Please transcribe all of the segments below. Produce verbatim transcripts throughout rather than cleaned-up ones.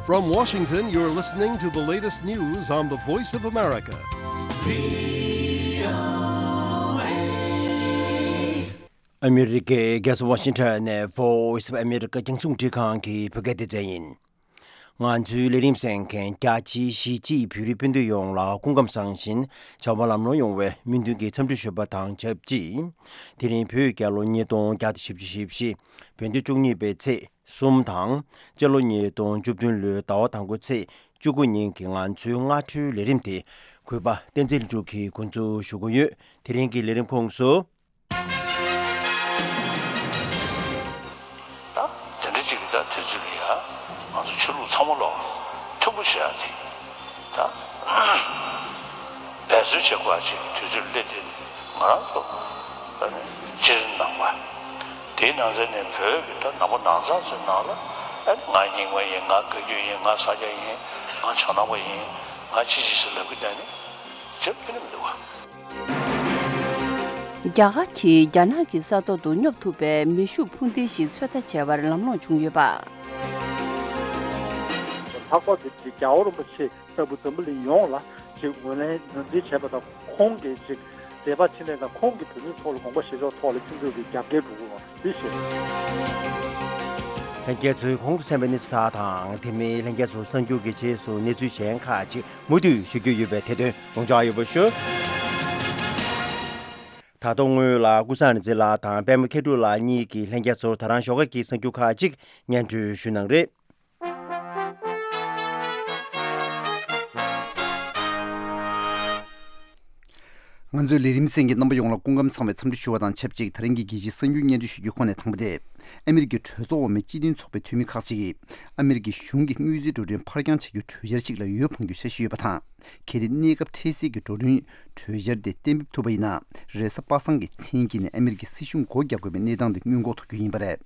From Washington, you're listening to the latest news on the Voice of America. ཨ་མི་རི་ཀའི་རྒྱལ་ས་ཝ་ཤིང་ཊོན་ནས་Voice of America རྒྱང་སྲིང་འཕྲིན་ཁང་གི་བོད་སྐད་སྡེ་ཚན་ཡིན། ང་ཚོའི་ལས་རིམ་གསན་མཁན་རྒྱ་ཆེའི་གཞིས་བྱེས་བོད་རིགས་སྤུན་ཟླ་ཡོངས་ལ་སྐུ་ཁམས་བཟང་ཞིང་བྱ་བ་ལམ་ལྷོང་ཡོང་བའི་སྨོན་འདུན་གྱི་འཚམས་འདྲི་ཞུ་བ་དང་ཆབས་ཅིག་དེ་རིང་བོད་རྒྱལ་ལོ་ཉིས་སྟོང་བརྒྱ་དང་བཞི་བཅུ་ཞེ་བཞི། བོད་ཟླ་བཅུ་གཉིས་པའི་ཚེས་གསུམ་དང་། སྤྱི་ལོ་ཉིས་སྟོང་བཅུ་བདུན་ལོའི་ཟླ་བ་དང་པོའི་ཚེས་བཅུ་དགུ་ཉིན་གྱི་ང་ཚོའི་སྔ་དྲོའི་ལས་རིམ་དེ་གུས་པ་བསྟན་འཛིན་ལྷུན་གྲུབ་ཀྱིས་འགོ་འཛུགས་ཞུ་གི་ཡོད། དེ་རིང་གི་ལས་རིམ་ཁོངས་སུ། ད་དེ་འདྲ་ཅིག་གི་ད་དུས་ཚོད་ལ་ཡ་ང་ཚོ་ཆོས་ལུགས་ཚང་མ་ལོག་མཐུན་པོ་བྱེད་ཡ་དེ་ད་འབད་བརྩོན་བྱེད་དགོས་ཡ་ཅིག་གི་དུས་ཚོད་སླེབས་དེ་ང་རང་ཚོ་ཨ་ནི་སྤྱིར་ནང་པ་དེའི་ནང་ཚན་ནས་བོད་ཀྱི་ད་ནང་པ་ནང་ཚང་ཚོའི་ནང་ལ་ཨ་ནི་ང་རྙིང་མ་ཡིན། ང་བཀའ་བརྒྱུད་ཡིན། ང་ས་སྐྱ་ཡིན། ང་བྱང་ནང་པ་ཡིན། ང་ཅི་ཅི་ཟེར་ལབ་གི་བསྡད་ནི་ཅི་ཕན་མི་འདུག་བ། རྒྱ་གར་གྱིས་རྒྱ་ནག་གི་ས་ཐོག་ཏུ་སྙོབ་ཐུབ་པའི་མེ་ཤུགས་འཕུར་མདེལ་ཞིག་ཚོད་ལྟ་བྱས་པར་ལམ་ལྷོང་བྱུང་ཡོད་པ། ལྷག་པར་དུ་རྒྱལ་བ་རིན་པོ་ཆེ་ལྟ་བུ་འཛམ་བུ་གླིང་ཡོངས་ལ་ཅིག་ངོས་ལེན་ངོས་འཛིན་བྱས་པ་དང་། ཁོང་གིས་ཅིག་མཛད་པ་ཕྱིན་ལས་དང་། ཁོང་གིས་བོད་མིའི་ཐོག་ལ་དགོངས་པ་བཞེས་ཕྱོགས་ཐོག་ལ་ཁྱེད་ཚོས་ཀྱི་རྒྱབ་འགལ་འགྲོ་གི་ཡོད་པ་འདི་ཤེས། ལྷན་རྒྱས་ཚོས་གོང་དུ་གསན་པའི་གནས་ཚུལ་དག་དང་། དེ་མིན་ལྷན་རྒྱས་ཚོ་གསར་འགྱུར་གྱི་རྗེས་སུ་གནས་ཚུལ་གཞན་ཁག་ཅིག་མུ་མཐུད་ཞུ་རྒྱུ་ཡོད་པས་དེ་དོན་ཡོངས་གྲགས་ཡོད་པ་ཞུ། ད་དུང་སྔོན་ལ་ཀུན་བཟང་རིག་འཛིན་ལགས་དང་པད་མ་མཁས་གྲུབ་ལགས་གཉིས་ཀྱིས་ལྷན་རྒྱས་ཚོར་ད་རང་ཞོགས་ཀ་གི་གསར་འགྱུར་ཁག་ཅིག་སྙན་སྒྲོན་ཞུ་གནང་རེད། ང་ཚོའི་ལས་རིམ་གསན་མཁན་རྣམ་པ་ཡོངས་ལ་སྐུ་ཁམས་བཟང་བའི་འཚམས་འདྲི་ཞུ་བ་དང་ཆབས་ཅིག་དེ་རིང་གི་རྒྱལ་སྤྱིའི་གསར་འགྱུར་སྙན་སྒྲོན་ཞུ་རྒྱུའི་ཁོངས་ནས་དང་པོ་དེ། ཨ་མི་རི་ཀའི་གྲོས་ཚོགས་འོག་མའི་སྤྱི་མཐུན་ཚོགས་པའི་འཐུས་མི་ཁག་ཅིག་གིས་ཨ་མི་རི་ཀའི་གཞུང་གིས་དངུལ་རྩིས་འགྲོ་གྲོན་ཕར་འགྱངས་བྱ་རྒྱུའི་གྲོས་འཆར་ཞིག་ལ་འོས་འཕང་རྒྱུའི་འཆར་གཞི་ཡོད་པ་དང་། གལ་ཏེ་གནས་སྐབས་འཕྲལ་སེལ་གྱི་འགྲོ་གྲོན་གྲོས་འཆར་དེ་གཏན་འབེབས་ཐུབ་པ་ཡིན་ན། རེས་གཟའ་པ་སངས་ཀྱི་མཚན་དཀྱིལ་ནས་ཨ་མི་རི་ཀའི་སྲིད་གཞུང་སྒོ་རྒྱག་དགོས་པའི་གནས་སྟངས་དེ་སྔོན་འགོག་ཐུབ་རྒྱུ་ཡིན་པ་རེད།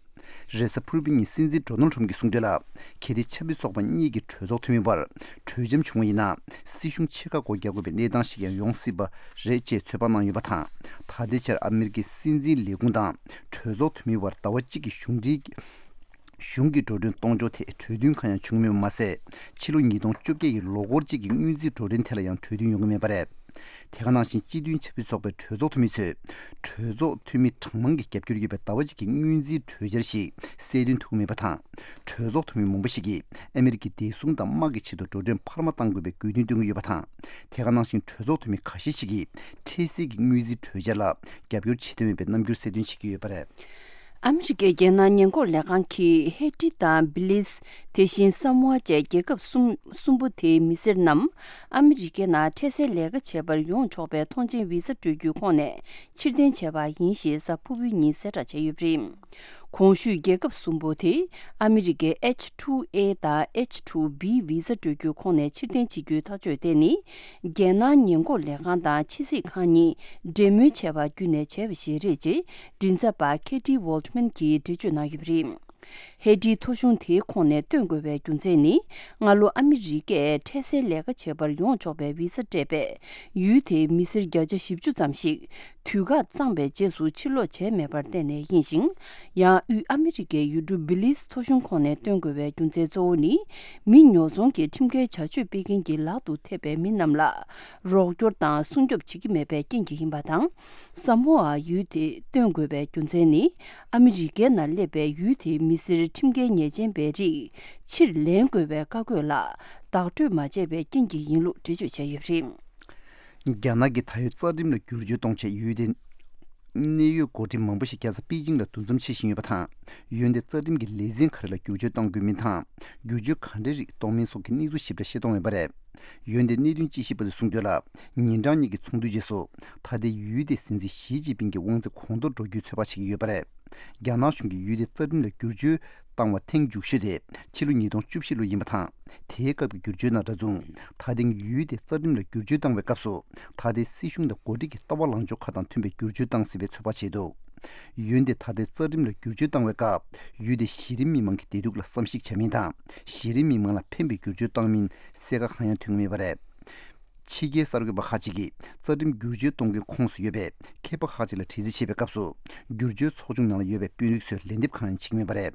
རེས་གཟའ་ཕུར་བུའི་ཉིན་སྲིད་འཛིན་ཌོ་ནལ་ཁྲམ་གྱིས་གསུངས་དོན་ལ། གལ་ཏེ་ཆབ་སྲིད་ཚོགས་པ་གཉིས་ཀྱི་གྲོས་ཚོགས་འཐུས་མི་བར་གྲོས་འཆམ་བྱུང་བ་ཡིན་ན། སྲིད་གཞུང་ཕྱེད་ཀ་སྒོ་རྒྱག་དགོས་པའི་གནས་སྟངས་ཤིག་ཡང་ཡོང་སྲིད་པ་རེད་ཅེས་ཚོད་དཔག་གནང་ཡོད་པ་དང་། ད་ལྟའི་ཆར་ཨ་མི་རི་ཀའི་སྲིད་འཛིན་ལས་ཁུངས་དང་གྲོས་ཚོགས་འཐུས་མི་བར་ཟླ་བ་གཅིག་གི་གཞུང་འབྲེལ་གཞུང་གི་འགྲོ་གྲོན་གཏོང་ཕྱོགས་ཐད་གྲོས་མཐུན་གང་ཡང་བྱུང་མེད་པ་མ་ཟད། ཕྱི་ལོ་ཉིས་སྟོང་བཅོ་བརྒྱད་ཀྱི་ལོ་འཁོར་གཅིག་གི་དངུལ་རྩིས་འགྲོ་གྲོན་ཐད་ལ་ཡང་གྲོས་མཐུན་ཡོང་གི་མེད་པ་རེད། དེ་ག་ནང་བཞིན་སྤྱི་མཐུན་ཆབ་སྲིད་ཚོགས་པའི་གྲོས་ཚོགས་འཐུས་མི་ཚོས་གྲོས་ཚོགས་འཐུས་མི་གྲངས་མང་གི་རྒྱབ་སྐྱོར་ཡོད་པའི་ཟླ་བ་གཅིག་གི་དངུལ་རྩིས་གྲོས་འཆར་ཞིག་གསལ་སྟོན་ཐུབ་ཀྱི་མེད་པ་དང་། གྲོས་ཚོགས་འཐུས་མི་མང་པོ་ཞིག་གིས་ཨ་མི་རི་ཀའི་བདེ་སྲུང་དང་དམག་གི་ཆེད་དུ་འགྲོ་གྲོན་འཕར་མ་གཏང་དགོས་པའི་དགོས་འདུན་བཏོན་གྱི་ཡོད་པ་དང་། དེ་ག་ནང་བཞིན་གྲོས་ཚོགས་འཐུས་མི་ཁ་ཤས་ཤིག་གིས་འཕྲལ་སེལ་གྱི་དངུལ་རྩིས་གྲོས་འཆར་ལ་རྒྱབ་སྐྱོར་བྱེད་འདོད་མེད་པའི་རྣམ་འགྱུར་གསལ་སྟོན་བྱེད་ཀྱི་ཡོད་པ་རེད། ཨ་མི་རི་ཀའི་རྒྱལ་ནང་ཉེན་འགོག་ལས་ཁང་གིས་ཧེ་ཏི་དང་བི་ལིས། དེ་བཞིན་ས་མོ་ཨ་བཅས་རྒྱལ་ཁབ་གསུམ་གསུམ་པོ་དེའི་མི་སེར་རྣམས་ཨ་མི་རི་ཀའི་ནང་འཕྲལ་སེལ་ལས་ཀ་བྱེད་པར་ཡོང་ཆོག་པའི་ཐོངས་མཆན་བི་ས་སྤྲོད་རྒྱུའི་ཁོངས་ནས་ཕྱིར་འཐེན་བྱས་པ་ཡིན་ཞེས་གཟའ་ཕུར་བུའི་ཉིན་གསལ་བསྒྲགས་བྱས་ཡོད་པ་རེད། གོང་ཞུས་རྒྱལ་ཁབ་གསུམ་པོ་དེ་ཨ་མི་རི་ཀའི་ཨེཆ་ཊུ་ཨེ་དང་ཨེཆ་ཊུ་བི་བི་ས་སྤྲོད་རྒྱུའི་ཁོངས་ནས་ཕྱིར་འཐེན་བྱེད་རྒྱུའི་ཐག་གཅོད་དེ་ནི། རྒྱལ་ནང་ཉེན་འགོག་ལས་ཁང་དང་ཕྱི་སྲིད་ཁང་གཉིས་འབྲེལ་མོལ་བྱས་པ་བརྒྱུད་ནས་བྱས་པ་ཞིག་རེད་ཅེས་མགྲིན་ཚབ་པ་ཁེ་ཏི་ཝོལ་ཊི་མན་གྱིས་འགྲེལ་བརྗོད་གནང་ཡོད་པ་རེད། ཧེ་ཏིའི་ཐོ་གཞུང་དེའི་ཁོངས་ནས་བཏོན་དགོས་པའི་རྒྱུ་མཚན་ནི། སྔ་ལོ་ཨ་མི་རི་ཀས་འཕྲལ་སེལ་ལས་ཀ་བྱེད་པར་ཡོང་ཆོག་པའི་བི་ས་སྤྲད་པས། ཡུལ་དེའི་མི་སེར་བརྒྱ་ཆ་བཞི་བཅུ་ཙམ་ཞིག་དུས་བཀག་གཙང་བའི་རྗེས་སུ་ཕྱིར་ལོག་བྱས་མེད་པར་བརྟེན་ནས་ཡིན་ཞིང་། ཡང་དབུས་ཨ་མི་རི་ཀའི་ཡུལ་གྲུ་བི་ལིས་ཐོ་གཞུང་ཁོངས་ནས་བཏོན་དགོས་པའི་རྒྱུ་མཚན་གཙོ་བོ་ནི། མི་ཉོ་ཚོང་གི་ཁྲིམས་འགལ་བྱ་སྤྱོད་སྤེལ་མཁན་གྱི་ལག་ཏུ་ཐེབས་པའི་མི་རྣམས་ལ་རོགས་སྐྱོར་དང་སྲུང་སྐྱོབ་བྱེད་ཀྱི་མེད་པའི་རྐྱེན་གྱིས་ཡིན་པ་དང་། ས་མོ་ཨ་ཡུལ་དེ་བཏོན་དགོས་པའི་རྒྱུ་མཚན་ནི། ཨ་མི་རི་ཀའི་ནང་སླེབས་པའི་ཡུལ་དེའི་མི་སེར་ཁྲིམས་འགལ་ཉེས་ཅན་པའི་རིགས་ཕྱིར་ལེན་དགོས་པའི་བཀའ་བཀོད་ལ་བདག་སྤྲོད་མ་བྱས་པའི་རྐྱེན་གྱིས་ཡིན་ལུགས་འགྲེལ་བརྗོད་བྱས་ཡོད་པ་རེད། རྒྱ་ནག་གིས་ད་ཡོད་རྩ་ཁྲིམས་ལ་བསྒྱུར་བཅོས་གཏོང་ཆེད་ཡུལ་དེའི་གནད་ཡོད་འགོ་ཁྲིད་མང་པོ་ཞིག་རྒྱལ་ས་པེ་ཅིང་ལ་འདུ་འཛོམས་བྱེད་བཞིན་ཡོད་པ་དང་། ཡུལ་དེའི་རྩ་ཁྲིམས་ཀྱི་ལེ་ཚན་ག་རེ་ལ་བསྒྱུར་བཅོས་གཏང་དགོས་མིན་དང་། བསྒྱུར་བཅོས་ག་འདྲའི་རིགས་གཏོང་མིན་སོགས་ཀྱི་གནས་ཚུལ་ཞིབ་ཕྲ་ཤེས་རྟོགས་ཡོད་པ་རེད། ཡུལ་དེའི་གནད་དོན་དཔྱད་ཞིབ་པ་ཚོས་གསུངས་དོན་ལ། ཉིན་གྲངས་གཉིས་ཀྱི་ཚོགས་འདུའི་རྗེས་སུ། ད་ལྟའི་ཡུལ་དེའི་སྲིད་འཛིན་ཞི་ཅིན་ཕིང་གི་དབང་ཚད་གོང་མཐོར་འགྲོ་རྒྱུའི་ཚོད་དཔག་བྱེད་ཀྱི་ཡོད་པ་རེད། རྒྱ་ནག་གཞུང་གིས་ཡུལ་དེའི་རྩ་ཁྲིམས་ལ་བསྒྱུར་བཅོས་བཏང་བ་ཐེངས་མཇུག་ཤོས་དེ་ཕྱི་ལོ་ཉིས་སྟོང་བཅུ་བཞི་ལོ་ཡིན་པ་དང་། དེའི་སྐབས་ཀྱི་བསྒྱུར་བཅོས་ནང་འདྲ་མཚུངས། ད་ཐེངས་ཡུལ་དེའི་རྩ་ཁྲིམས་ལ་བསྒྱུར་བཅོས་བཏང་བའི་སྐབས་སུ། ད་ལྟའི་སྲིད་གཞུང་དང་འགོ་ཁྲིད་ཀྱི་ལྟ་བ་ལངས་ཕྱོགས་ཁག་དང་མཐུན་པའི་བསྒྱུར་བཅོས་བཏང་སྲིད་པའི་ཚོད་དཔག་བྱས་འདུག་ཡུལ་དེ་ད་ལྟའི་རྩ་ཁྲིམས་ལ་བསྒྱུར་བཅོས་བཏང་བའི་སྐབས། ཡུལ་དེའི་གཞི་རིམ་མི་མང་གི་བདེ་སྡུག་ལ་བསམ་གཞིག་བྱ་མིན་དང་། གཞི་རིམ་མི་མང་ལ་ཕན་པའི་བསྒྱུར་བཅོས་བཏང་མིན་གསལ་ཁ་གང་ཡང་ཐོན་གྱི་མེད་པ་རེད། ཕྱི་རྒྱལ་གསར་འགོད་པ་ཁག་ཅིག་གིས་རྩ་ཁྲིམས་བསྒྱུར་བཅོས་གཏོང་རྒྱུའི་ཁོངས་སུ་ཡོད་པའི་མཁས་པ་ཁག་ཅིག་ལ་དྲི་རྩད་བྱས་པའི་སྐབས་སུ། བསྒྱུར་བཅོས་ཚོགས་ཆུང་ནང་ལ་ཡོད་པའི་དཔོན་རིགས་ཚོས་ལན་འདེབས་གང་ཡང་བྱེད་ཀྱི་མེད་པ་རེད།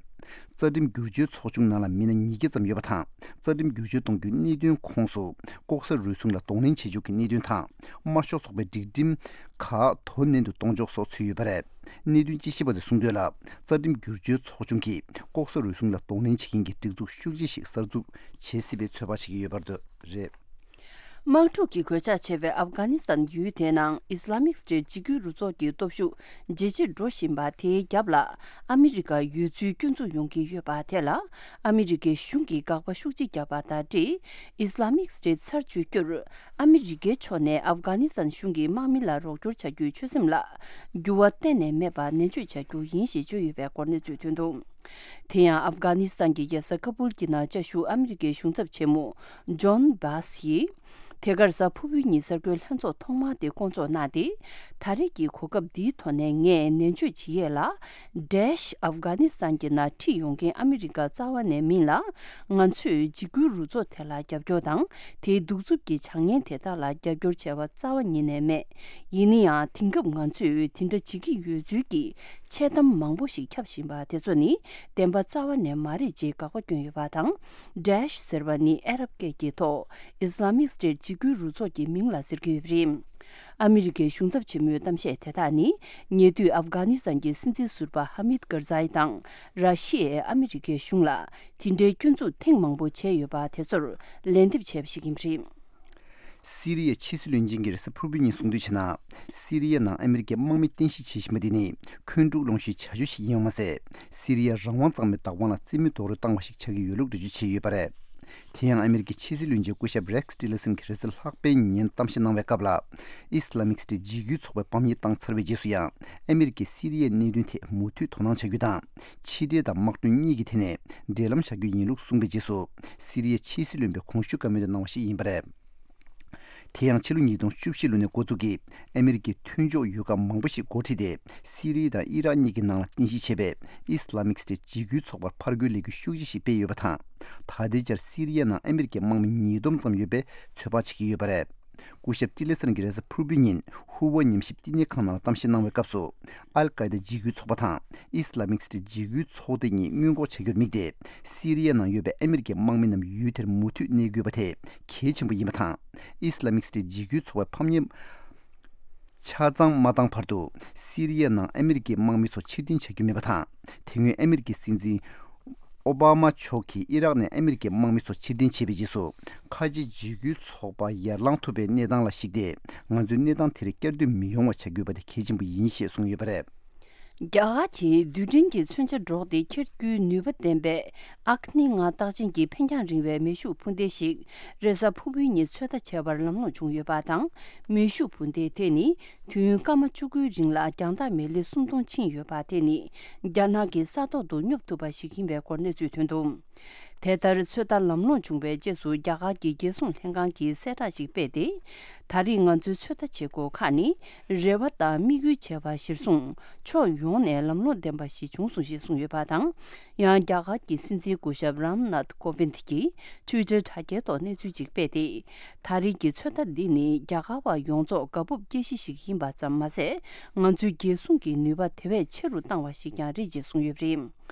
རྩ་ཁྲིམས་བསྒྱུར་བཅོས་ཚོགས་ཆུང་ནང་ལ་མི་སྣ་ཉིས་བརྒྱ་ཙམ་ཡོད་པ་དང་། རྩ་ཁྲིམས་བསྒྱུར་བཅོས་གཏོང་རྒྱུའི་གནད་དོན་ཁོངས་སུ། ལྐོག་ཟ་རུལ་སུངས་ལ་གདོང་ལེན་བྱེད་ཕྱོགས་ཀྱི་གནད་དོན་དང་། དམར་ཤོག་ཚོགས་པའི་སྒྲིག་ཁྲིམས་ཁག་དོ་ནན་དུ་གཏོང་ཕྱོགས་སོགས་ཚུད་ཡོད་པ་རེད། གནད་དོན་དཔྱད་ཞིབ་པ་ཚོས་གསུངས་དོན་ལ། རྩ་ཁྲིམས་བསྒྱུར་བཅོས་ཚོགས་ཆུང་གིས་ལྐོག་ཟ་རུལ་སུངས་ལ་གདོང་ལེན་བྱེད་མཁན་གྱི་སྒྲིག་འཛུགས་ཤུགས་ཆེ་ཞིག་གསར་འཛུགས་བྱེད་སྲིད་པའི་ཚོད་དཔག་བྱེད་ཀྱི་ཡོད་པ་རེད། དམག་འཁྲུག་གི་གོད་ཆག་ཆེ་བའི་ཨབ་གྷ་ནི་སི་ཐན་ཡུལ་དེའི་ནང་ཨི་སི་ལ་མིག་སི་ཊེཊ་འཇིགས་སྐུལ་རུ་ཚོགས་ཀྱི་སྟོབས་ཤུགས་ཇེ་ཆེར་འགྲོ་བཞིན་པ་དེའི་རྒྱབ་ལ་ཨ་མི་རི་ཀ་ཡོད་ཚུལ་སྐྱོན་འཛུགས་ཡོང་གི་ཡོད་པ་དེ་ལ། ཨ་མི་རི་ཀའི་གཞུང་གིས་དགག་པ་ཤུགས་ཆེ་བརྒྱབ་པ་དང་འབྲེལ། ཨི་སི་ལ་མིག་སི་ཊེཊ་ཚར་གཅོད་རྒྱུར་ཨ་མི་རི་ཀའི་ཕྱོགས་ནས་ཨབ་གྷ་ནི་སི་ཐན་གཞུང་གི་དམག་མི་ལ་རོགས་སྐྱོར་བྱ་རྒྱུའི་ཆོད་སེམས་ལ་འགྱུར་བ་གཏན་ནས་མེད་པ་ནན་བརྗོད་བྱ་རྒྱུ་ཡིན་ཞེས་བརྗོད་ཡོད་པའི་སྐོར་གནས་ཚུལ་ཐོན་འདུག་དེ་ཡང་ཨབ་གྷ་ནི་སི་ཐན་གྱི་རྒྱལ་ས་ཀ་བུལ་གྱི་ནང་བཅའ་བཞུགས་ཨ་མི་རི་ཀའི་གཞུང་ཚབ་ཆེན་མོ་ཇོན་བྷཱས་ཡིས། དེ་གར་གཟའ་ཕུར་བུའི་ཉིན་གསར་འགོད་ལྷན་ཚོགས་ཐོག་མ་དེ་བསྐོང་ཚོགས་གནང་སྟེ། ད་རེས་ཀྱི་གོ་སྐབས་འདིའི་ཐོག་ནས་ངས་ནན་བརྗོད་བྱེད་ཡས་ལ། ཌེ་ཤི་ཨབ་གྷ་ནི་སི་ཐན་གྱི་ནང་ཁྲིད་ཡོང་མཁན་ཨ་མི་རི་ཀ་རྩ་བ་ནས་མིན་ལ། ང་ཚོས་འཇིགས་སྐུལ་རུ་ཚོགས་དེ་ལ་རྒྱབ་སྐྱོར་དང་། དེའི་གདུག་རྩུབ་ཀྱི་བྱ་ངན་དེ་དག་ལ་རྒྱབ་སྐྱོར་བྱས་པ་རྩ་བ་ཉིད་ནས་མེད། ཡིན་ན་ཡང་དེང་སྐབས་ང་ཚོས་དེ་འདྲ་བྱེད་ཀྱི་ཡོད་ཚུལ་གྱི་འཆལ་གཏམ་མང་པོ་ཞིག་ཁྱབ་བཞིན་པ་དེ་ཚོ་ནི་བདེན་པ་རྩ་བ་ནས་མ་རེད་ཅེས་དགག་པ་བསྐྱོན་ཡོད་པ་དང་། ཌེ་ཤི་ཟེར་བ་ནི་ཨ་རབ་སྐད་ཀྱི་ཐོག་ཨི་སི་ལ་མིག་སི་ཊེཊ་འཇིགས་སྐུལ་རུ་ཚོགས་ཀྱི་མིང་ལ་ཟེར་གྱི་ཡོད་པ་རེད། ཨ་མི་རི་ཀའི་གཞུང་ཚབ་ཆེན་མོའི་གཏམ་བཤད་དེ་དག་ནི། ཉེ་དུས་ཨབ་གྷ་ནི་སི་ཐན་གྱི་སྲིད་འཛིན་ཟུར་པ་ཧ་མིད་ཀར་ཛའི་དང་། ར་ཤི་ཡས་ཨ་མི་རི་ཀའི་གཞུང་ལ་དེ་འདྲའི་སྐྱོན་འཛུགས་ཐེངས་མང་པོ་བྱས་ཡོད་པ་དེ་ཚོར་ལན་འདེབས་བྱས་པ་ཞིག་ཡིན་པ་རེད། སི་རི་ཡའི་ཕྱི་སྲིད་བློན་ཆེན་གྱིས་རེས་གཟའ་ཕུར་བུའི་ཉིན་གསུངས་དོན་བྱས་ན། སི་རི་ཡའི་ནང་ཨ་མི་རི་ཀའི་དམག་མི་རྟེན་གཞི་བྱེད་བཞིན་པ་འདི་ནི་འཁོན་འཁྲུག་སློང་གཞིའི་བྱ་སྤྱོད་ཞིག་ཡིན་པ་མ་ཟད། སི་རི་ཡའི་རང་དབང་གཙང་མའི་བདག་དབང་ལ་རྩིས་མེད་རྡོག་རོལ་བཏང་བ་ཞིག་ཆགས་ཀྱི་ཡོད་ལུགས་འགྲེལ་བརྗོད་བྱས་ཡོད་པ་རེད། དེ་ཡང་ཨ་མི་རི་ཀའི་ཕྱི་སྲིད་བློན་ཆེན་སྐུ་ཞབས་རེག་ཊི་ལི་སན་གྱིས་རེས་གཟའ་ལྷག་པའི་ཉིན་གཏམ་བཤད་གནང་བའི་སྐབས་ལ། ཨི་སི་ལ་མིག་སི་ཊེཊ་འཇིགས་སྐུལ་ཚོགས་པས་ཕམ་ཉེས་བཏང་ཚར་བའི་རྗེས་སུ་ཡང་ཨ་མི་རི་ཀས་སི་རི་ཡའི་གནད་དོན་ཐད་མུ་མཐུད་དོ་སྣང་བྱ་རྒྱུ་དང་། ཕྱི་འབྲེལ་དང་དམག་དོན་གཉིས་ཀྱི་ཐད་ནས་འབྲེལ་ལམ་བཞག་རྒྱུ་ཡིན་ལུགས་གསུངས་པའི་རྗེས་སུ། སི་རི་ཡའི་ཕྱི་སྲིད་བློན་པས་གོང་ཞུས་བཀའ་མོལ་དེ་གནང་བ་ཞིག་ཡིན་པ་རེད། དེ་ཡང་ཕྱི་ལོ་ཉིས་སྟོང་བཅུ་བཞི་ལོ་ནས་འགོ་འཛུགས་ཀྱིས་ཨ་མི་རི་ཀའི་མཐུན་ཕྱོགས་ཡུལ་ཁག་མང་པོ་ཞིག་འགོ་ཁྲིད་དེ། སི་རི་ཡ་དང་ཨི་རག་གཉིས་ཀྱི་ནང་ལ་རྟེན་གཞི་བྱས་པའི་ཨི་སི་ལ་མིག་སི་ཊེཊ་འཇིགས་སྐུལ་ཚོགས་པར་ཕར་རྒོལ་ལས་འགུལ་ཤུགས་ཆེ་ཞིག་སྤེལ་ཡོད་པ་དང་། ད་ལྟའི་ཆར་སི་རི་ཡའི་ནང་ཨ་མི་རི་ཀའི་དམག་མི་ཉིས་སྟོང་ཙམ་ཡོད་པའི་ཚོད་དཔག་བྱེད་ཀྱི་ཡོད་པ་རེད། སྐུ་ཞབས་ཊི་ལེ་སན་གྱིས་རེས་གཟའ་ཕུར་བུའི་ཉིན་ཧུ་ཝེ་ཉམས་ཞིབ་བསྟི་གནས་ཁང་ནང་ལ་གཏམ་བཤད་གནང་བའི་སྐབས་སུ། ཨལ་ཀའི་ད་འཇིགས་སྐུལ་ཚོགས་པ་དང་ཨི་སི་ལ་མིག་སི་ཊེཊ་འཇིགས་སྐུལ་ཚོགས་སྡེ་གཉིས་སྔོན་འགོག་བྱ་རྒྱུར་དམིགས་ཏེ། སི་རི་ཡའི་ནང་ཡོད་པའི་ཨ་མི་རི་ཀའི་དམག་མི་རྣམས་ཡུལ་དེར་མུ་མཐུད་གནས་དགོས་པ་དེ་གལ་ཆེན་པོ་ཡིན་པ་དང་། ཨི་སི་ལ་མིག་སི་ཊེཊ་འཇིགས་སྐུལ་ཚོགས་པའི་ཕམ་ཉེས་ཆ་ཚང་མ་བཏང་བར་དུ། སི་རི་ཡའི་ནང་ཨ་མི་རི་ཀའི་དམག་མི་ཚོ་ཕྱིར་འཐེན་བྱ་རྒྱུ་མེད་པ་དང་། དེ་སྔོན་ཨ་མི་རི་ཀའི་སྲིད་འཛིན་ཨོ་བྷ་མ་མཆོག་གིས་ཨི་རག་ནས་ཨ་མི་རི་ཀའི་དམག་མི་ཚོ་ཕྱིར་འཐེན་བྱས་པའི་རྗེས་སུ། ཁ་ཆེ་འཇིགས་སྐུལ་ཚོགས་པ་ཡར་ལངས་ཐུབ་པའི་གནས་སྟངས་ལ་གཞིགས་ཏེ། ང་ཚོས་གནས་སྟངས་དེར་བསྐྱར་ཟློས་མི་ཡོང་བ་བྱ་དགོས་པ་དེ་གལ་ཆེན་པོ་ཡིན་ཞེས་གསུངས་ཡོད་པ་རེད། རྒྱ་གར་གྱིས་རྡུལ་ཕྲན་གྱི་མཚོན་ཆ་སྒྲོག་སྟེ་འཁྱེར་རྒྱུའི་ནུས་པ་ལྡན་པའི་ཨག་ནི་ང་རྟགས་ཅན་གྱི་འཕེན་རྒྱང་རིང་བའི་མེ་ཤུགས་འཕུར་མདེལ་ཞིག་རེས་གཟའ་ཕུར་བུའི་ཉིན་ཚོད་ལྟ་བྱས་པར་ལམ་ལྷོང་བྱུང་ཡོད་པ་དང་། མེ་ཤུགས་འཕུར་མདེལ་དེ་ནི་དུས་ཡུན་སྐར་མ་བཅུ་དགུའི་རིང་ལ་རྒྱང་ཐག་མི་ལི་སུམ་སྟོང་ཕྱིན་ཡོད་པ་དེ་ནི་རྒྱ་ནག་གི་ས་ཐོག་ཏུ་སྙོབ་ཐུབ་པ་ཞིག་ཡིན་པའི་སྐོར་གནས་ཚུལ་ཐོན་འདུག་དེ་ལྟར་ཚོད་ལྟ་ལམ་ལྷོང་བྱུང་བའི་རྗེས་སུ་རྒྱ་གར་གྱི་རྒྱལ་སྲུང་ལྷན་ཁང་གིས་གསལ་བསྒྲགས་ཤིག་སྤེལ་ཏེ། ད་རེས་ང་ཚོའི་ཚོད་ལྟ་བྱེད་སྒོ་ཁག་ནི་རེ་བ་དང་དམིགས་ཡུལ་བྱས་པ་གཞིར་བཟུང་ཕྱོགས་ཡོངས་ནས་ལམ་ལྷོང་ལྡན་པ་ཞིག་བྱུང་སོང་ཞེས་གསུངས་ཡོད་པ་དང་། ཡང་རྒྱ་གར་གྱི་སྲིད་འཛིན་སྐུ་ཞབས་རམ་ནཱཐ་ཀོ་ཝིན་ཐི་གིས་ཊུའི་ཊར་དྲ་རྒྱའི་ཐོག་གནས་ཚུལ་ཅིག་སྤེལ་ཏེ། ད་རེས་ཀྱི་ཚོད་ལྟ་འདི་ནི་རྒྱ་གར་བ་ཡོངས་རྫོགས་དགའ་སྤོབས་སྐྱེ་གཞི་ཞིག་ཡིན་པ་ཙམ་མ་ཟད། ང་ཚོའི་རྒྱལ་སྲུང་གི་ནུས་པ་དེ་བས་ཆེ་རུ་བཏང་བ་ཞིག་ཀྱང་རེད་ཅེས་གསུངས་ཡོད་པ་རེད།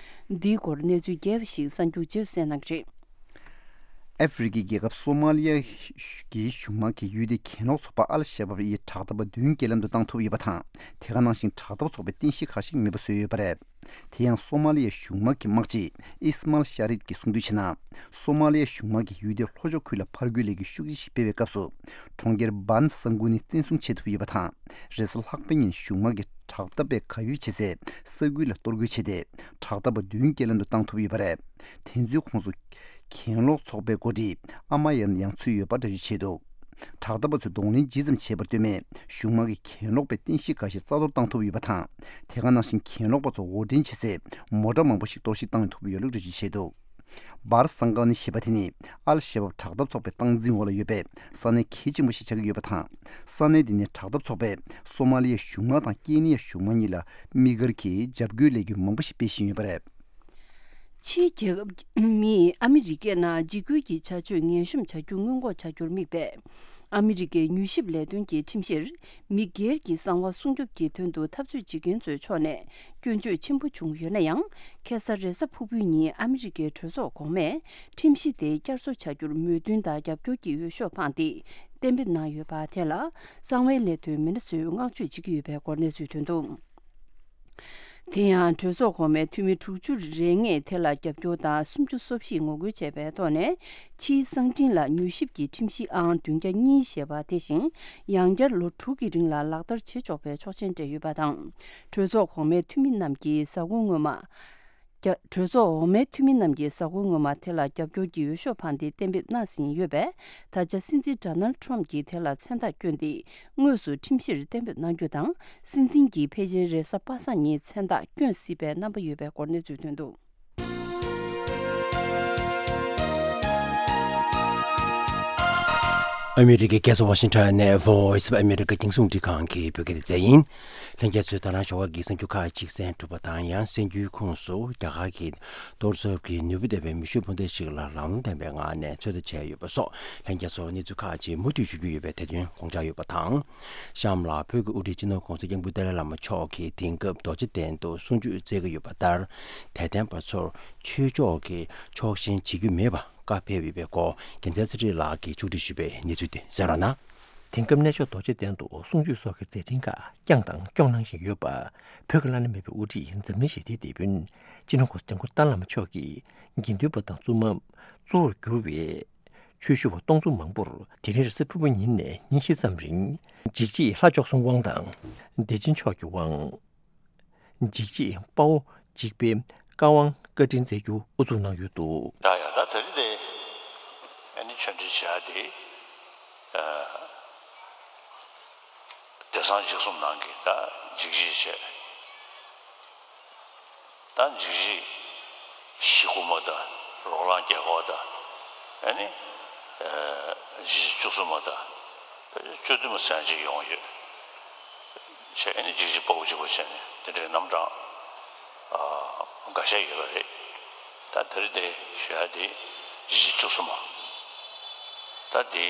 འདིའི་སྐོར་གནས་ཚུལ་རྒྱས་པ་ཞིག་གསར་འགྱུར་རྗེས་སུ་གསན་གནང་གི་རེད། ཨ་ཧྥེ་རི་ཁའི་རྒྱལ་ཁབ་སོ་མ་ལི་ཡ་གི་གཞུང་དམག་གིས་ཡུལ་དེའི་གྱེན་ལོག་ཚོགས་པ་ཨལ་ཤ་བབ་ཡི་དྲག་འཐབ་པ་བདུན་རྐྱེན་ལམ་དུ་བཏང་ཐུབ་ཡོད་པ་དང་། དེ་ག་ནང་བཞིན་དྲག་འཐབ་ཚོགས་པའི་རྟེན་གཞི་ཁག་ཞིག་མེད་པ་བཟོས་ཡོད་པ་རེད། དེ་ཡང་སོ་མ་ལི་ཡའི་གཞུང་དམག་གི་དམག་སྤྱི་ཨིས་མཱལ་ཤ་རིད་ཀྱིས་གསུངས་དོན་བྱས་ན། སོ་མ་ལི་ཡའི་གཞུང་དམག་གིས་ཡུལ་དེའི་ལྷོ་ཕྱོགས་ཁུལ་ལ་ཕར་རྒོལ་ལས་འགུལ་ཤུགས་ཆེ་ཞིག་སྤེལ་བའི་སྐབས་སུ། གྲོང་ཁྱེར་བཱན་ས་གུ་ནི་བཙན་བཟུང་བྱེད་ཐུབ་ཡོད་པ་དང་། རེས་གཟའ་ལྷག་པའི་ཉིན་གཞུང་དམག་གིས་དྲག་འཐབ་པས་གབ་ཡིབ་བྱེད་སའི་ས་ཁུལ་ལ་གཏོར་རྒོལ་བྱས་ཏེ། དྲག་འཐབ་པ་བདུན་རྐྱེན་ལམ་དུ་བཏང་ཐུབ་ཡོད་པ་རེད། དེ་ཚོའི་ཁོངས་སུ་གྱེན་ལོག་ཚོགས་པའི་འགོ་ཁྲིད་ཨ་མ་ཡན་ཡང་ཚུད་ཡོད་པ་འགྲེལ་བརྗོད་བྱས་འདུག་དྲག་འཐབ་པ་ཚོས་གདོང་ལེན་ཇི་ཙམ་བྱས་པར་ལྟོས་མེད། གཞུང་དམག་གིས་གྱེན་ལོག་པའི་རྟེན་གཞི་འགའ་ཤས་རྩ་གཏོར་བཏང་ཐུབ་ཡོད་པ་དང་། དེ་ག་ནང་བཞིན་གྱེན་ལོག་པ་ཚོ་དབོར་འདྲེན་བྱེད་སའི་མོ་ཊ་མང་པོ་ཞིག་གཏོར་བཤིག་བཏང་ཐུབ་ཡོད་ལུགས་འགྲེལ་བརྗོད་བྱས་འདུག་བར་སང་ག་ནི་ཞེས་པ་དེ་ནི་ཨལ་ཤ་བབ་དྲག་འཐབ་ཚོགས་པའི་སྟངས་འཛིན་འོག་ལ་ཡོད་པའི་ས་གནས་གལ་ཆེན་པོ་ཞིག་ཆགས་ཀྱི་ཡོད་པ་དང་། ས་གནས་འདི་ནི་དྲག་འཐབ་ཚོགས་པས་སོ་མ་ལི་ཡའི་གཞུང་དམག་དང་ཀེ་ནི་ཡའི་གཞུང་དམག་གཉིས་ལ་དམིགས་བཀར་གྱིས་འཇབ་རྒོལ་ལས་འགུལ་མང་པོ་ཞིག་སྤེལ་བཞིན་ཡོད་པ་རེད། ཕྱིའི་རྒྱལ་ཁབ་མིས་ཨ་མི་རི་ཀའི་ནང་འཇིགས་སྐུལ་གྱི་བྱ་སྤྱོད་ངན་གཤོམ་བྱ་རྒྱུ་སྔོན་འགོག་བྱ་རྒྱུར་དམིགས་པའི་ ཨ་མི་རི་ཀའི་མྱུལ་ཞིབ་ལས་དོན་གྱི་ཁྲིམས་གཞིར། མི་སྒེར་གྱི་གསང་བ་སྲུང་སྐྱོབ་ཀྱི་དོན་དུ་འཐབ་རྩོད་བྱེད་མཁན་ཚོའི་ཕྱོགས་ནས་སྐྱོན་བརྗོད་ཆེན་པོ་བྱུང་ཡོད་ན་ཡང་། ཁ་སང་རེས་གཟའ་ཕུར་བུའི་ཉིན་ཨ་མི་རི་ཀའི་གྲོས་ཚོགས་གོང་མས་ཁྲིམས་གཞི་དེ་བསྐྱར་གསོ་བྱ་རྒྱུར་མོས་མཐུན་དང་རྒྱབ་སྐྱོར་གྱི་འོས་ཤོག་འཕངས་ཏེ་གཏན་འབེབས་གནང་ཡོད་པ་དེ་ལ། གསང་བའི་ལས་དོན་མི་སྣ་ཚོས་བསྔགས་བརྗོད་བྱེད་ཀྱི་ཡོད་པའི་སྐོར་གནས་ཚུལ་ཐོན་འདུག། དེ་ཡང་གྲོས་ཚོགས་གོང་མའི་འཐུས་མི་དྲུག་ཅུ་རེ་ལྔས་དེ་ལ་རྒྱབ་སྐྱོར་དང་སུམ་ཅུ་སོ་བཞིས་ངོ་རྒོལ་བྱས་པའི་ཐོག་ནས། ཕྱིའི་གསང་འཕྲིན་ལ་མྱུལ་ཞིབ་ཀྱི་ཁྲིམས་གཞི་ཨང་བདུན་བརྒྱ་གཉིས་ཞེས་པ་དེ་བཞིན། ཡང་བསྐྱར་ལོ་དྲུག་གི་རིང་ལ་ལག་བསྟར་བྱེད་ཆོག་པའི་ཆོག་མཆན་སྤྲད་ཡོད་པ་དང་། གྲོས་ཚོགས་གོང་མའི་འཐུས་མི་རྣམས་ཀྱིས་གཟའ་འཁོར་སྔོན་མ། རྒྱ་གྲོས་ཚོགས་འོག་མའི་འཐུས་མི་རྣམས་ཀྱིས་གཟའ་འཁོར་སྔོན་མ་དེ་ལ་རྒྱབ་སྐྱོར་གྱི་འོས་ཤོག་འཕངས་ཏེ་གཏན་འབེབས་གནང་ཟིན་ཡོད་པས། ད་ཆ་སྲིད་འཛིན་ཌོ་ནལ་ཌི་ཊརམ་གྱིས་དེ་ལ་མཚན་རྟགས་བསྐྱོན་ཏེ། དངོས་སུ་ཁྲིམས་གཞིར་གཏན་འབེབས་གནང་རྒྱུ་དང་། སྲིད་འཛིན་གྱིས་ཕལ་ཆེར་རེས་གཟའ་པ་སངས་ཉིན་མཚན་རྟགས་བསྐྱོན་སྲིད་པའི་རྣམ་པ་ཡོད་པའི་སྐོར་གནས་ཚུལ་ཐོན་འདུག། ཨ་མི་རི་ཀའི་རྒྱལ་ས་ཝ་ཤིང་ཊོན་ནས་Voice of America་རྒྱང་སྲིང་རླུང་འཕྲིན་ཁང་གི་བོད་སྐད་སྡེ་ཚན་ཡིན། ལྷན་རྒྱས་ཚོས་ད་རང་ཞོགས་ཀ་གི་གསར་འགྱུར་ཁག་ཅིག་གསན་གྲུབ་པ་དང་། ཡང་གསར་འགྱུར་ཁོངས་སུ་རྒྱ་གར་གྱི་གཏོར་ཚབ་ཀྱི་ནུས་པ་ལྡན་པའི་མེ་ཤུགས་འཕུར་མདེལ་ཞིག་ལ་ལམ་ལྷོང་ལྡན་པའི་ངང་ནས་ཚོད་ལྟ་བྱས་ཡོད་པ་སོགས། ལྷན་རྒྱས་ཚོར་གནས་ཚུལ་ཁག་ཅིག་མུ་མཐུད་ཞུ་རྒྱུ་ཡོད་པས། དེ་དོན་དགོངས་འཇགས་ཡོད་པ་དང་། གཤམ་ལ་བོད་ཀྱི་དབུ་ཁྲིད་སྤྱི་ནོར་༸གོང་ས་༸སྐྱབས་མགོན་ཏཱ་ལའི་བླ་མ་མཆོག་གིས་དེང་སྐབས་རྡོ་རྗེ་གདན་དུ་གསུང་ཆོས་སྩལ་གྱི་ཡོད་པ་ལྟར། དད་ལྡན་པ་ཚོར་ཆོས་ཕྱོགས་ཀྱི་ཕྱོགས་ཞེན་བྱེད་རྒྱུ་མེད་པ་བཀའ་ཕེབས་ཡོད་པའི་སྐོར། རྒྱལ་མཚན་ཚེ་རིང་ལགས་ཀྱིས་ཕྱོགས་སྒྲིག་ཞུས་པའི་གནས་ཚུལ་དེ་གསན་རོགས་གནང་། དེང་སྐབས་གནས་མཆོག་རྡོ་རྗེ་གདན་དུ་གསུང་ཆོས་སོགས་ཀྱི་མཛད་འཕྲིན་ཁག་བསྐྱངས་དང་སྐྱོང་གནང་བཞིན་ཡོད་པ། བོད་ཀྱི་བླ་ན་མེད་པའི་དབུ་ཁྲིད་འཛམ་གླིང་ཞི་བདེའི་དེད་དཔོན་སྤྱི་ནོར་༸གོང་ས་༸སྐྱབས་མགོན་ཏཱ་ལའི་བླ་མ་མཆོག་གིས་དགེ་འདུན་པ་དང་བཙུན་མ་གཙོ་བོར་གྱུར་བའི་ཆོས་ཞུ་བ་སྟོང་ཚོ་མང་པོར་དེ་རིང་རེས་གཟའ་ཕུར་བུ་ཉིན་ནས་ཉིན་བཞི་ཙམ་རིང་འཇིགས་བྱེད་ལྷ་མཆོག་གསུམ་དབང་དང་། བདེ་ཆེན་མཆོག་གི་དབང་། འཇིགས་བྱེད་དཔའ་བོ་འཇིགས་པའི་བཀའ་དབང་བཀའ་དྲིན་སྩལ་རྒྱུ་དབུ་འཛུགས་གནང་ཡོད་འདུག། ཡ་ཡ། ད་དེ་རིང་དེ་ཨ་ནི་ཆོས་འབྲེལ་བྱ་དེ་ཨ་དེང་སང་འཇིགས་གསུམ་ནང་གི་ད་འཇིགས་བྱེད་བྱས། ད་འཇིགས་བྱེད་བཞི་དགུ་མ་ད། རོ་ལངས་རྒྱལ་འགོག་ད། ཨ་ནི་ཨ་འཇིགས་བྱེད་བཅུ་གསུམ་མ་ད། བཅུ་བདུན་མ་ཟེར་ཅིག་ཡོང་ཡོད། བྱས་ཨ་ནི་འཇིགས་བྱེད་དཔའ་བོ་གཅིག་པོ་བྱས་ནས་དེ་འདྲའི་རྣམ་གྲངས་ཨ་འགའ་ཤས་ཡོད་པ་རེད། ད་དེ་རིང་དེ་ཞུ་ཡ་དེ་འཇིགས་བྱེད་བཅུ་གསུམ་མ། ད་དེ་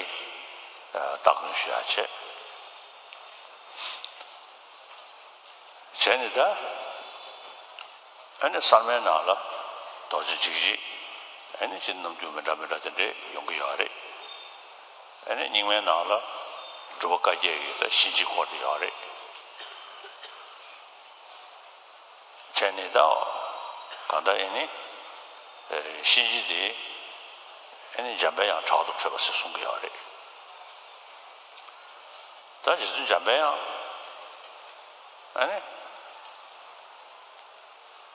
ཨ་སྟ་གོན་ཞུ་ཡ་བྱས། བྱས་ནས་ད་ཨ་ནི་གསར་མའི་ནང་ལ་རྡོ་རྗེ་འཇིགས་བྱེད་ཨ་ནི་ཅིག་རྣམ་འགྱུར་མི་འདྲ་མི་འདྲ་དེ་འདྲས་ཡོང་གི་ཡོད་རེད། ཨ་ནི་རྙིང་མའི་ནང་ལ་སྒྲུབ་པ་བཀའ་བརྒྱད་ཀྱི་ད་གཤིན་རྗེའི་སྐོར་དེ་ཡོད་རེད། བྱས་ནས་ད་གང་ལྟར་ཨ་ནི་ཨ་གཤིན་རྗེ་དེ་ཨ་ནི་འཇམ་པའི་དབྱངས་དྲག་ཏུ་ཁྲོས་པ་ཟེར་གསུང་གི་ཡོད་རེད། ད་རྗེ་བཙུན་འཇམ་པའི་དབྱངས་ཨ་ནི་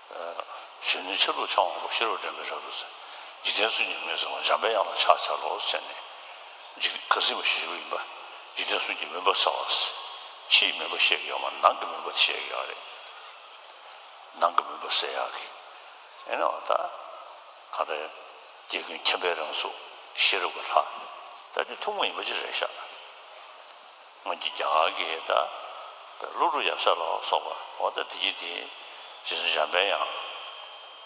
ཨ་གཞོན་ནུའི་ཆ་ལུགས་འཆང་བ་པོ་ཤེས་རབ་སྒྲོན་མེ་རབ་ཏུ་ཟེར། འཇིག་རྟེན་གསུམ་གྱི་མུན་སེལ་བ་འཇམ་པའི་དབྱངས་ལ་ཕྱག་འཚལ་ལོ་ཟེར་ནས་འཇིག་ཁ་སེང་མ་ཞུ་ཞུ་ཡིན་པ། འཇིག་རྟེན་གསུམ་གྱི་མུན་པ་སེལ་བ་ཟེར། ཕྱིའི་མུན་པ་བཤད་ཀྱི་ཡོད་མ་ནང་གི་མུན་པ་བཤད་ཀྱི་ཡོད་རེད། ནང་གི་མུན་པ་སེལ་ཡག་གི་ཨེ་ནོ་ད་ག་ད་རྒྱལ་ཀུན་མཁྱེན་པའི་རང་གཟུགས་ཤེས་རབ་ཀྱི་ལྷ། ད་དེ་ཐུན་མོང་ཡིན་པ་ཅིག་རེད་ཤག། སྔོན་གྱི་རྒྱ་གར་གྱི་ད་ཀླུ་སྒྲུབ་ཡབ་སྲས་ལ་སོགས་པ་འོ་ད་དེ་གྱིས་དེ་རྗེ་བཙུན་འཇམ་པའི་དབྱངས་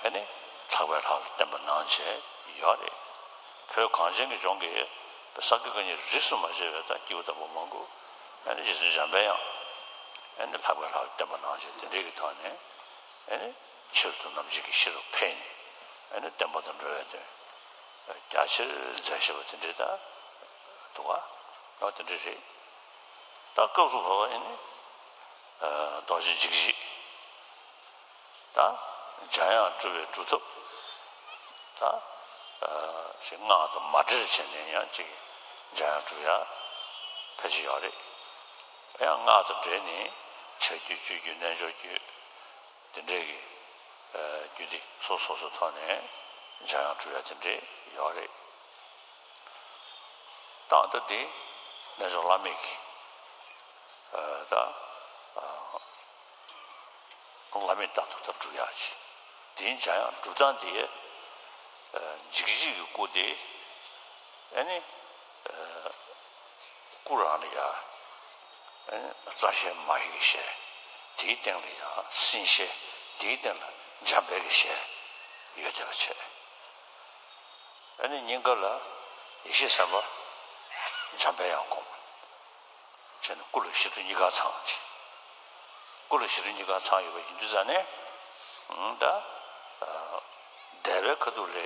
ཨེ་ནི་ལྷག་པའི་ལྷ་ལ་བསྟེན་པ་གནང་བྱས་ཡོད་རེད། བོད་གངས་ཅན་གྱི་ལྗོངས་ཀྱི་ས་དགེ་བཀའ་རྙིང་རིས་སུ་མ་ཆད་པའི་ད་སྐྱེས་བུ་དམ་པ་མང་པོ་ཨེ་ནི་རྗེ་བཙུན་འཇམ་པའི་དབྱངས་ཨེ་ནི་ལྷག་པའི་ལྷ་ལ་བསྟེན་པ་གནང་བྱས་དེ་འདྲའི་གི་ཐོག་ནས་ཨེ་ནི་ཆེད་དུ་ནམ་འཇིགས་ཀྱི་ཤེས་རབ་ཕེབས་ནས་ཨེ་ནི་བསྟན་པ་དང་འགྲོ་བའི་དོན་རྒྱ་ཆེར་མཛད་བཞིན་པ་དེ་འདྲའི་ད་འདུག་ག། ཡང་དེ་འདྲ་རེད། ད་སྐབས་སུ་བབ་པ་ཡིན་ནི། རྡོ་རྗེ་འཇིགས་བྱེད། ད་འཇམ་དབྱངས་སྒྲུབ་པའི་སྒྲུབ་ཐབས། ད་ཞེས་སྔགས་དང་མ་འབྲེལ་བྱས་ནས་ཡང་ཅིག་འཇམ་དབྱངས་སྒྲུབ་ཡ་ཕལ་ཆེར་ཡོད་རེད། ཡང་སྔགས་དང་འབྲེལ་ནས་ཕྱག་རྒྱུད་སྤྱོད་རྒྱུད་རྣལ་འབྱོར་རྒྱུད། དེ་འདྲའི་གི་རྒྱུད་སྡེ་སོ་སོ་སོ་ཐོག་ནས་འཇམ་དབྱངས་སྒྲུབ་ཡ་དེ་འདྲའི་ཡོད་རེད། ད་ལྟ་དེ་རྣལ་འབྱོར་བླ་མེད་ཀྱི་ད་བླ་མེད་རྟག་ཏུ་ད་སྒྲུབ་ཡག་ཅིག་དེའི་འཇམ་དབྱངས་སྒྲུབ་སྟངས་དེ་འཇིགས་བྱེད་ཀྱི་སྐུ་དེ་ཨ་ནི་སྐུ་རང་ལ་ཡ་ཨ་ནི་རྩ་ཤེ་མ་ཧེ་གི་ཤེ། དེའི་སྟེང་ལ་ཡ་སྲིན་ཤེ། དེའི་སྟེང་ལ་འཇམ་དཔལ་གི་ཤེ་ཡོད་བསྡད་པ་བྱས། ཨ་ནི་སྙིང་ག་ལ་ཡེ་ཤེས་སེམས་དཔའ་འཇམ་དཔལ་དབྱངས་སྒོམ། བྱས་ནས་སྐུ་ལ་ཞི་ཁྲོ་གཉིས་ཀ་ཚང་ཅིག་སྐུ་ལ་ཞི་ཁྲོ་གཉིས་ཀ་ཚང་ཡོད་པ་ཡིན་དུས་ཙང་ནས། ཨང་། ད་འདས་པའི་ཁ་ཐུག་ལ་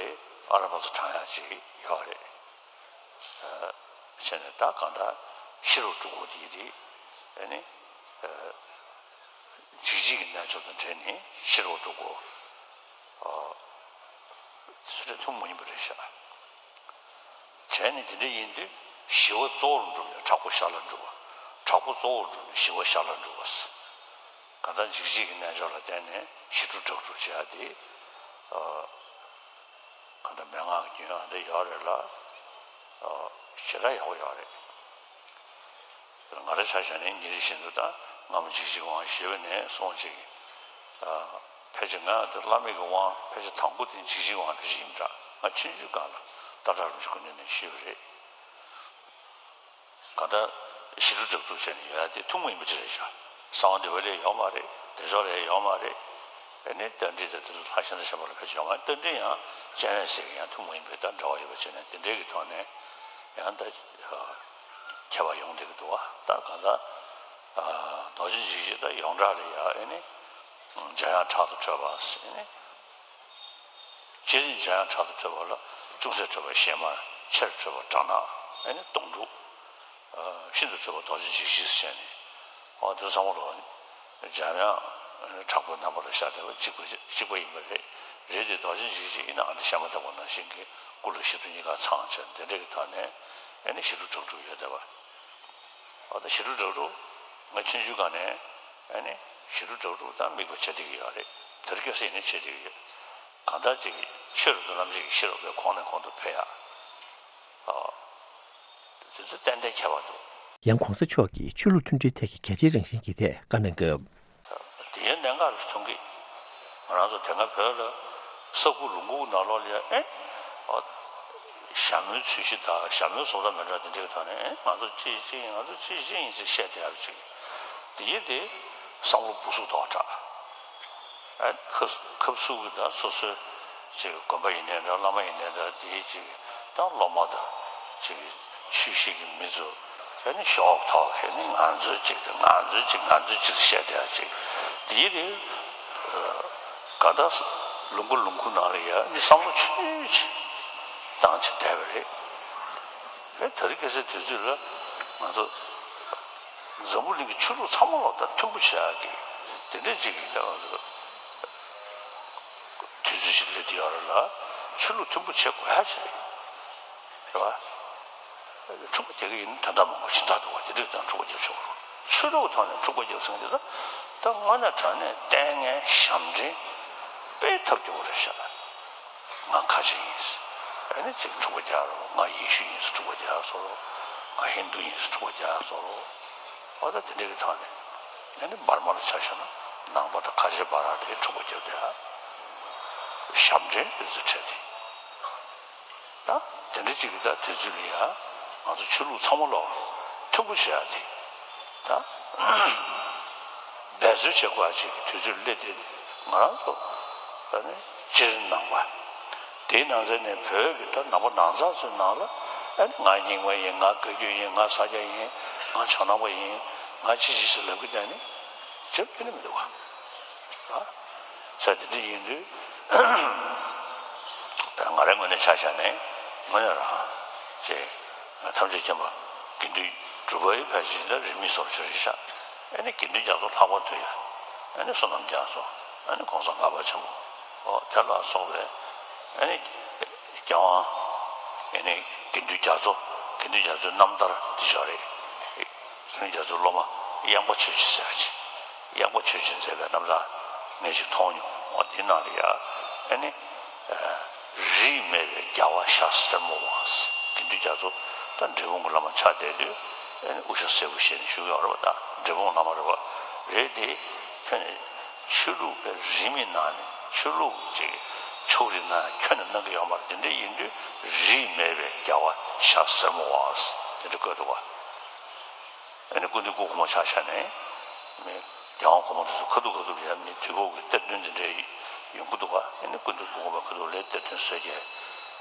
ཨ་ར་པ་ཚོ་དྲང་ཡག་ཅིག་ཡོད་རེད། བྱས་ནས་ད་གང་ལྟར་ཤི་རབ་སྒྲུབ་དགོས་དེ་དེ་ཨ་ནི་འཇིགས་བྱེད་ཀྱི་རྣལ་འབྱོར་དང་འབྲེལ་ནས་ཤི་རབ་སྒྲུབ་དགོས། དེ་ཚོ་ཐུན་མོང་མ་ཡིན་པ་རེད་ཤག་བྱས་ནས་དེ་འདྲ་ཡིན་དུས་ཞི་བ་གཙོ་བོར་འགྲུབ་ཡ། དྲག་པོ་ཞར་ལ་འགྲུབ་པ། དྲག་པོ་གཙོ་བོར་འགྲུབ་ནས་ཞི་བ་ཞར་ལ་འགྲུབ་པ། གང་ལྟར་འཇིགས་བྱེད་ཀྱི་རྣལ་འབྱོར་ལ་བརྟེན་ནས་ཞི་ཁྲོ་དྲག་སྒྲུབ་བྱེད་ཡ་དེ། གང་ལྟར་མན་ངག་གི་རྒྱུན་ཨ་འདྲ་ཡོད་རེད་ལ། ཞེ་དྲག་ཡག་པོ་ཡོད་རེད། ང་རང་ཆ་བཞག་ནས་ཉིན་རེ་བཞིན་དུ་ད་སྔ་མོ་འཇིགས་བྱེད་ཀྱི་དབང་ཞུས་པ་ནས་སོང་ཅིག་ཕལ་ཆེར་ང་འདི་བླ་མེད་ཀྱི་དབང་ཕལ་ཆེར་དང་པོ་དེ་འཇིགས་བྱེད་ཀྱི་དབང་ཕལ་ཆེར་ཡིན་འདྲ། ང་ཆུང་ཆུང་སྒང་ལ་ཏག་ཏག་རིན་པོ་ཆེ་སྐུ་མདུན་ནས་ཞུས་པ་རེད། གང་ལྟར་ཞི་ཁྲོ་དྲག་སྒྲུབ་བྱས་ནས་ཡོད་ཡ་དེ་ཐུན་མོང་མ་ཡིན་པ་ཅིག་རེད་ཤག་གསང་བ་འདུས་པ་ལ་ཡོད་མ་རེད། བདེ་མཆོག་ལ་ཡོད་མ་རེད། ཨ་ནི་རྟ་མགྲིན་དང་དེ་ཚོ་ལྷ་གཞན་དང་གཞན་པ་ལ་ཕལ་ཆེར་ཡོད་མ་རེད། རྟ་མགྲིན་ཡང་སྤྱན་རས་གཟིགས་ཀྱི་ཡང་ཐུན་མོང་མ་ཡིན་པའི་དང་འབྲེལ་བ་ཡོད་པ་བྱས་ནས་དེ་འདྲའི་གི་ཐོག་ནས་ཡང་ད་ཁྱད་པར་ཡོང་བསྡད་ཀྱི་འདུག་བ། ད་གང་ལྟར་རྡོ་རྗེ་འཇིགས་བྱེད་ད་ཡོངས་གྲགས་ལ་ཡ་ཨ་ནི་འཇམ་དབྱངས་ཕྲག་ཏུ་ཁྲོས་པ་ཟེར་ནས། སྤྱིར་འཇམ་དབྱངས་ཕྲག་ཏུ་ཁྲོས་པ་ལ་ཅུང་ཟད་ཁྲོས་པ་ཞལ་མར། ཆེར་ཁྲོས་པ་དགྲ་ནག་ཨ་ནི་སྟོང་ཕྲུག་ཤིན་ཏུ་ཁྲོས་པ་རྡོ་རྗེ་འཇིགས་བྱེད་ཟེར་ནས། འོ་དེ་ཚང་མ་ལོ་འཇམ་དབྱངས་ཕྲག་པའི་རྣམ་པ་ལ་ཤར་བསྡད་པ་གཅིག་པ་གཅིག་པ་ཡིན་པ་རེད། རེད་དེ་རྡོ་རྗེ་འཇིགས་བྱེད་ཡིན་ནའང་དེ་ཞལ་མ་བཏབ་པ་ནང་བཞིན་གྱི་སྐུ་ལ་ཞི་ཁྲོ་གཉིས་ཀ་ཚང་བྱས་དེ་འདྲ་གི་ཐོག་ནས་ཨ་ནི་ཞི་ཁྲོ་དྲག་སྒྲུབ་ཡོད་བསྡད་པ། འོ་ད་ཞི་ཁྲོ་དྲག་སྒྲུབ་ང་ཆུང་ཆུང་སྒང་ནས་ཨ་ནི་ཞི་ཁྲོ་དྲག་སྒྲུབ་ད་དམིགས་པ་བྱེད་བསྡད་ཀྱི་ཡོད་རེད། དེ་རིང་ཁ་སང་ཡིན་ནའི་བྱེད་བསྡད་ཀྱི་ཡོད། གང་ལྟར་ཅིག་ཆོས་རབ་ཏུ་བརླམ་བྱེད་ཀྱི་ཤེས་རབ་ཀྱི་གོང་ནས་གོང་དུ་འཕེལ་ཡག་དེ་ཚོ་ཏན་ཏན་ཁྱད་པར་འདུག་ཡང་གོང་ས་མཆོག་གིས་ཆོས་ལུགས་མཐུན་སྒྲིལ་ཐད་ཀྱི་གལ་ཆེའི་རང་བཞིན་གྱི་ཐད་བཀའ་གནང་སྐབས། དེ་ཡང་གནད་འགག་རེད་མཐོང་གི། ང་རང་ཚོ་དེ་སྔ་བོད་ལ་ས་ཁུག་ལུང་ཁུག་ནང་ལོགས་ལ་ཡང་ཨེ། ཨ། ཞྭ་མོའི་ཚུལ་གཞི་དང་ཞྭ་མོའི་བཟོ་ལྟ་མི་འདྲ་དེ་འདྲའི་ཐོག་ནས་ཨེ་ང་ཚོ་གཅིག་གཅིག་ཡིན། ང་ཚོ་གཅིག་གཅིག་ཡིན་ཅེས་བཤད་བསྡད་ཡག་ཅིག་དེ་ཡིན་དེ་བསམ་བློ་སྦུ་སུབ་ཏོག་དྲགས། ཨ་ཁབ་ཁབ་སུ་གི་ད་སོ་སོའི་ཅིག་དགོན་པ་ཡིན་ནའི་འདྲ། བླ་མ་ཡིན་ནའི་འདྲ། དེའི་ཅིག་ད་སློབ་མ་དང་ཅིག་ཆོས་བཤད་ཀྱི་མི་ཚོ་ཨ་ནི་ཞོག་ཐོག་གི་ནི་ང་ཚོའི་ཅིག་དང་ང་ཚོའི་ཅིག་ང་ཚོའི་ཅིག་བཤད་བསྡད་ཡག་ཅིག་དེའི་རིང་ག་ད་ལུང་ཁུག་ལུང་ཁུག་ནང་ལ་ཡ་ནི་བསམ་བློ་ཆུང་ཆུང་བཏང་བྱས་བསྡད་པ་རེད། ཨེ་དེ་རིང་ཁ་སང་དུས་ཚོད་ལ་ང་ཚོ་འཛམ་བུ་གླིང་གི་ཆོས་ལུགས་ཚང་མ་ལོག་ད་མཐུན་པོ་བྱེད་ཡག་གི་དེ་འདྲ་ཅིག་གི་ང་ཚོ་དུས་ཚོད་ཅིག་སླེབས་བསྡད་ཡོད་རེད་ལ། ཆོས་ལུགས་མཐུན་པོ་བྱེད་དགོས་ཡག་ཅིག་རེད་བ། འཁྲུག་པ་རྒྱག་གི་ཡིན་ན་དོན་དག་མང་པོ་ཞིག་འདུག་བ། དེ་འདྲ་དང་འཁྲུག་པ་རྒྱབ་ཆོག་གི་རེད། ཆོས་ལུགས་ཐོག་ནས་འཁྲུག་པ་རྒྱབ་ཟེར་མཁན་དེ་ད་ད་དངོས་གནས་དྲང་གནས་ལྟས་ངན་ཞབས་འདྲེན་དཔེ་ཐབས་སྐྱོ་བོ་རེད་ཤག་ང་ཁ་ཆེ་ཡིན། ཨ་ནི་ཅིག་འཁྲུག་པ་རྒྱག་རོགས། ང་ཡེ་ཤུ་ཡིན་ཟེར་འཁྲུག་པ་རྒྱག་བཟོ་རོགས། ང་ཧིན་དུ་ཡིན་ཟེར་འཁྲུག་པ་རྒྱག་བཟོ་རོགས། འོ་ད་དེ་འདྲ་གི་ཐོག་ནས་ཨ་ནི་འབར་མ་ལ་ཆ་བཞག་ན་ནང་པ་དང་ཁ་ཆེ་བར་ལ་འཁྲུག་པ་རྒྱག་དེ་ཨ་ཞབས་འདྲེན་དེ་ཚོ་འཕྲད་དེ། ད་དེ་འདྲ་ཅིག་གི་ད་དུས་ཚོད་ལ་ཡ་ང་ཚོ་ཆོས་ལུགས་ཚང་མ་ལོག་མཐུན་པོ་བྱེད་ཡག་དེ་ད་འབད་རྩོལ་བྱེད་དགོས་ཡག་ཅིག་གི་དུས་ཚོད་སླེབས་ཏེ། ང་རང་ཚོ་ཨ་ནི་སྤྱིར་ནང་པ། དེའི་ནང་ཚན་ནས་བོད་ཀྱི་ད་ནང་པ་ནང་ཚང་ཚོའི་ནང་ལ་ཨ་ནི་ང་རྙིང་མ་ཡིན། ང་བཀའ་བརྒྱུད་ཡིན། ང་ས་སྐྱ་ཡིན། ང་བྱང་ནང་པ་ཡིན། ང་ཅི་ཅི་ཞིག་ལབ་ཀྱི་བསྡད་ནི་ཅི་ཕན་ནི་མི་འདུག་ག་ཨ། ས་དེ་འདྲ་ཡིན་དུས་ང་རའི་ངོས་ནས་ཆ་བཞག་ནས་དངོས་གནས་རང་ཅེས་ཐམས་ཅད་མཁྱེན་པ་དགེ་འདུན་གྲུབ་པའི་ཕལ་ཆེར་ད་རིས་མེད་བཟོ་ཆེ་རེད་ཤག་ཨ་ནི་དགེ་འདུན་རྒྱ་མཚོ་ལྷག་པར་དུ་ཡ་ཨ་ནི་བསོད་ནམས་རྒྱ་མཚོ། ཨ་ནི་གོང་ས་ལྔ་པ་ཆེན་པོ། ཨོ་དེ་ལ་སོགས་པའི་ཨ་ནི་རྒྱལ་དབང་ཨ་ནི་དགེ་འདུན་རྒྱ་མཚོ། དགེ་འདུན་རྒྱ་མཚོའི་རྣམ་ཐར་འདི་ཞོག་རེད། དགེ་འདུན་རྒྱ་མཚོའི་སློབ་མ་གཡང་པ་ཆོས་རྗེ་ཟེར་བ་ཅིག་གཡང་པ་ཆོས་རྗེས་མཛད་པའི་རྣམ་ཐར་ངས་ཅིག་མཐོང་མྱོང་། འོ་འདི་ནང་ལ་ཡ་ཨ་ནི་རིས་མེད་པའི་རྒྱལ་བ་ཤར་སེར་མོ་བ། དགེ་འདུན་རྒྱ་མཚོ་ད་འབྲས་སྤུངས་ཀྱི་བླ་མ་ཆགས་བསྡད་དུས་ཨ་ནི་དབུ་ཞྭ་སེར་པོ་བཞེས་ནས་བཞུགས་ཡོད་རེད་པ། ད་འབྲས་སྤུངས་བླ་མ་རེད་པ། རེད་དེ་ཁྱོད་ནི་ཆོས་ལུགས་པའི་རིས་མེད་ནང་ནས་ཆོས་ལུགས་ཅིག་ཕྱོགས་རིས་ནང་ཁྱོན་ནས་གནང་གི་ཡོད་མ་རེད། དེ་འདྲ་ཡིན་དུས་རིས་མེད་པའི་རྒྱལ་བ་ཤར་སེར་མོ་བ་དེ་འདྲ་བཀོད་འདུག་པ། ཨ་ནི་སྐུ་མདུན་སྐུ་གོང་མ་ཆ་བཞག་ནས་མི་རྒྱལ་དབང་གོང་མ་དེ་ཚོ་ཁ་ཐུག་ཁ་ཐུག་ལ་ཡ་མི་དུས་འཁོར་གྱི་གཏེར་སྟོན་དེ་འདྲའི་ཡོང་གི་འདུག་ག་ཨ་ནི་སྐུ་མདུན་སྐུ་གོང་མ་ཁ་ཐུག་ལ་གཏེར་སྟོན་བཟོས་རྒྱུ་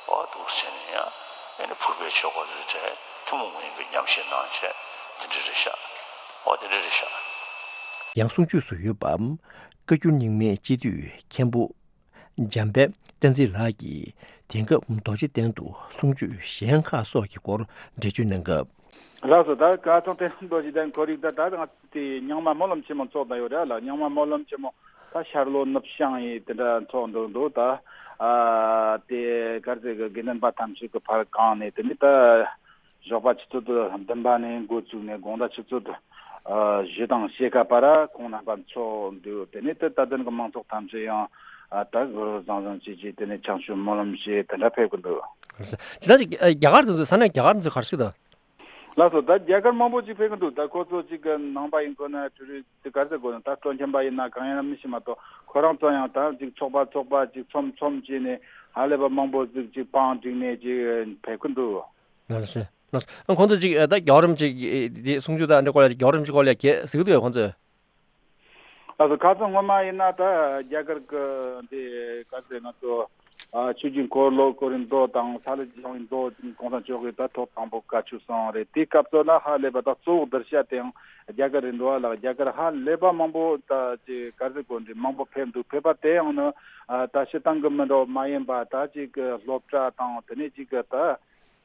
འོ་འདུག་ཟེར་ནས་ཡང་ཨ་ནི་ཕུར་པའི་ཆོས་སྐོར་དེ་ཚོ་གྲས་ཐུན་མོང་མ་ཡིན་པའི་ཉམས་བཞེས་གནང་བྱས་དེ་འདྲ་རེད་ཤག་ཨོ་དེ་འདྲ་རེད་ཤག་ཡང་གསུང་ཆོས་སུ་ཡོད་པ། བཀའ་འགྱུར་རྙིང་མའི་སྤྱི་འཐུས་མཁན་པོ་འཇམ་དཔལ་བསྟན་འཛིན་ལགས་ཀྱིས་དེང་སྐབས་རྡོ་རྗེ་གདན་དུ་གསུང་ཆོས་གཞན་ཁག་སོགས་ཀྱི་སྐོར་འགྲེལ་བརྗོད་གནང་སྐབས། ལགས་སོ། ད་ཁ་སང་དེ་རྡོ་རྗེ་གདན་ཁོར་ཡུག་ད་ད་ང་དེ་རྙིང་མ་སྨོན་ལམ་ཆེན་མོ་ཚོགས་ད་ཡོད་རེད་ལ། རྙིང་མ་སྨོན་ལམ་ཆེན་མོ་ད་ཤར་ལྷོ་ནུབ་བྱང་ཡི་དེ་འདྲ་ཚོགས་འདུག་འདུག་ད་ཨ་དེ་ག་རེ་ཟེར་གི་དགེ་འདུན་པ་ཐམས་ཅད་ཀྱི་ཕར་གང་ནས་དེ་ནི་ད། ཞོགས་པ་ཆུ་ཚོད་བདུན་པ་ནས་འགོ་བཙུགས་ནས་དགོང་དག་ཆུ་ཚོད་བཞི་དང་ཕྱེད་ཀ་བར་ཁོང་རྣམ་པ་འཚོགས་འདུག་དེ་ནས་དེ་ད་ལྟ་གི་མང་ཚོགས་ཐམས་ཅད་ཡང་ད་གུ་རུ་བཟང་བཟང་བྱེད་ཀྱིས་དེ་ནས་བྱང་ཆུབ་སྨོན་ལམ་བྱེད་དེ་འདྲ་ཕེབས་ཀྱི་འདུག་ཇི་ལྟར་ཅིག་རྒྱ་གར་དེ་ཚོ་ས་གནས་རྒྱ་གར་དེ་ཚོ་ག་རེ་ཞིག་དང་། ལགས་སོ། ད་རྒྱ་གར་མང་པོ་ཅིག་ཕེབས་ཀྱི་འདུག་ད་ཁོ་ཚོ་ཅིག་གི་ནང་པ་ཡིན་དགོས་ན་ཊུ་རི་སི་ག་རེ་ཟེར་དགོས་ན་ད་སྤྲོ་འཆམ་པ་ཡིན་ན་གང་ཡིན་ན་མི་ཤེས་མ་གཏོགས་ཁོ་རང་ཚོ་ཡང་ད་ཅིག་ཚོགས་པ་ཚོགས་པ་ཅིག་ཚོམ་ཚོམ་བྱས་ནས་ཧ་ལས་པ་མང་པོ་ཅིག་ཅིག་བང་བསྒྲིགས་ནས་ཅིག་ཕེབས་ཀྱི་འདུག་ལགས་སོ། ལགས་སོ། ཁོང་ཚོ་ཅིག་ད་རྒྱལ་བ་རིན་པོ་ཆེ་དེ་གསུང་ཆོས་དང་འདྲ་སྐོར་ལ་རྒྱལ་བ་རིན་པོ་ཆེ་སྐོར་ལ་གལ་གཟིགས་འདུག་ཁོང་ཚོས། ལགས་སོ། ཁ་སང་སྔོན་མ་ཡིན་ན་ད་རྒྱ་གར་གི་འདི་ག་ཚོད་ང་ཚོ་ཆོས་ཀྱི་འཁོར་ལོ་བསྐོར་བའི་མདོ་དང་ས་ལ་སྦྱང་བའི་མདོ་གོང་ས་མཆོག་གིས་ད་ཐོག་དང་པོ་བཀའ་ཆོས་གསུངས་རེད། དེའི་སྐབས་སུ་ལ་ཧ་ལས་པ་ད་གཙོ་བོ་བསྡུར་བྱ་དེའང་རྒྱ་གར་རེད་འདུག་ལགས། རྒྱ་གར་ཧ་ལས་པ་མང་པོ་ད་ཅིག་ག་ཚོད་དགོས་འདྲི་མང་པོ་ཕེབས་འདུག་ཕེབས་པ་དེ་ཡང་ནི་ད་སྤྱིར་བཏང་གི་མི་འདྲ་བ་མ་ཡིན་པ་ད་ཅིག་གི་སློབ་གྲྭ་དང་དེ་ནས་ཅིག་གི་ད།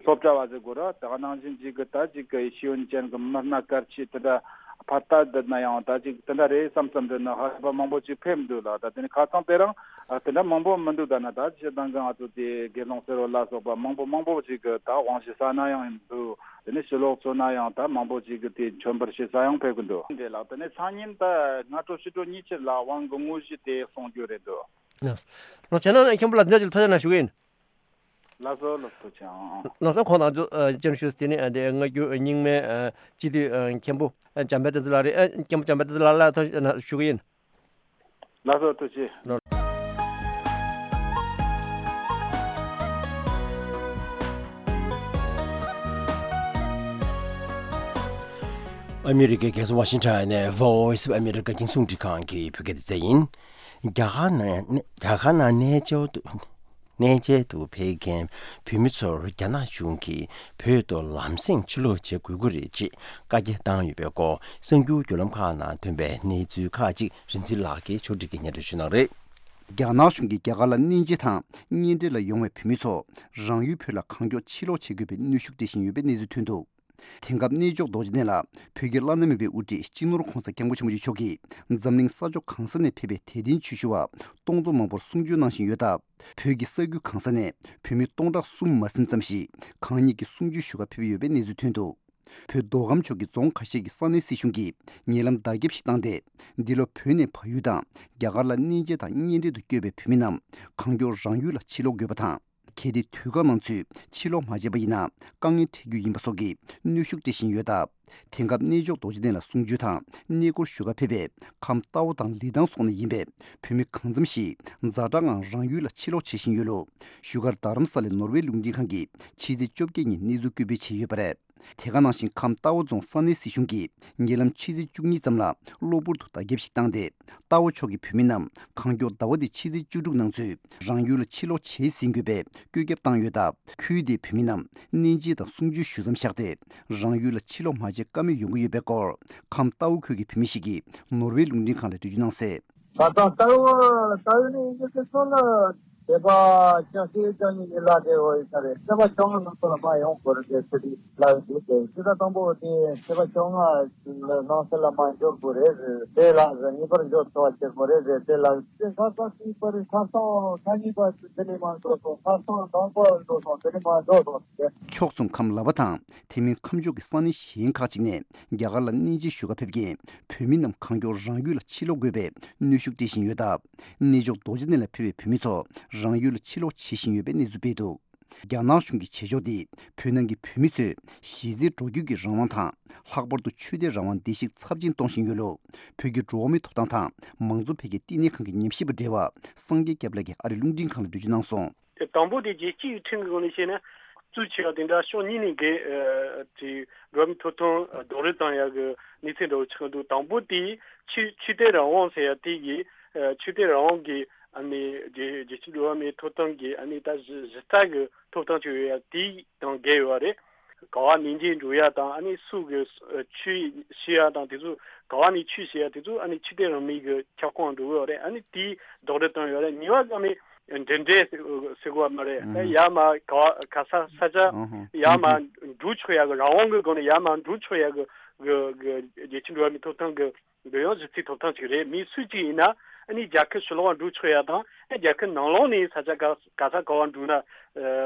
སློབ་གྲྭ་བ་ཟེར་དགོས་ར། དེ་ག་ནང་བཞིན་ཅིག་གི་ད་ཅིག་གི་ཤེས་ཡོན་ཅན་གྱི་མི་སྣ་གལ་ཆེ་དེ་འདྲ་ཕར་ལྟ་བསྡད་ན་ཡང་ད་ཅིག་དེ་འདྲ་རེད་བསམ་བསམ་འདྲ་ན་ཧ་ལས་པ་མང་པོ་ཅིག་ཕེབས་འདུག་ལ། ད་དེ་ནི་ཁ་སང་དེ་རིང་དེ་འདྲ་མང་པོ་མི་འདུག་ད་ན་ད་སྤྱིར་བཏང་གི་ང་ཚོ་དེ་དགེ་སློང་ཟེར་བ་ལ་སོགས་པ་མང་པོ་མང་པོ་ཅིག་གི་ད་དབང་ཞུ་ས་ན་ཡང་འདུག་དེ་ནི་ཕྱི་ལོགས་ཚོ་ན་ཡང་ད་མང་པོ་ཅིག་གི་དེ་མཆོད་འབུལ་ཞུ་ས་ཡང་ཕེབས་ཀྱི་འདུག་འདྲེ་ལགས། དེ་ནི་སང་ཉིན་ད་སྔ་དྲོ་ཕྱི་དྲོ་གཉིས་ཆར་ལ་དབང་གི་དངོས་གཞི་དེ་གསུང་རྒྱུ་རེད་འདུག་ལགས་སོ། ལགས་སོ། བྱས་ན་མཁན་པོ་ལ་འདི་འདྲ་ཅིག་ཐུགས་རྗེ་གནང་ཞུ་གི་ཡིན། ལགས་སོ། ལགས་སོ། ལགས་སོ། ཁོང་རྣམ་ཚོ་སྤྱན་ཞུས་དེ་ནི་འདི་སྔ་འགྱུར་རྙིང་མའི་སྤྱི་འཐུས་མཁན་པོ་འཇམ་དཔལ་བསྟན་འཛིན་ལགས་རེད། མཁན་པོ་འཇམ་དཔལ་བསྟན་འཛིན་ལགས་ལ་ཐུགས་རྗེ་གནང་ཞུ་གི་ཡིན། ལགས་སོ། ཐུགས་རྗེ་ཆེ། ཨ་མི་རི་ཀའི་རྒྱལ་ས་ཝ་ཤིང་ཊོན་ནས་Voice of America་རྒྱང་སྲིང་རླུང་འཕྲིན་ཁང་གི་བོད་སྐད་སྡེ་ཚན་ཡིན། རྒྱ་གར་ནང་རྒྱ་གར་ནང་གནས་མཇལ་དུ་གནས་མཇལ་དུ་ཕེབས་མཁན་བོད་མི་ཚོར་རྒྱ་ནག་གཞུང་གིས་བོད་དུ་ལམ་སེང་ཕྱིར་ལོག་བྱེད་དགོས་ཀྱི་རེད་ཅེས་བཀའ་རྒྱ་བཏང་ཡོད་པའི་སྐོར་གསར་འགྱུར་བརྒྱུད་ལམ་ཁག་ནང་ཐོན་པའི་གནས་ཚུལ་ཁག་ཅིག་རིན་ཆེན་ལགས་ཀྱིས་ཕྱོགས་སྒྲིག་གིས་སྙན་སྒྲོན་ཞུ་གནང་རེད། རྒྱ་ནག་གཞུང་གིས་རྒྱ་གར་ལ་གནས་མཇལ་དང་གཉེན་འཕྲད་ལ་ཡོང་བའི་བོད་མི་ཚོ་རང་ཡུལ་བོད་ལ་གང་མགྱོགས་ཕྱིར་ལོག་བྱེད་དགོས་པའི་གནོན་ཤུགས་སྤྲད་བཞིན་ཡོད་པའི་གནས་ཚུལ་ཐོན་འདུག་དེང་སྐབས་གནས་མཆོག་རྡོ་རྗེ་གདན་ལ་བོད་ཀྱི་བླ་ན་མེད་པའི་དབུ་ཁྲིད་སྤྱི་ནོར་༧གོང་ས་༧སྐྱབས་མགོན་ཆེན་པོ་མཆོག་གིས་འཛམ་གླིང་ས་ཕྱོགས་གང་ས་ནས་ཕེབས་པའི་དད་ལྡན་ཆོས་ཞུ་བ་སྟོང་ཚོ་མང་པོར་གསུང་ཆོས་གནང་བཞིན་ཡོད་སྟབས། བོད་ཀྱི་ས་ཁུལ་གང་ས་ནས་བོད་མི་སྟོང་ཕྲག་གསུམ་མ་ཟིན་ཙམ་ཞིག་གང་ཉིད་ཀྱི་གསུང་ཆོས་ཞུ་གར་ཕེབས་ཡོད་པའི་གནས་ཚུལ་ཐོན་འདུག་བོད་མདོ་ཁམས་ཕྱོགས་ཀྱི་རྫོང་ཁ་ཤས་ཀྱི་ས་གནས་སྲིད་གཞུང་གིས་ཉེ་ལམ་བརྡ་ཁྱབ་ཞིག་བཏང་སྟེ། འདི་ལོ་བོད་ནས་བལ་ཡུལ་དང་རྒྱ་གར་ལ་གནས་མཇལ་དང་གཉེན་འཕྲད་དུ་བསྐྱོད་པའི་བོད་མི་རྣམས་གང་མགྱོགས་རང་ཡུལ་ལ་ཕྱིར་ལོག་དགོས་པ་དང་། གལ་ཏེ་དུས་བཀག་ནང་ཚུད་ཕྱིར་ལོག་མ་བྱས་པ་ཡིན་ན་དཀའ་ངལ་འཕྲད་རྒྱུ་ཡིན་པ་སོགས་ཀྱི་གནོན་ཤུགས་སྤྲད་བཞིན་ཡོད་སྟབས། དེང་སྐབས་གནས་མཆོག་རྡོ་རྗེ་གདན་ལ་གསུང་ཆོས་དང་གནས་སྐོར་ཞུ་གར་ཕེབས་པའི་ཁམས་རྟའུ་དང་ལི་ཐང་སོགས་ནས་ཡིན་པའི་བོད་མི་གང་འཚམ་ཞིག་ཛ་དྲག་ངང་རང་ཡུལ་ལ་ཕྱིར་ལོག་བྱེད་བཞིན་ཡོད་ལུགས་བཞུགས་སྒར་རྡ་རམ་ས་ལའི་ནོར་ཝེ་རླུང་འཕྲིན་ཁང་གིས་ཕྱི་ཚེས་བཅོ་བརྒྱད་ཉིན་གནས་ཚུལ་བཀོད་སྤེལ་བྱས་ཡོད་པ་རེད། དེ་ག་ནང་བཞིན་ཁམས་རྟའུ་རྫོང་ས་གནས་སྲིད་གཞུང་གིས་ཉེ་ལམ་ཕྱི་ཚེས་བཅུ་གཉིས་ཙམ་ལ་གློ་བུར་དུ་བརྡ་ཁྱབ་ཞིག་བཏང་སྟེ། རྟའུ་ཕྱོགས་ཀྱི་བོད་མི་རྣམས་གང་མགྱོགས་ཟླ་བ་འདིའི་ཕྱི་ཚེས་བཅུ་དྲུག་ནང་ཚུད་རང་ཡུལ་ལ་ཕྱིར་ལོག་བྱེད་ཟིན་དགོས་པའི་བཀོད་ཁྱབ་བཏང་ཡོད་སྟབས། ཁུལ་དེའི་བོད་མི་རྣམས་གནས་མཇལ་དང་གསུང་ཆོས་ཞུ་མཚམས་བཞག་སྟེ། རང་ཡུལ་ལ་ཕྱིར་ལོག་མ་བྱས་ཀ་མེད་ཡོང་གི་ཡོད་པའི་སྐོར་ཁམས་རྟའུ་ཁུལ་གྱི་བོད་མི་ཞིག་གིས་ནོར་ཝེ་རླུང་འཕྲིན་ཁང་ལ་འགྲེལ་བརྗོད་གནང་གསལ། ད་ལྟ་རྟའུ་རྟའུ་ནས་ཡིན་གྱི་སོང་ན་བོད་པ་བཅུ་བཞི་བཅུ་གཉིས་ཉིན་ལ་དེ་འོ་ཡིན་ས་རེད། བོད་པ་བཅོ་ལྔ་ནང་ཚོ་ལ་མ་ཡོང་དགོས་རེད་དེ་ཚེ་རིང་ལ་ཡོང་དུས་དེ་ཚེ་ད་དང་པོ་དེ་བོད་པ་བཅོ་ལྔ་ནང་ཚོ་ལ་མ་འབྱོར་དགོས་རེད། དེ་ལ་ངེས་པར་འབྱོར་ཐུབ་པ་བྱེད་དགོས་རེད། དེ་ལ་དེ་ཁ་སང་དེའི་པར་ཁ་སང་ཁ་ཉིན་པ་དེ་ནས་མ་འགྲོ་སོང་། ཁ་སང་དང་པོ་འགྲོ་སོང་། དེ་ནས་མ་འགྲོ་སོང་དེ། ཕྱོགས་མཚུངས་ཁམས་ལ་བ་དང་དེ་མིན་ཁམས་ཕྱོགས་ཀྱི་ས་གནས་གཞན་ཁག་ཅིག་ནས་རྒྱ་གར་ལ་གནས་མཇལ་ཞུ་གར་ཕེབས་མཁན་བོད་མི་རྣམས་གང་མགྱོགས་རང་ཡུལ་ལ་ཕྱིར་ལོག་དགོས་པའི་གནོན་ཤུགས་སྤྲད་བཞིན་ཡོད་སྟབས། གནས་མཆོག་རྡོ་རྗེ་གདན་ལ་ཕེབས་པའི་བོད་མི་ཚོ་རང་ཡུལ་ལ་ཕྱིར་ལོག་བྱེད་བཞིན་ཡོད་པའི་གནས་ཚུལ་སྤེལ་འདུག་རྒྱ་ནག་གཞུང་གི་བྱེད་ཕྱོགས་འདིས་བོད་ནང་གི་བོད་མི་ཚོས་གཞི་རྩའི་འགྲོ་སྐྱོད་ཀྱི་རང་དབང་དང་། ལྷག་པར་དུ་ཆོས་དད་རང་དབང་བརྡལ་བཤིག་ཚབས་ཆེན་གཏོང་བཞིན་ཡོད་ལུགས། བོད་ཀྱི་འགྲོ་བ་མིའི་ཐོབ་ཐང་དང་མང་གཙོ་འཕེལ་རྒྱས་བསྟི་གནས་ཁང་གི་ཉམས་ཞིབ་པ་བགྲེས་པ་སངས་རྒྱས་སྐྱབས་ལགས་ཀྱིས་ཨ་རིའི་རླུང་འཕྲིན་ཁང་ལ་འགྲེལ་བརྗོད་གནང་སོང་། དེ་དང་པོ་དེ་རྒྱལ་སྤྱིའི་ཁྲིམས་ཀྱི་ངོས་ནས་བཤད་ན། གཙོ་ཆེ་བ་དེ་འདྲ་ཕྱོགས་གཉིས་ནས་འགལ་ཨ་དེ་འགྲོ་བ་མིའི་ཐོབ་ཐང་རྡོག་རོལ་བཏང་ཡག་གི་གནས་ཚུལ་འདྲ་བོ་ཆགས་འདུག་དང་པོ་དེ་ཆོས་ཆོས་དད་རང་དབང་ཟེར་ཡག་དེ་གི་ཨ་ཆོས་དད་རང་དབང་གི་ཨ་ནི་རྒྱལ་རྒྱལ་སྤྱིའི་འགྲོ་བ་མིའི་ཐོབ་ཐང་གི་ཨ་ནི་ད་གཞི་གཞི་རྩ་གི་ཐོབ་ཐང་ཅིག་ཡོད་ཡག་དེ་དང་འགལ་ཡོད་པ་རེད། ག་བ་ནས་འཇིག་འགྲོ་ཡ་དང་། ཨ་ནི་སུ་གི་ཆོས་ཤེས་ཡ་དང་། དེ་ཚོ་ག་བ་ནས་ཆོས་ཤེས་ཡ་དེ་ཚོ་ཨ་ནི་ཕྱི་དེ་རང་མི་གི་ཁྱབ་ཁོངས་འགྲོ་གི་ཡོད་རེད། ཨ་ནི་དེའི་རྡོག་རེ་བཏང་ཡོད་རེད། ཉི་བ་གང་ནས་འདྲེ་འདྲེ་ཟེར་གོ་བ་མ་རེད། ད་ཡར་མར་ག་བ་ག་ས་ས་ཆ་ཡར་མར་འགྲོ་ཆོག་ཡ་གི། རང་དབང་གི་སྒོ་ནས་ཡར་མར་འགྲོ་ཆོག་ཡ་གི་གི་གི་རྒྱལ་སྤྱི་འགྲོ་བ་མིའི་ཐོབ་ཐང་གི་འདི་ཡང་གཞི་རྩའི་ཐོབ་ཐང་ཅིག་རེད། མི་སུ་གཅིག་ཡིན་ན་ཨ་ནི་རྒྱལ་ཁབ་ཕྱི་ལོགས་འགྲོ་ཆོག་ཡ་དང་། ཨ་རྒྱལ་ཁབ་ནང་ལོགས་ནས་ས་ཆ་ག་ག་ས་ག་བ་འགྲོ་ན་ཨ་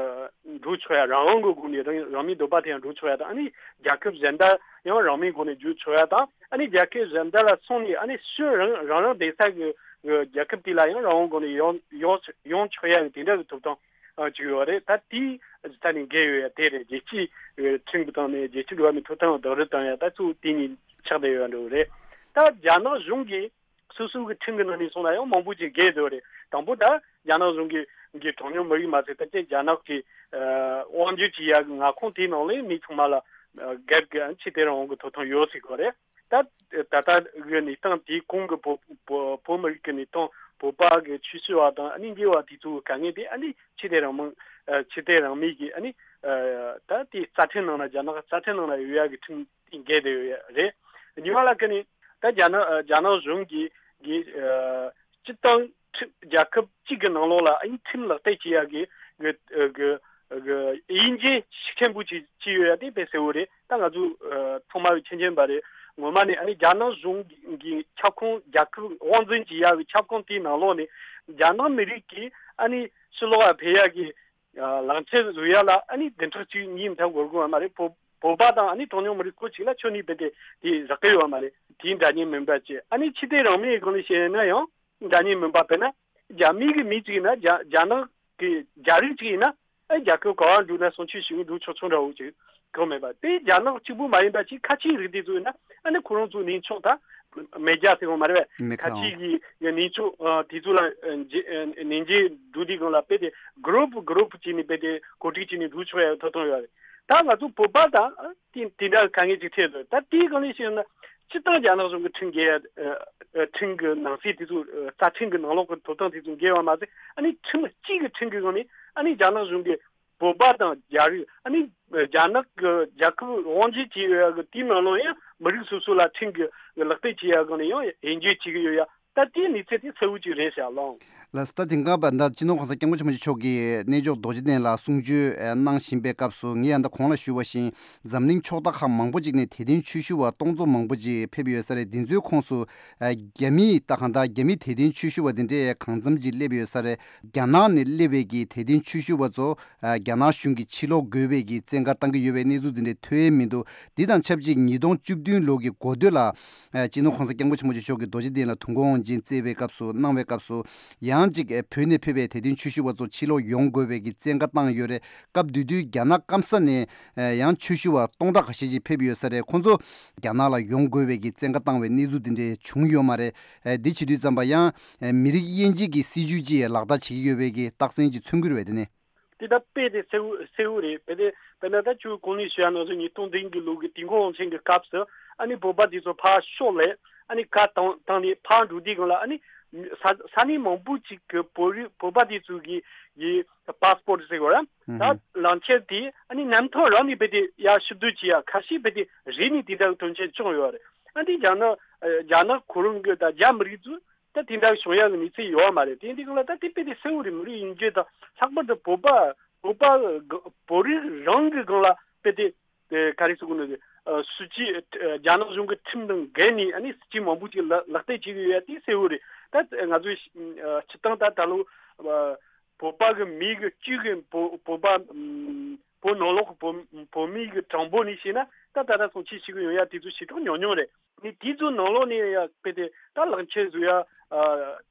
འགྲོ་ཆོག་ཡ། རང་དབང་གི་སྒོ་ནས་རང་རང་མིའི་འདོད་པ་དེ་ཡང་འགྲོ་ཆོག་ཡ་དང་། ཨ་ནི་རྒྱལ་ཁབ་གཞན་དག་ཡང་རང་མིའི་སྒོ་ནས་འགྲོ་ཆོག་ཡ་དང་། ཨ་ནི་རྒྱལ་ཁབ་གཞན་དག་ལ་སོང་ནས་ཨ་ནི་ཕྱིར་རང་རང་རང་བསྡད་ས་གི་གི་རྒྱལ་ཁབ་དེ་ལ་ཡང་རང་དབང་སྒོ་ནས་ཡོང་ཡོང་ཡོང་ཆོག་ཡ་གི་དེ་འདྲ་གི་ཐོབ་ཐང་ཨ་ཅིག་ཡོད་རེད། ད་དེའི་ད་ནི་འགལ་ཡོད་ཡ་དེ་རེད། རྒྱལ་སྤྱིའི་ཁྲིམས་ཀྱི་སྟེང་ནས་རྒྱལ་སྤྱི་འགྲོ་བ་མིའི་ཐོབ་ཐང་བདག་རིགས་བཏང་ཡ་ད་གཙོ་བོ་དེ་གཉིས་ཆགས་བསྡད་ཡོད་འགྲོ་རེད། ད་རྒྱ་ནག་གཞུང་གིས་སོ་སོ་གི་ཁྲིམས་ཀྱི་ནང་ནས་སོང་ན་ཡང་མང་པོ་ཅིག་འགལ་འདུག་རེད། དང་པོ་ད་རྒྱ་ནག་གཞུང་གི་གི་གྲངས་ཉུང་མི་རིགས་མ་ཟད་ད་ལྟའི་རྒྱ་ནག་གི་དབང་སྒྱུར་བྱེད་ཡ་གི་མངའ་ཁོངས་དེའི་ནང་ལ་མི་ཚང་མ་ལ་སྒེར་གྱི་ཕྱི་དེ་རང་དབང་གི་ཐོབ་ཐང་ཡོད་ཟེར་གོ་རེད། ད་ད་ལྟ་གི་གནས་སྟངས་དེའི་གོང་གི་བོད་བོད་བོད་མི་རིགས་ཀྱི་གནས་སྟངས། བོད་པ་གི་ཆོས་ཞུ་བ་དང་། ཨ་ནི་འགལ་བ་དེ་ཚོའི་དཀའ་ངལ་དེ་ཨ་ནི་ཕྱི་དེ་རང་མང་ཕྱི་དེ་རང་མོས་ཀྱི་ཨ་ནི་ད་དེ་རྩ་ཁྲིམས་ནང་ན་རྒྱ་ནག་རྩ་ཁྲིམས་ནང་ན་ཡོད་ཡ་གི་ཁྲིམས་དེ་འགལ་བསྡད་ཡོད་ཡ་རེད། གཉིས་པ་ལ་ཀ་ནི་ད་རྒྱ་ནག་རྒྱ་ནག་གཞུང་གི་གི་སྤྱི་བཏང་ཁྲིམས། རྒྱལ་ཁབ་གཅིག་གི་ནང་ལོགས་ལ་ཨ་ནི་ཁྲིམས་ལག་བསྟར་བྱེད་ཡ་གི་གི་གི་གི་དབྱེ་འབྱེད་ཤུགས་ཆེན་པོ་ཅིག་ཅིག་ཡོད་ཡ་དེ་དཔེ་གསལ་བོ་རེད། ད་ང་ཚོ་ཚང་མ་མཁྱེན་མཁྱེན་པ་རེད། ངོ་མ་ནས་ཨ་ནི་རྒྱ་ནག་གཞུང་གི་ཁྱབ་ཁོངས། རྒྱལ་ཁབ་དབང་འཛིན་བྱེད་ཡ་གི་ཁྱབ་ཁོངས་དེའི་ནང་ལོགས་ནས་རྒྱ་ནག་མི་རིགས་ཀྱི་ཨ་ནི་ཕྱི་ལོགས་ལ་ཕེབས་ཡ་གི་ལག་འཁྱེར་བཟོ་ཡ་ལ་ཨ་ནི་བདུན་ཕྲག་གཅིག་གཉིས་མ་གཏོགས་འགོར་གི་ཡོད་མ་རེད། བོད་བོད་པ་དང་ཨ་ནི་གྲངས་ཉུང་མི་རིགས་སྐོར་ཅིག་ལ་ཁྱོན་ནས་རྦད་དེ་དེ་རག་གི་ཡོད་མ་རེད། དེའི་འདྲ་མཉམ་མིན་པ་བཅས། ཨ་ནི་ཕྱི་དེ་རང་མོས་སྒང་ནས་བཤད་ན་ཡང་འདྲ་མཉམ་མིན་པ། དཔེར་ན་རྒྱ་མི་གི་མི་གཅིག་ཡིན་ན། རྒྱ་རྒྱ་ནག་གི་རྒྱ་རིགས་གཅིག་ཡིན་ན། ཨ་རྒྱལ་ཁབ་ག་བ་འགྲོ་ན་སོང་ཆོས་ཞུ་གི་འགྲོ་ཆོག་ཆོག་འདྲ་བོ་ཅིག་གང་མེད་པ། དེ་རྒྱ་ནག་གཅིག་པུ་མ་ཡིན་པ་ཅིག་ཁ་ཆེའི་རིགས་དེ་ཚོ་ཡིན་ན། ཨ་ནི་ཁོ་རང་ཚོ་གནས་མཆོག་ད་མེ་རྒྱལ་ཟེར་བ་མ་རེད་པས། མེ་ཁ་ཁ་ཆེའི་གི་གནས་མཆོག་ཨ་དེ་ཚོ་ལ་ཨ་མཇལ་ཨ་ནས་མཇལ་འགྲོ་དུས་སྒང་ལ་རྦད་དེ་གུ་རུབ་གུ་རུབ་བྱས་ནས་རྦད་དེ་གོ་སྒྲིག་བྱས་ནས་འགྲོ་ཆོག་ཡ་ཐོབ་ཐང་ཡོད་རེད། ད་ང་ཚོ་བོད་པ་དང་དེ་དེ་འདྲ་དཀའ་ངལ་ཅིག་འཕྲད་འདུག་ད་དེའི་སྒང་ནས་བཤད་ན་སྤྱིར་བཏང་རྒྱ་ནག་གཞུང་གི་ཁྲིམས་འགལ་ཡ། ཨ་ཨ་ཁྲིམས་ཀྱི་ནང་གསེས་དེ་ཚོ། ཨ་རྩ་ཁྲིམས་ཀྱི་ནང་ལོགས་ཀྱི་ཐོབ་ཐང་དེ་ཚོ་འགལ་བ་མ་ཟད། ཨ་ནི་ཁྲིམས་གཅིག་གི་ཁྲིམས་ཀྱི་སྒང་ནས་ཨ་ནི་རྒྱ་ནག་གཞུང་གིས་བོད་པ་དང་རྒྱ་རིགས། ཨ་ནི་རྒྱ་ནག་གི་རྒྱལ་ཁབ་དབང་སྒྱུར་བྱེད་ཡོད་ཡ་གི་དེའི་ནང་ལོགས་ཡང་མི་རིགས་སོ་སོ་ལ་ཁྲིམས་ཀྱི་ལག་བསྟར་བྱེད་ཡ་སྒང་ནས་ཡང་དབྱེ་འབྱེད་བྱེད་ཀྱི་ཡོད་ཡ། ད་དེའི་གནས་ཚུལ་དེ་གསལ་བོ་ཅིག་རེད་ཤག་ལགས། ལགས་སོ། ད་དེང་སྐབས་ད་སྤྱི་ནོར་༸གོང་ས་༸སྐྱབས་མགོན་ཆེན་པོ་མཆོག་གིས་གནས་མཆོག་རྡོ་རྗེ་གདན་ལ་གསུང་ཆོས་ཨ་གནང་བཞིན་པའི་སྐབས་སུ། ངས་ཡང་ད་གོང་ལ་ཞུས་པ་བཞིན་འཛམ་གླིང་ཕྱོགས་མཐའ་ཁག་མང་པོ་ཅིག་ནས་དད་ལྡན་ཆོས་ཞུ་བ་སྟོང་ཚོ་མང་པོ་ཅིག་ཕེབས་ཡོད་ས་རེད། འདི་ཚོའི་ཁོངས་སུ་ཨ་རྒྱ་མིའི་ད་གང་ལྟར་རྒྱ་མི་དད་ལྡན་ཆོས་ཞུ་བ་འདི་འདྲས་གང་འཚམ་ཅིག་སླེབས་ཡོད་ས་རེད། རྒྱ་ནག་ནས་སླེབས་པའི་གི་དད་ལྡན་ཆོས་ཞུ་བ་ཚོ་ཨ་རྒྱ་ནག་གཞུང་གིས་ཕྱིར་ལོག་དགོས་པའི་གི་བཙན་བཀའ་བཏང་གི་ཡོད་པའི་གནས་ཚུལ་འདི་འདྲས་ཐོན་ཡས་མི་འདུག་འདི་དང་ཆབས་ཅིག་ཉིས་སྟོང་བཅུ་བདུན་ལོ་གི་འགོ་སྟོད་ལ་ཨ་སྤྱི་ནོར་༸གོང་ས་༸སྐྱབས་མགོན་ཆེན་པོ་མཆོག་གིས་རྡོ་རྗེ་གདན་ལ་དུས་འཁོར་དབང་ཆེན་བསྩལ་བའི་སྐབས་སུ། གནང་བའི་སྐབས་སུ། ཡང་ཅིག་ཨ་བོད་ནས་ཕེབས་པའི་དད་ལྡན་ཆོས་ཞུ་བ་ཚོ་ཕྱིར་ལོག་ཡོང་དགོས་པའི་གི་བཙན་བཀའ་བཏང་ཡོད་རེད། སྐབས་དེ་དུས་རྒྱ་ནག་སྐམ་ས་ནས་ཨ་ཡང་ཆོས་ཞུ་བ་སྟོང་ཕྲག་ཁ་ཤས་ཅིག་ཕེབས་ཡོད་ས་རེད། ཁོང་ཚོ་རྒྱ་ནག་ལ་ཡོང་དགོས་པའི་གི་བཙན་བཀའ་བཏང་བའི་གནས་ཚུལ་དེ་འདྲས་བྱུང་ཡོད་མ་རེད། ཨ་འདི་བྱེད་དུས་ཙམ་པ་ཡང་ཨ་མི་རིགས་དབྱེ་འབྱེད་ཀྱི་སྲིད་ཇུས་ཅིག་ལག་བསྟར་བྱེད་ཀྱི་ཡོད་པའི་གི་རྟགས་མཚན་ཅིག་མཚོན་གྱི་རེད་པས། དེ་ནས། དེ་ད་དཔེ་དེ་གསལ་བོ་གསལ་བོ་རེད། དཔེ་དེ་དཔེར་ན་ད་ཁྱོད་གོང་ནས་ཞུ་ཡ་ནང་བཞིན་ཉིས་སྟོང་བདུན་གྱི་ལོ་གི་དུས་འཁོར་དབང་ཆེན་གྱི་སྐབས་སུ། ཨ་ནི་བོད་པ་དེ་ཚོ་ཕར་ཕྱོགས་ལས་ཨ་ནི་བཀའ་བཏང་བཏང་ནས་ཕར་འགྲོ་དུས་སྒང་ལ། ཨ་ནི་ས་ས་གནས་མང་པོ་ཅིག་གི་བོད་རིགས་བོད་པ་དེ་ཚོ་གི་གི་པཱ་སི་པོར་ཟེར་གོ་ར། ད་ལག་འཁྱེར་དེ་ཨ་ནི་རྣམ་ཐར་རང་ནས་དཔེ་དེ་ཡར་ཕྱིར་བསྡུ་བྱེད་ཡ། ཁ་ཤས་དཔེ་དེ་རིག་ནས་དེ་འདྲ་གི་དོན་ཆེན་བྱུང་ཡོད་རེད། ཨ་ནི་རྒྱ་ནག་རྒྱ་ནག་ཁོ་རང་གི་ད་རྒྱ་མི་རིགས་ཚོ། ད་དེ་འདྲ་བྱུང་ཡག་གི་གནས་ཚུལ་ཡོད་མ་རེད། དེ་འདི་སྒང་ལ་ད་དེ་དཔེ་དེ་གསལ་བོ་རེད། མི་རིགས་དབྱེ་འབྱེད་དང་། ལྷག་པར་དུ་བོད་པ་བོད་པ་གི་བོད་རིགས་རང་གི་སྒང་ལ་དཔེ་དེ་དེ་ག་རེ་ཟེར་དགོས་ནི་རེད། ཨ་སྲིད་ཇུས་ཨ་རྒྱ་ནག་གཞུང་གི་ཁྲིམས་དང་འགལ་ནས། ཨ་ནི་སྲིད་ཇུས་མང་པོ་ཅིག་ལག་ལག་བསྟར་བྱེད་ཀྱི་ཡོད་ཡ་དེ་གསལ་བོ་རེད། ད་ང་ཚོས་ཨ་སྤྱིར་བཏང་ད་ད་ལོ་ཨ་བོད་པ་གི་མི་གི་བཅུ་གི་བོད་བོད་པ་ཨམ་བོད་ནང་ལོགས་གི་བོད་བོད་མི་གི་གྲངས་འབོར་ནས་བཤད་ན། ད་ད་ལྟ་སོང་ཆེས་ཞིག་གི་ཡོང་ཡ་དེ་ཚོ་ཞེ་དྲག་ཉུང་ཉུང་རེད། ནི་དེ་ཚོ་ནང་ལོགས་ནས་ཡ་དཔེ་དེ་ད་ལག་འཁྱེར་བཟོ་ཡ། ཨ་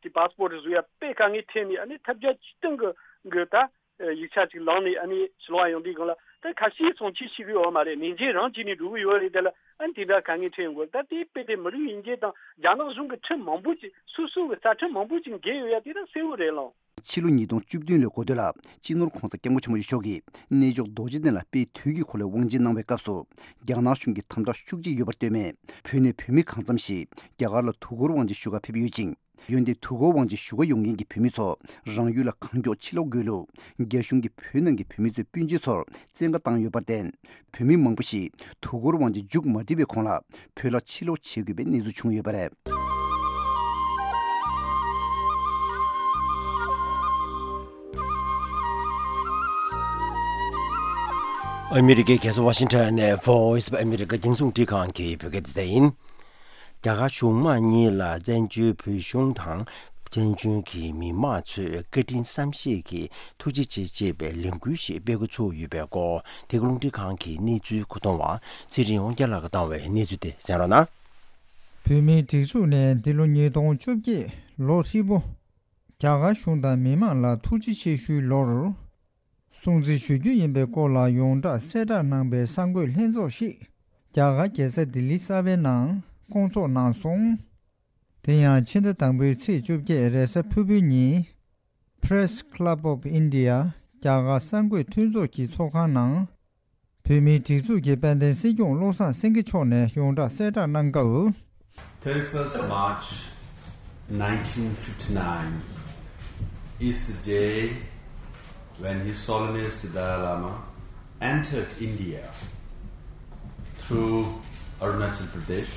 དེ་པཱ་སི་པོར་བཟོ་ཡ་དཔེ་དཀའ་ངལ་འཕྲད་ནས། ཨ་ནི་ཐབས་བརྒྱ་ཇུས་སྟོང་གི་གི་ད་ཡིག་ཆ་ཅིག་བླངས་ནས། ཨ་ནི་ཕྱི་ལོགས་ཡོང་དུས་སྒང་ལ་ད་ཁ་ཤས་སོང་ཆེས་ཞིག་གི་ཡོད་མ་རེད། ནན་ཇི་རང་བྱས་ནས་འགྲོ་གི་ཡོད་རེད། དེ་ལ་ཨ་ནི་དེ་འདྲ་དཀའ་ངལ་འཕྲད་ཡོང་གི་རེད། ད་དེ་དཔེ་དེ་མི་རིགས་དབྱེ་འབྱེད་དང་རྒྱ་ནག་གཞུང་གི་ཁྲིམས་མང་པོ་ཅིག་སོ་སོ་གི་རྩ་ཁྲིམས་མང་པོ་ཅིག་འགལ་ཡོད་ཡ་དེ་ད་གསལ་བོ་རེད་ལགས། ཕྱི་ལོ་ཉིས་སྟོང་བཅུ་བདུན་ལོའི་འགོ་སྟོད་ལ་སྤྱི་ནོར་༸གོང་ས་༸སྐྱབས་མགོན་ཆེན་པོ་མཆོག་གིས་གནས་མཆོག་རྡོ་རྗེ་གདན་ལ་དཔལ་དུས་ཀྱི་འཁོར་ལོའི་དབང་ཆེན་གནང་བའི་སྐབས་སུ། རྒྱ་ནག་གཞུང་གིས་དམ་དྲག་ཤུགས་ཆེ་ཡོད་པར་ལྟོས་ནས། བོད་ནས་བོད་མི་གང་འཚམ་ཞིག་རྒྱ་གར་ལ་དུས་འཁོར་དབང་ཆེན་ཞུ་གར་ཕེབས་ཡོད་ཅིང་། འོན་ཏེ་དུས་འཁོར་དབང་ཆེན་བཞུགས་སྒར་ཡོང་མཁན་གྱི་བོད་མི་ཚོ་རང་ཡུལ་ལ་གང་མགྱོགས་ཕྱིར་ལོག་དགོས་ལུགས། རྒྱ་གཞུང་གིས་བོད་ནང་གི་བོད་མི་ཚོའི་སྤུན་མཆེད་ཚོར་བཙན་བཀའ་བཏང་ཡོད་པར་བརྟེན། བོད་མི་མང་པོ་ཞིག་དུས་འཁོར་དབང་ཆེན་མཇུག་མ་སྒྲིལ་བའི་གོང་ལ་བོད་ལ་ཕྱིར་ལོག་བྱེད་དགོས་པའི་གནས་ཚུལ་བྱུང་ཡོད་པ་རེད། ཨ་མི་རི་ཀའི་རྒྱལ་ས་ཝ་ཤིང་ཊོན་ནས་Voice of America རྒྱང་སྲིང་རླུང་འཕྲིན་ཁང་གི་བོད་སྐད་སྡེ་ཚན་ཡིན། རྒྱ་གར་གཞུང་མང་གཉིས་ལ་བཙན་བྱོལ་བོད་གཞུང་དང་བཙན་བྱོལ་གྱི་མི་མང་ཚོས་བཀའ་དྲིན་བསམ་ཤེས་ཀྱིས་ཐུགས་རྗེ་ཆེ་ཅེས་པའི་ལས་འགུལ་ཞིག་སྤེལ་འགོ་ཚུགས་ཡོད་པའི་སྐོར། འདི་ག་རླུང་འཕྲིན་ཁང་གི་གནས་ཚུལ་མཁོ་གཏོང་བ་ཚེ་རིང་དབང་རྒྱལ་ལགས་ཀྱིས་བཏང་བའི་གནས་ཚུལ་དེ་གསན་རོགས་གནང་། བོད་མིའི་སྒྲིག་འཛུགས་ནས་འདི་ལོ་ཉིས་སྟོང་བཅོ་བརྒྱད་ལོ་ཧྲིལ་པོ། རྒྱ་གར་གཞུང་དང་མི་མང་ལ་ཐུགས་རྗེ་ཆེ་ཞུའི་ལོར། སྲུང་བརྩི་ཞུ་རྒྱུ་ཡིན་པའི་སྐོར་ལ་ཡོངས་གྲགས་གསལ་བསྒྲགས་གནང་པའི་གསར་འགོད་ལྷན་ཚོགས་ཤིག་རྒྱ་གར་རྒྱལ་ས་ལྡི་ལི་གསར་པའི་ནང་བསྐོང་ཚོགས་གནང་སོང་། དེ་ཡང་ཕྱི་ཟླ་དང་པོའི་ཚེས་བཅོ་བརྒྱད་རེས་གཟའ་ཕུར་བུའི་ཉིན། Press Club of India རྒྱ་གར་གསར་འགོད་མཐུན་ཚོགས་ཀྱི་ཚོགས་ཁང་ནང་། བོད་མིའི་སྒྲིག་འཛུགས་ཀྱི་དཔལ་ལྡན་སྲིད་སྐྱོང་བློ་བཟང་སེང་གེ་མཆོག་ནས་ཡོངས་གྲགས་གསལ་བསྒྲགས་གནང་སྐབས། Thirty-first March nineteen fifty-nine is the day when His Holiness the Dalai Lama entered India through Arunachal Pradesh.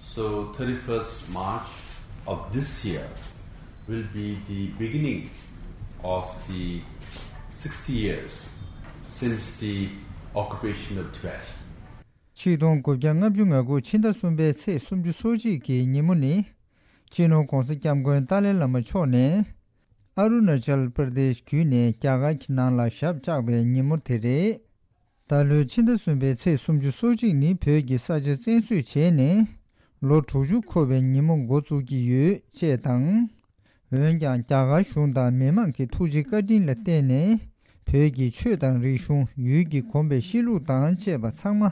So thirty-first March of this year will be the beginning of the sixty years since the occupation of Tibet. ཆིག་སྟོང་དགུ་བརྒྱ་ལྔ་བཅུ་ང་དགུ་ཕྱི་ཟླ་གསུམ་པའི་ཚེས་སུམ་ཅུ་སོ་གཅིག་གི་ཉིན་མོ་ནི། སྤྱི་ནོར་༧གོང་ས་༧སྐྱབས་མགོན་ཏཱ་ལའི་བླ་མ་མཆོག་ནས། ཨ་རུ་ན་ཅལ་པར་དེཤ་བརྒྱུད་ནས་རྒྱ་གར་གྱི་ནང་ལ་ཞབས་བཅགས་པའི་ཉིན་མོ་དེ་རེད། ད་ལོའི་ཕྱི་ཟླ་གསུམ་པའི་ཚེས་སུམ་ཅུ་སོ་གཅིག་ནི་བོད་ཀྱི་ས་ཆ་བཙན་བཟུང་བྱས་ནས་ལོ་དྲུག་ཅུ་འཁོར་བའི་ཉིན་མོ་འགོ་བཙུགས་ཀྱི་ཡོད་ཅེས་དང་། འོན་ཀྱང་རྒྱ་གར་གཞུང་དང་མི་མང་གི་ཐུགས་རྗེ་བཀའ་དྲིན་ལ་བརྟེན་ནས་བོད་ཀྱི་ཆོས་དང་རིག་གཞུང་། ཡུལ་གྱི་གོམས་པའི་གཤིས་ལུགས་དང་བཅས་པ་ཚང་མ་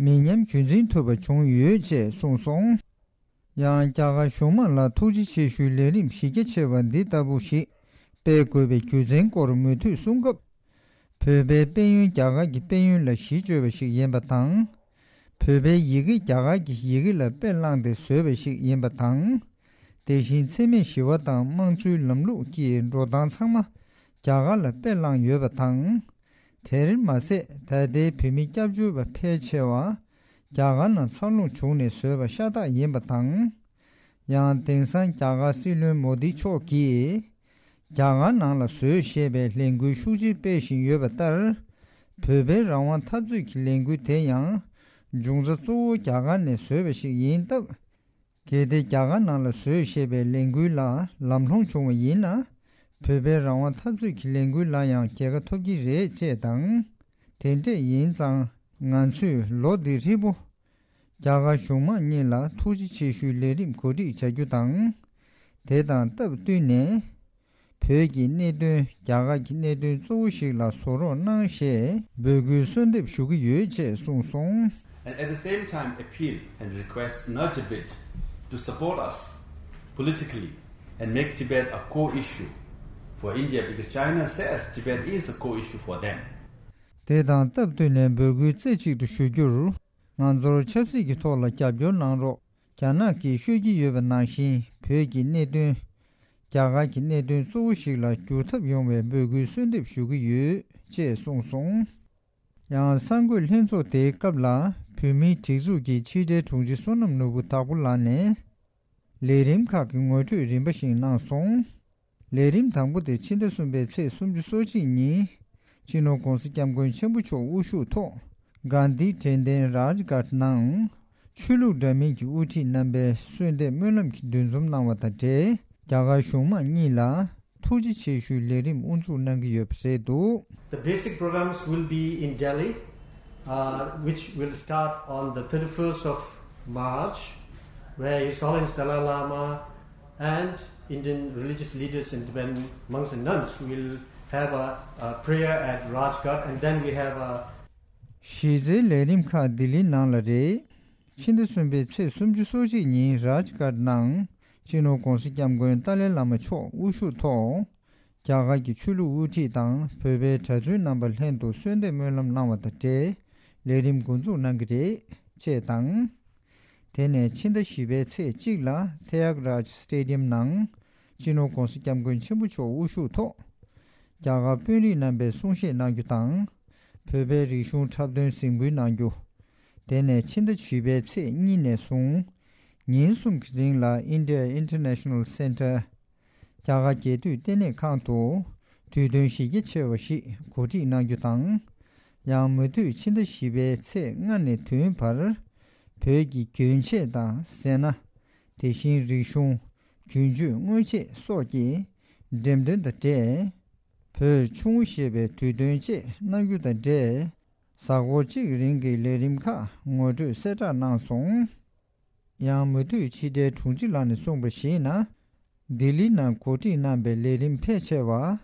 མི་ཉམས་རྒྱུན་འཛིན་ཐུབ་པ་བྱུང་ཡོད་ཅེས་གསུངས་སོང་། ཡང་རྒྱ་གར་གཞུང་མང་ལ་ཐུགས་རྗེ་ཆེ་ཞུའི་ལས་རིམ་གཞི་རྒྱ་ཆེ་བ་འདི་ལྟ་བུ་ཞིག་སྤེལ་དགོས་པའི་རྒྱུ་མཚན་སྐོར་མུ་མཐུད་གསུང་སྐབས། བོད་པའི་དཔལ་ཡོན་རྒྱ་གར་གྱི་དཔལ་ཡོན་ལ་གཞི་བཅོལ་བ་ཞིག་ཡིན་པ་དང་། བོད་པའི་ཡི་གེ་རྒྱ་གར་གྱི་ཡི་གེ་ལ་དཔེ་བླངས་ཏེ་བཟོས་པ་ཞིག་ཡིན་པ་དང་། དེ་བཞིན་འཚེ་མེད་ཞི་བ་དང་དམངས་གཙོའི་ལམ་ལུགས་ཀྱི་འགྲོ་སྟངས་ཚང་མ་རྒྱ་གར་ལ་དཔེ་བླངས་ཡོད་པ་དང་། དེར་མ་ཟད་ད་ལྟའི་བོད་མི་སྐྱབས་བཅོལ་བ་ཕལ་ཆེ་བ་རྒྱ་གར་ནང་འཚར་ལོངས་བྱུང་ནས་བཟོས་པ་ཤ་སྟག་ཡིན་པ་དང་། ཡང་དེང་སང་རྒྱ་གར་སྲིད་བློན་མོ་དི་མཆོག་གིས་རྒྱ་གར་ནང་ལ་བཟོས་ཞེས་པའི་ལས་འགུལ་ཤུགས་ཆེ་སྤེལ་བཞིན་ཡོད་པ་ལྟར། བོད་པའི་རང་དབང་འཐབ་རྩོད་ཀྱི་ལས་འགུལ་དེ་ཡང་འབྱུང་རྩ་གཙོ་བོ་རྒྱ་གར་ནས་བཟོས་པ་ཞིག་ཡིན་སྟབས། གལ་ཏེ་རྒྱ་གར་ནང་ལ་བཟོས་ཞེས་པའི་ལས་འགུལ་ལ་ལམ་ལྷོང་བྱུང་བ་ཡིན་ན། བོད་པའི་རང་དབང་འཐབ་རྩོད་ཀྱི་ལས་འགུལ་ལ་ཡང་རྒྱལ་ཁ་ཐོབ་ཀྱི་རེད་ཅེས་དང་། དེ་འདྲས་ཡིན་ཙང་ང་ཚོས་ལོ་འདི་ཧྲིལ་པོ་རྒྱ་གར་གཞུང་མང་གཉིས་ལ་ཐུགས་རྗེ་ཆེ་ཞུའི་ལས་རིམ་གོ་སྒྲིག་བྱ་རྒྱུ་དང་། དེ་དང་སྟབས་བསྟུན་ནས། བོད་ཀྱི་གནད་དོན། རྒྱ་གར་གྱི་གནད་དོན་གཙོ་བོ་ཞིག་ལ་བཟོ་རོགས་གནང་ཞེས་འབོད་སྐུལ་གསོལ་འདེབས་ཞུ་གི་ཡོད་ཅེས་གསུངས་སོང་། And at the same time appeal and request an urgent bid to support us politically and make Tibet a core issue for India, because China says Tibet is a core issue for them. དེ་དང་སྟབས་བསྟུན་ནས་འབོད་སྐུལ་རྩེ་གཅིག་ཏུ་ཞུ་རྒྱུར། ང་ཚོར་ཆབ་སྲིད་ཀྱི་ཐོག་ལ་རྒྱབ་སྐྱོར་གནང་རོགས། རྒྱ་ནག་གིས་ཤོད་ཀྱི་ཡོད་པ་ནང་བཞིན་བོད་ཀྱི་གནད་དོན། རྒྱ་གར་གྱི་གནད་དོན་གཙོ་བོ་ཞིག་ལ་འགྱུར་ཐབས་ཡོང་བའི་འབོད་སྐུལ་གསོལ་འདེབས་ཞུ་གི་ཡོད་ཅེས་གསུངས་སོང་། ཡང་གསར་འགོད་ལྷན་ཚོགས་དེའི་སྐབས་ལ་བོད་མིའི་སྒྲིག་འཛུགས་ཀྱི་ཕྱི་དྲིལ་དྲུང་ཆེ་བསོད་ནམས་ནོར་བུ་དྭགས་པོ་ལགས་ནས། ལས་རིམ་ཁག་གི་ངོ་སྤྲོད་རིམ་པ་བཞིན་གནང་སོང་། ལས་རིམ་དང་པོ་དེ་ཕྱི་ཟླ་གསུམ་པའི་ཚེས་སུམ་ཅུ་སོ་གཅིག་ཉིན། སྤྱི་ནོར་༧གོང་ས་༧སྐྱབས་མགོན་ཆེན་པོ་མཆོག་དབུ་བཞུགས་ཐོག་གྷན་དྷི་དྲན་རྟེན་རཱཇ་གྷཊ་ནང་། ཆོས་ལུགས་འདྲ་མིན་གྱི་དབུ་ཁྲིད་རྣམ་པས་གསོལ་འདེབས་སྨོན་ལམ་གྱི་འདུ་འཛོམས་གནང་བ་དང་འབྲེལ། རྒྱ་གར་གཞུང་མང་གཉིས་ལ་ཐུགས་རྗེ་ཆེ་ཞུའི་ལས་རིམ་དབུ་འཛུགས་གནང་གི་ཡོད་པ་རེད་འདུག། The basic programs will be in Delhi, uh, which will start on the thirty-first of March, where His Holiness Dalai Lama and Indian religious leaders and Tibetan monks and nuns will have a, a prayer at Rajghat, and then we have a གཞི་རྩའི་ལས་རིམ་ཁག་ལྡི་ལི་ནང་ལ་རེད། ཕྱི་ཟླ་གསུམ་པའི་ཚེས་སུམ་ཅུ་སོ་གཅིག་ཉིན་རཱཇ་གྷཊ་ནང་སྤྱི་ནོར་༧གོང་ས་༧སྐྱབས་མགོན་ཏཱ་ལའི་བླ་མ་མཆོག་དབུ་བཞུགས་ཐོག་རྒྱ་གར་གྱི་ཆོས་ལུགས་དབུ་ཁྲིད་དང་བོད་པའི་གྲྭ་བཙུན་རྣམ་པ་ལྷན་དུ་གསོལ་འདེབས་སྨོན་ལམ་གནང་བ་དང་འབྲེལ་ལས་རིམ་འགོ་འཛུགས་གནང་གི་རེད་ཅེས་དང་། དེ་ནས་ཕྱི་ཟླ་བཞི་པའི་ཚེས་གཅིག་ལ་ཐེ་ཡག་རཱཇ་སི་ཊེ་ཌི་ཡམ་ནང་སྤྱི་ནོར་༧གོང་ས་༧སྐྱབས་མགོན་ཆེན་པོ་མཆོག་དབུ་བཞུགས་ཐོག་རྒྱ་གར་དཔོན་རིགས་རྣམ་པས་གསུང་བཤད་གནང་རྒྱུ་དང་། བོད་པའི་རིག་གཞུང་འཁྲབ་སྟོན་གཟིགས་འབུལ་གནང་རྒྱུ། དེ་ནས་ཕྱི་ཟླ་བཞི་པའི་ཚེས་གཉིས་ནས་བཟུང་ཉིན་གསུམ་གྱི་རིང་ལ་India International Center རྒྱ་གར་རྒྱལ་དུས་ལྟེ་གནས་ཁང་དུ་དུས་སྟོན་གཞི་རྒྱ་ཆེ་བ་ཞིག་གོ་སྒྲིག་གནང་རྒྱུ་དང་། ཡང་མུ་མཐུད་ཕྱི་ཟླ་བཞི་པའི་ཚེས་ལྔ་ནས་བདུན་བར་བོད་ཀྱི་གྱོན་ཆས་དང་ཟས་སྣ། དེ་བཞིན་རིག་གཞུང་། གྱོན་ཆས་དངོས་ཆས་སོགས་ཀྱི་འགྲེམས་སྟོན་དང་འབྲེལ། བོད་ཆུང་ངུ་ཞེས་པའི་དུས་སྟོན་བཅས་གནང་རྒྱུ་དང་འབྲེལ། གཟའ་འཁོར་གཅིག་རིང་གི་ལས་རིམ་ཁག་ངོ་སྤྲོད་གསལ་བསྒྲགས་གནང་སོང་། ཡང་མུ་མཐུད་ཕྱི་དྲིལ་དྲུང་ཆེ་ལགས་ནས་གསུངས་པར་གཞིགས་ན། ལྡི་ལི་ནང་གོ་སྒྲིག་གནང་པའི་ལས་རིམ་ཕལ་ཆེ་བ།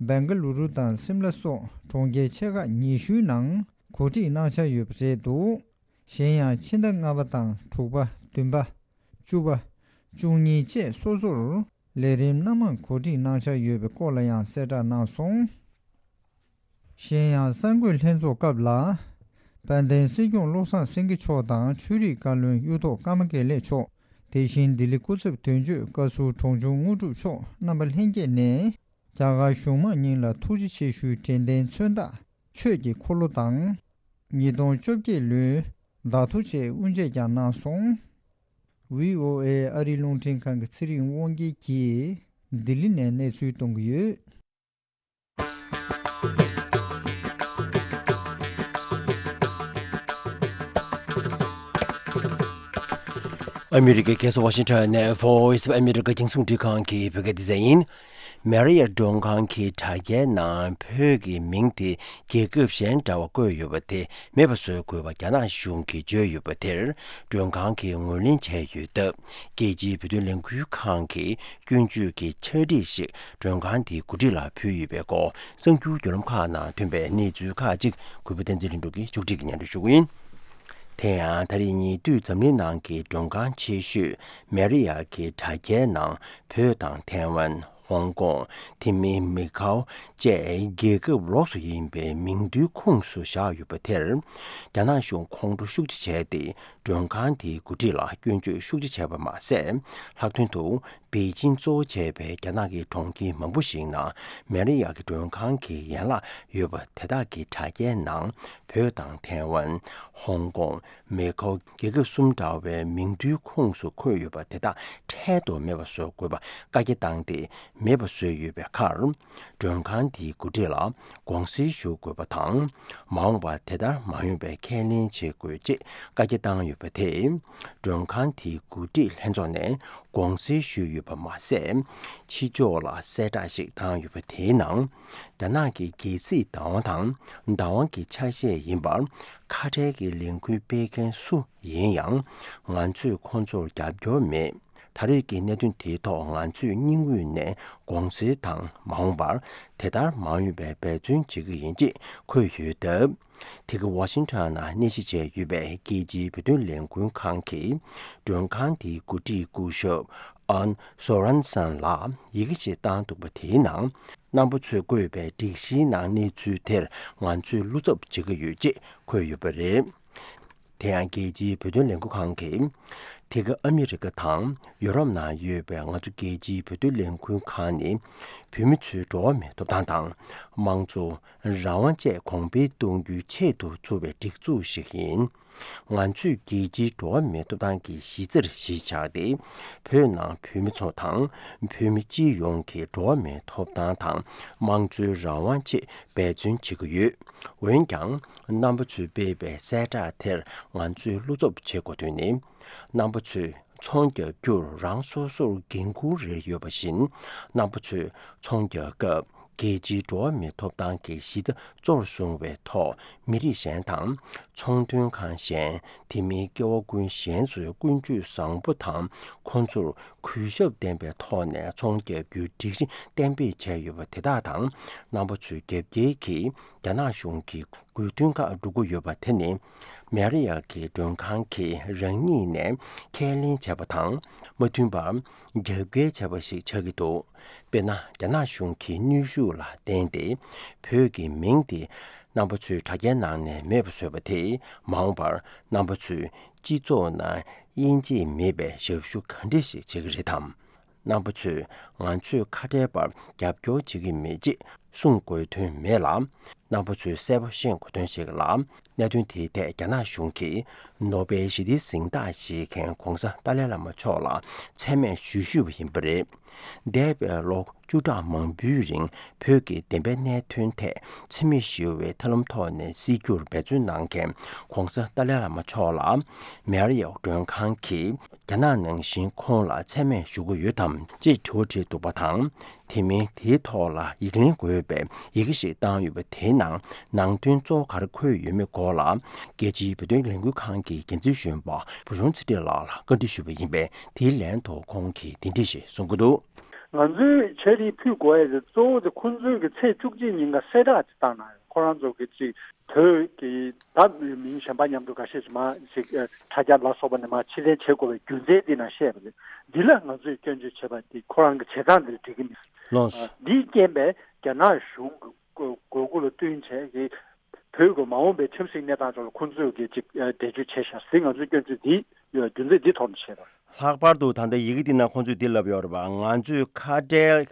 སྦེང་ག་ལུ་རུ་དང་སིམ་ལ་སོགས་གྲོང་ཁྱེར་ཆེ་ཁག་ཉི་ཤུའི་ནང་གོ་སྒྲིག་གནང་འཆར་ཡོད་པ་རེད་འདུག་གཞན་ཡང་ཕྱི་ཟླ་ལྔ་པ་དང་དྲུག་པ། བདུན་པ། བཅུ་པ། བཅུ་གཉིས་བཅས་སོ་སོར་ལས་རིམ་སྣ་མང་གོ་སྒྲིག་གནང་འཆར་ཡོད་པའི་སྐོར་ལ་ཡང་གསལ་བསྒྲགས་གནང་སོང་། གཞན་ཡང་གསར་འགོད་ལྷན་ཚོགས་སྐབས་ལ། དཔལ་ལྡན་སྲིད་སྐྱོང་བློ་བཟང་སེང་གེ་མཆོག་དང་ཆོས་རིག་བཀའ་བློན་གཡུ་ཐོག་ཀརྨ་དགེ་ལེགས་མཆོག་དེ་བཞིན་ལྡི་ལི་སྐུ་ཚབ་དོན་གཅོད་བཀའ་ཟུར་གྲོང་ཆུང་དངོས་གྲུབ་མཆོག་རྣམ་པ་ལྷན་རྒྱས་ནས། རྒྱ་གར་གཞུང་མང་གཉིས་ལ་ཐུགས་རྗེ་ཆེ་ཞུའི་དྲན་རྟེན་མཚོན་རྟགས་ཆོས་ཀྱི་འཁོར་ལོ་དང་། ཉིས་སྟོང་བཅོ་བརྒྱད་ལོའི་བརྡ་ཐོ་བཅས་དབུ་འབྱེད་ཀྱང་གནང་སོང་། བྷི་ཨོ་ཨེ་ཨ་རིའི་རླུང་འཕྲིན་ཁང་གི་ཚེ་རིང་དབང་རྒྱལ་གྱིས་ལྡི་ལི་ནས་གནས་ཚུལ་གཏོང་གི་ཡོད། ཨ་མི་རི་ཀའི་རྒྱལ་ས་ཝ་ཤིང་ཊོན་ནས་Voice of America རྒྱང་སྲིང་རླུང་འཕྲིན་ཁང་གི་བོད་སྐད་སྡེ་ཚན་ཡིན། མེ་རི་ཡ་མགྲོན་ཁང་གི་དྲ་རྒྱའི་ནང་བོད་ཀྱི་མིང་དེ་རྒྱལ་ཁབ་གཞན་འདྲ་བ་བཀོད་ཡོད་པ་དེ་མེད་པ་བཟོ་དགོས་པ་རྒྱ་ནག་གཞུང་གིས་བརྗོད་ཡོད་པ་དེར། མགྲོན་ཁང་གིས་ངོས་ལེན་བྱས་ཡོད་སྟབས། རྒྱལ་སྤྱིའི་བོད་དོན་ལས་འགུལ་ཁང་གིས་སྐྱོན་བརྗོད་ཀྱི་ཕྱག་བྲིས་ཤིག་མགྲོན་ཁང་དེའི་འགོ་ཁྲིད་ལ་ཕུལ་ཡོད་པའི་སྐོར། གསར་འགྱུར་བརྒྱུད་ལམ་ཁག་ནང་ཐོན་པའི་གནས་ཚུལ་ཁག་ཅིག་གུས་པ་བསྟན་འཛིན་ལྷུན་གྲུབ་ཀྱིས་ཕྱོགས་སྒྲིག་གིས་སྙན་སྒྲོན་ཞུ་གི་ཡིན། དེ་ཡང་ད་རེས་ཉེ་དུས་འཛམ་གླིང་ནང་གི་མགྲོན་ཁང་ཆེ་ཤོས་མེ་རི་ཡ་གི་དྲ་རྒྱའི་ནང་བོད་དང་ཐའེ་ཝན། ཧོང་ཀོང་། དེ་མིན་མེ་ཁའོ་བཅས་རྒྱལ་ཁབ་ལོགས་སུ་ཡིན་པའི་མིང་བསྡུའི་ཁོངས་སུ་བཞག་ཡོད་པ་དེར། རྒྱ་ནག་གཞུང་ཁོང་ཁྲོ་ཤུགས་ཆེ་བྱས་ཏེ། མགྲོན་ཁང་དེའི་འགོ་ཁྲིད་ལ་སྐྱོན་བརྗོད་ཤུགས་ཆེ་བྱས་པ་མ་ཟད། ལྷག་དོན་དུ། པེ་ཅིང་གཙོ་བོ་བྱས་པའི་རྒྱ་ནག་གི་གྲོང་ཁྱེར་མང་པོ་ཞིག་ནང་མེ་རི་ཡ་གི་མགྲོན་ཁང་གི་ཡན་ལག་ཡོད་པ་དེ་དག་གི་དྲ་རྒྱའི་ནང་བོད་དང་ཐའེ་ཝན། ཧོང་ཀོང་། མེ་ཁའོ་རྒྱལ་ཁབ་གསུམ་འདྲ་བའི་མིང་བསྡུའི་ཁོངས་སུ་འཁོད་ཡོད་པ་དེ་དག་འཕྲལ་དུ་མེད་པ་བཟོ་དགོས་པ་བཀའ་རྒྱ་བཏང་སྟེ་མེད་པ་བཟོས་ཡོད་པའི་ཁར། མགྲོན་ཁང་དེའི་འགོ་ཁྲིད་ལ་དགོངས་སེལ་ཞུ་དགོས་པ་དང་། མ་འོངས་པར་དེ་ལྟར་མ་ཡོང་བའི་ཁས་ལེན་བྱེད་དགོས་ཅེས་བཀའ་རྒྱ་བཏང་ཡོད་པ་དེས། མགྲོན་ཁང་དེའི་འགོ་ཁྲིད་ལྷན་ཚོགས་ནས་དགོངས་སེལ་ཞུས་ཡོད་པ་མ་ཟད། ཕྱི་ཕྱོགས་ལ་གསལ་བསྒྲགས་ཤིག་བཏང་ཡོད་པ་དེའི་ནང་། རྒྱ་ནག་གི་རྒྱལ་སྲིད་བདག་དབང་དང་བདག་དབང་གི་ཆ་ཤས་ཡིན་པར་ཁ་བྲལ་གྱི་ལས་འགུལ་སྤེལ་མཁན་སུ་ཡིན་ཡང་། ང་ཚོས་ཁོང་ཚོར་རྒྱབ་སྐྱོར་མེད། ད་རེས་ཀྱི་གནད་དོན་དེའི་ཐོག་ང་ཚོས་སྙིང་དབུས་ནས་དགོངས་སེལ་དང་མ་འོངས་པར་དེ་ལྟར་མ་ཡོང་བའི་འབད་བརྩོན་བྱེད་ཀྱི་ཡིན་ཅེས་འཁོད་ཡོད་སྟབས། དེ་ག་ཝ་ཤིང་ཊོན་ནང་གནས་གཞི་བྱས་ཡོད་པའི་རྒྱལ་སྤྱིའི་བོད་དོན་ལས་འགུལ་ཁང་གིས་མགྲོན་ཁང་དེའི་འགོ་ཁྲིད་སྐུ་ཞབས་ཨན་སོ་རན་སན་ལ་ཡི་གེ་ཞིག་བཏང་འདུག་པ་དེའི་ནང་། རྣམ་པ་ཚོས་བཀོད་པའི་སྒྲིག་གཞིའི་ནང་གནས་ཚུལ་དེར་ང་ཚོས་བློ་འཚབ་བྱེད་ཀྱི་ཡོད་ཅེས་འཁོད་ཡོད་པ་རེད། དེ་ཡང་རྒྱལ་སྤྱིའི་བོད་དོན་ལས་འགུལ་ཁང་གིས། དེ་ག་ཨ་མི་རི་ཀ་དང་ཡུ་རོབ་ནང་ཡོད་པའི་ང་ཚོ་རྒྱལ་སྤྱིའི་བོད་དོན་ལས་འགུལ་ཁང་ནི། བོད་མི་ཚོའི་འགྲོ་བ་མིའི་ཐོབ་ཐང་དང་། དམངས་གཙོ། རང་དབང་བཅས་གོང་འཕེལ་གཏོང་རྒྱུའི་ཆེད་དུ་བཙུགས་པའི་སྒྲིག་འཛུགས་ཤིག་ཡིན། ང་ཚོས་རྒྱལ་སྤྱིའི་འགྲོ་བ་མིའི་ཐོབ་ཐང་གི་གཞི་རྩར་གཞི་བཞག་སྟེ། བོད་ནང་བོད་མི་ཚོ་དང་། བོད་མི་སྤྱི་ཡོངས་ཀྱི་འགྲོ་བ་མིའི་ཐོབ་ཐང་དང་། དམངས་གཙོའི་རང་དབང་ཆེད་འབད་བརྩོན་བྱེད་ཀྱི་ཡོད། འོན་ཀྱང་། རྣམ་པ་ཚོས་སྤེལ་བའི་གསལ་བསྒྲགས་དེར་ང་ཚོས་བློ་འཚབ་བྱེད་དགོས་དོན་ནི། རྣམ་པ་ཚོས་ཚོང་རྒྱག་རྒྱུར་རང་སོ་སོར་འགན་འཁུར་རེ་ཡོད་པ་བཞིན། རྣམ་པ་ཚོས་ཚོང་རྒྱག་སྐབས། རྒྱལ་སྤྱིའི་འགྲོ་བ་མིའི་ཐོབ་ཐང་གི་གཞི་རྩ་གཙོར་བཟུང་བའི་ཐོག་མི་རིགས་གཞན་དང་། ཚོང་དོན་ཁང་གཞན། དེ་མིན་སྐྱེ་བོ་ཀུན་གཞན་ཚོའི་ཀུན་སྤྱོད་བཟང་པོ་དང་། ཁོང་ཚོར་གུས་ཞབས་ལྡན་པའི་ཐོག་ནས་ཚོང་རྒྱག་རྒྱུའི་སྒྲིག་གཞི་གཏན་འབེབས་བྱས་ཡོད་པ་དེ་དག་དང་། རྣམ་པ་ཚོས་རྒྱབ་འགལ་གྱིས་རྒྱ་ནག་གཞུང་གི་དགོས་འདུན་ཁག་སྒྲུབ་ཀྱི་ཡོད་པ་དེ་ནི། མེ་རི་ཡ་གི་མགྲོན་ཁང་གིས་རང་ཉིད་ནས་ཁས་ལེན་བྱས་པ་དང་། མ་མཐུན་པར་རྒྱབ་འགལ་བྱས་པ་ཞིག་ཆགས་ཀྱི་འདུག་དཔེར་ན། རྒྱ་ནག་གཞུང་གི་གནོན་ཤུགས་ལ་བརྟེན་ཏེ། བོད་ཀྱི་མིང་དེ་ རྣམ་པ་ཚོས་དྲ་རྒྱའི་ནང་ནས་མེད་པ་བཟོས་པ་དེས། མ་འོངས་པར་རྣམ་པ་ཚོས་སྤྱི་ཚོགས་ནང་དབྱེ་འབྱེད་མེད་པའི་ཞབས་ཞུ་ག་འདྲ་ཞིག་བྱེད་ཀྱི་རེད་དམ། རྣམ་པ་ཚོས་ང་ཚོས་ཁ་བྲལ་བར་རྒྱབ་སྐྱོར་བྱེད་ཀྱི་མེད་ཅེས་གསུང་དགོས་དོན་མེད་ལ། རྣམ་པ་ཚོས་གསལ་པོ་ཤེས་དགོས་དོན་ཞིག་ལ། གནད་དོན་དེའི་ཐད་རྒྱ་ནག་གཞུང་གིས་ནོ་སྦེལ་ཞི་བདེའི་གཟེངས་རྟགས་བཞེས་མཁན་༧གོང་ས་ཏཱ་ལའི་བླ་མ་མཆོག་ལ་མཚན་སྨད་ཞུ་ཞུས་པ་ཡིན་པ་རེད། འདས་པའི་ལོ་བཅུ་ཕྲག་མང་པོའི་རིང་བོད་ཀྱི་བདེན་པའི་གནད་དོན་ཐད་འཚེ་མེད་ཞི་བའི་ཐབས་ལམ་ཐོག་ནས་སྲིད་སྐྱོང་འབད་བརྩོན་གནང་མཁན་༧གོང་ས་ཏཱ་ལའི་བླ་མ་མཆོག་ལ་མེ་རི་ཡོ་མགྲོན་ཁང་གིས་རྒྱ་ནག་ནང་བཞིན་ཁོང་ལ་མཚན་སྨད་ཞུ་གི་ཡོད་དམ་ཅེས་དྲི་བ་དྲིས་འདུག་པ་དང་། དེ་མིན་དེའི་ཐོག་ལ་ཡིག་ལན་དགོས་པའི་ཡི་གེ་ཞིག་བཏང་ཡོད་པ་དེའི་ནང་ནང་དོན་གཙོ་བོ་ག་རེ་འཁོད་ཡོད་མེད་སྐོར་ལ། རྒྱལ་སྤྱིའི་བོད་དོན་ལས་འགུལ་ཁང་གི་འགན་འཛིན་གཞོན་པ་བུ་ཆུང་ཚེ་རིང་ལགས་ལ་བཀའ་འདྲི་ཞུས་པ་ཡིན་པས། དེའི་ལན་དུ་ཁོང་གིས་འདི་འདྲ་ཞིག་གསུང་གི་འདུག། ང་ཚོས་ཕྱག་བྲིས་ཕུལ་དགོས་ཡ་དེ་གཙོ་བོ་དེ་ཁོང་ཚོའི་གི་ཚེས་བཅུ་གཅིག་ཉིན་ཀ་གསལ་བསྒྲགས་ཅིག་བཏང་གནང་ཡོད། ཁོ་རང་ཚོ་གི་ཅིག་བོད་ཀྱི་ད་མིང་གཞན་པ་མཉམ་དུ་འགའ་ཤས་ཤིག་མ་ཞིག་ཨ་དྲ་རྒྱ་ལ་སོགས་པ་ནས་མ་ཕྱིར་འཐེན་བྱེད་དགོས་པའི་རྒྱུ་མཚན་འདི་ནང་བཤད་པ་རེད། འདི་ལ་ང་ཚོས་སྐྱོན་བརྗོད་བྱས་པ་དེ་ཁོ་རང་གི་བྱེད་སྟངས་འདི་ལ་འགྲིག་གི་མི་འདུག། ལགས་སོ། ཨ་འདིའི་རྐྱེན་པས་རྒྱ་ནག་གཞུང་གི་དགོས་དགོས་མཁོ་ལ་བསྟུན་བྱས་ཀྱི་བོད་ཀྱི་མ་འོངས་པའི་ཁྲིམས་སྲིད་གནས་སྟངས་ཐོག་ལ་ཁོང་ཚོས་ཀྱི་ཅིག་ཨ་འགྲེལ་བརྗོད་བྱས་ཤག་ཟེར། ང་ཚོས་སྐྱོན་བརྗོད་འདི་རྒྱུ་མཚན་འདི་ཐོག་ནས་བྱས་པ། ལྷག་པར་དུ་ད་ལྟ་ཡི་གེ་འདི་ནང་ཁོང་ཚོས་འདི་ལབ་ཡོད་རེད་པ། ང་ཚོས་ཁ་བྲལ་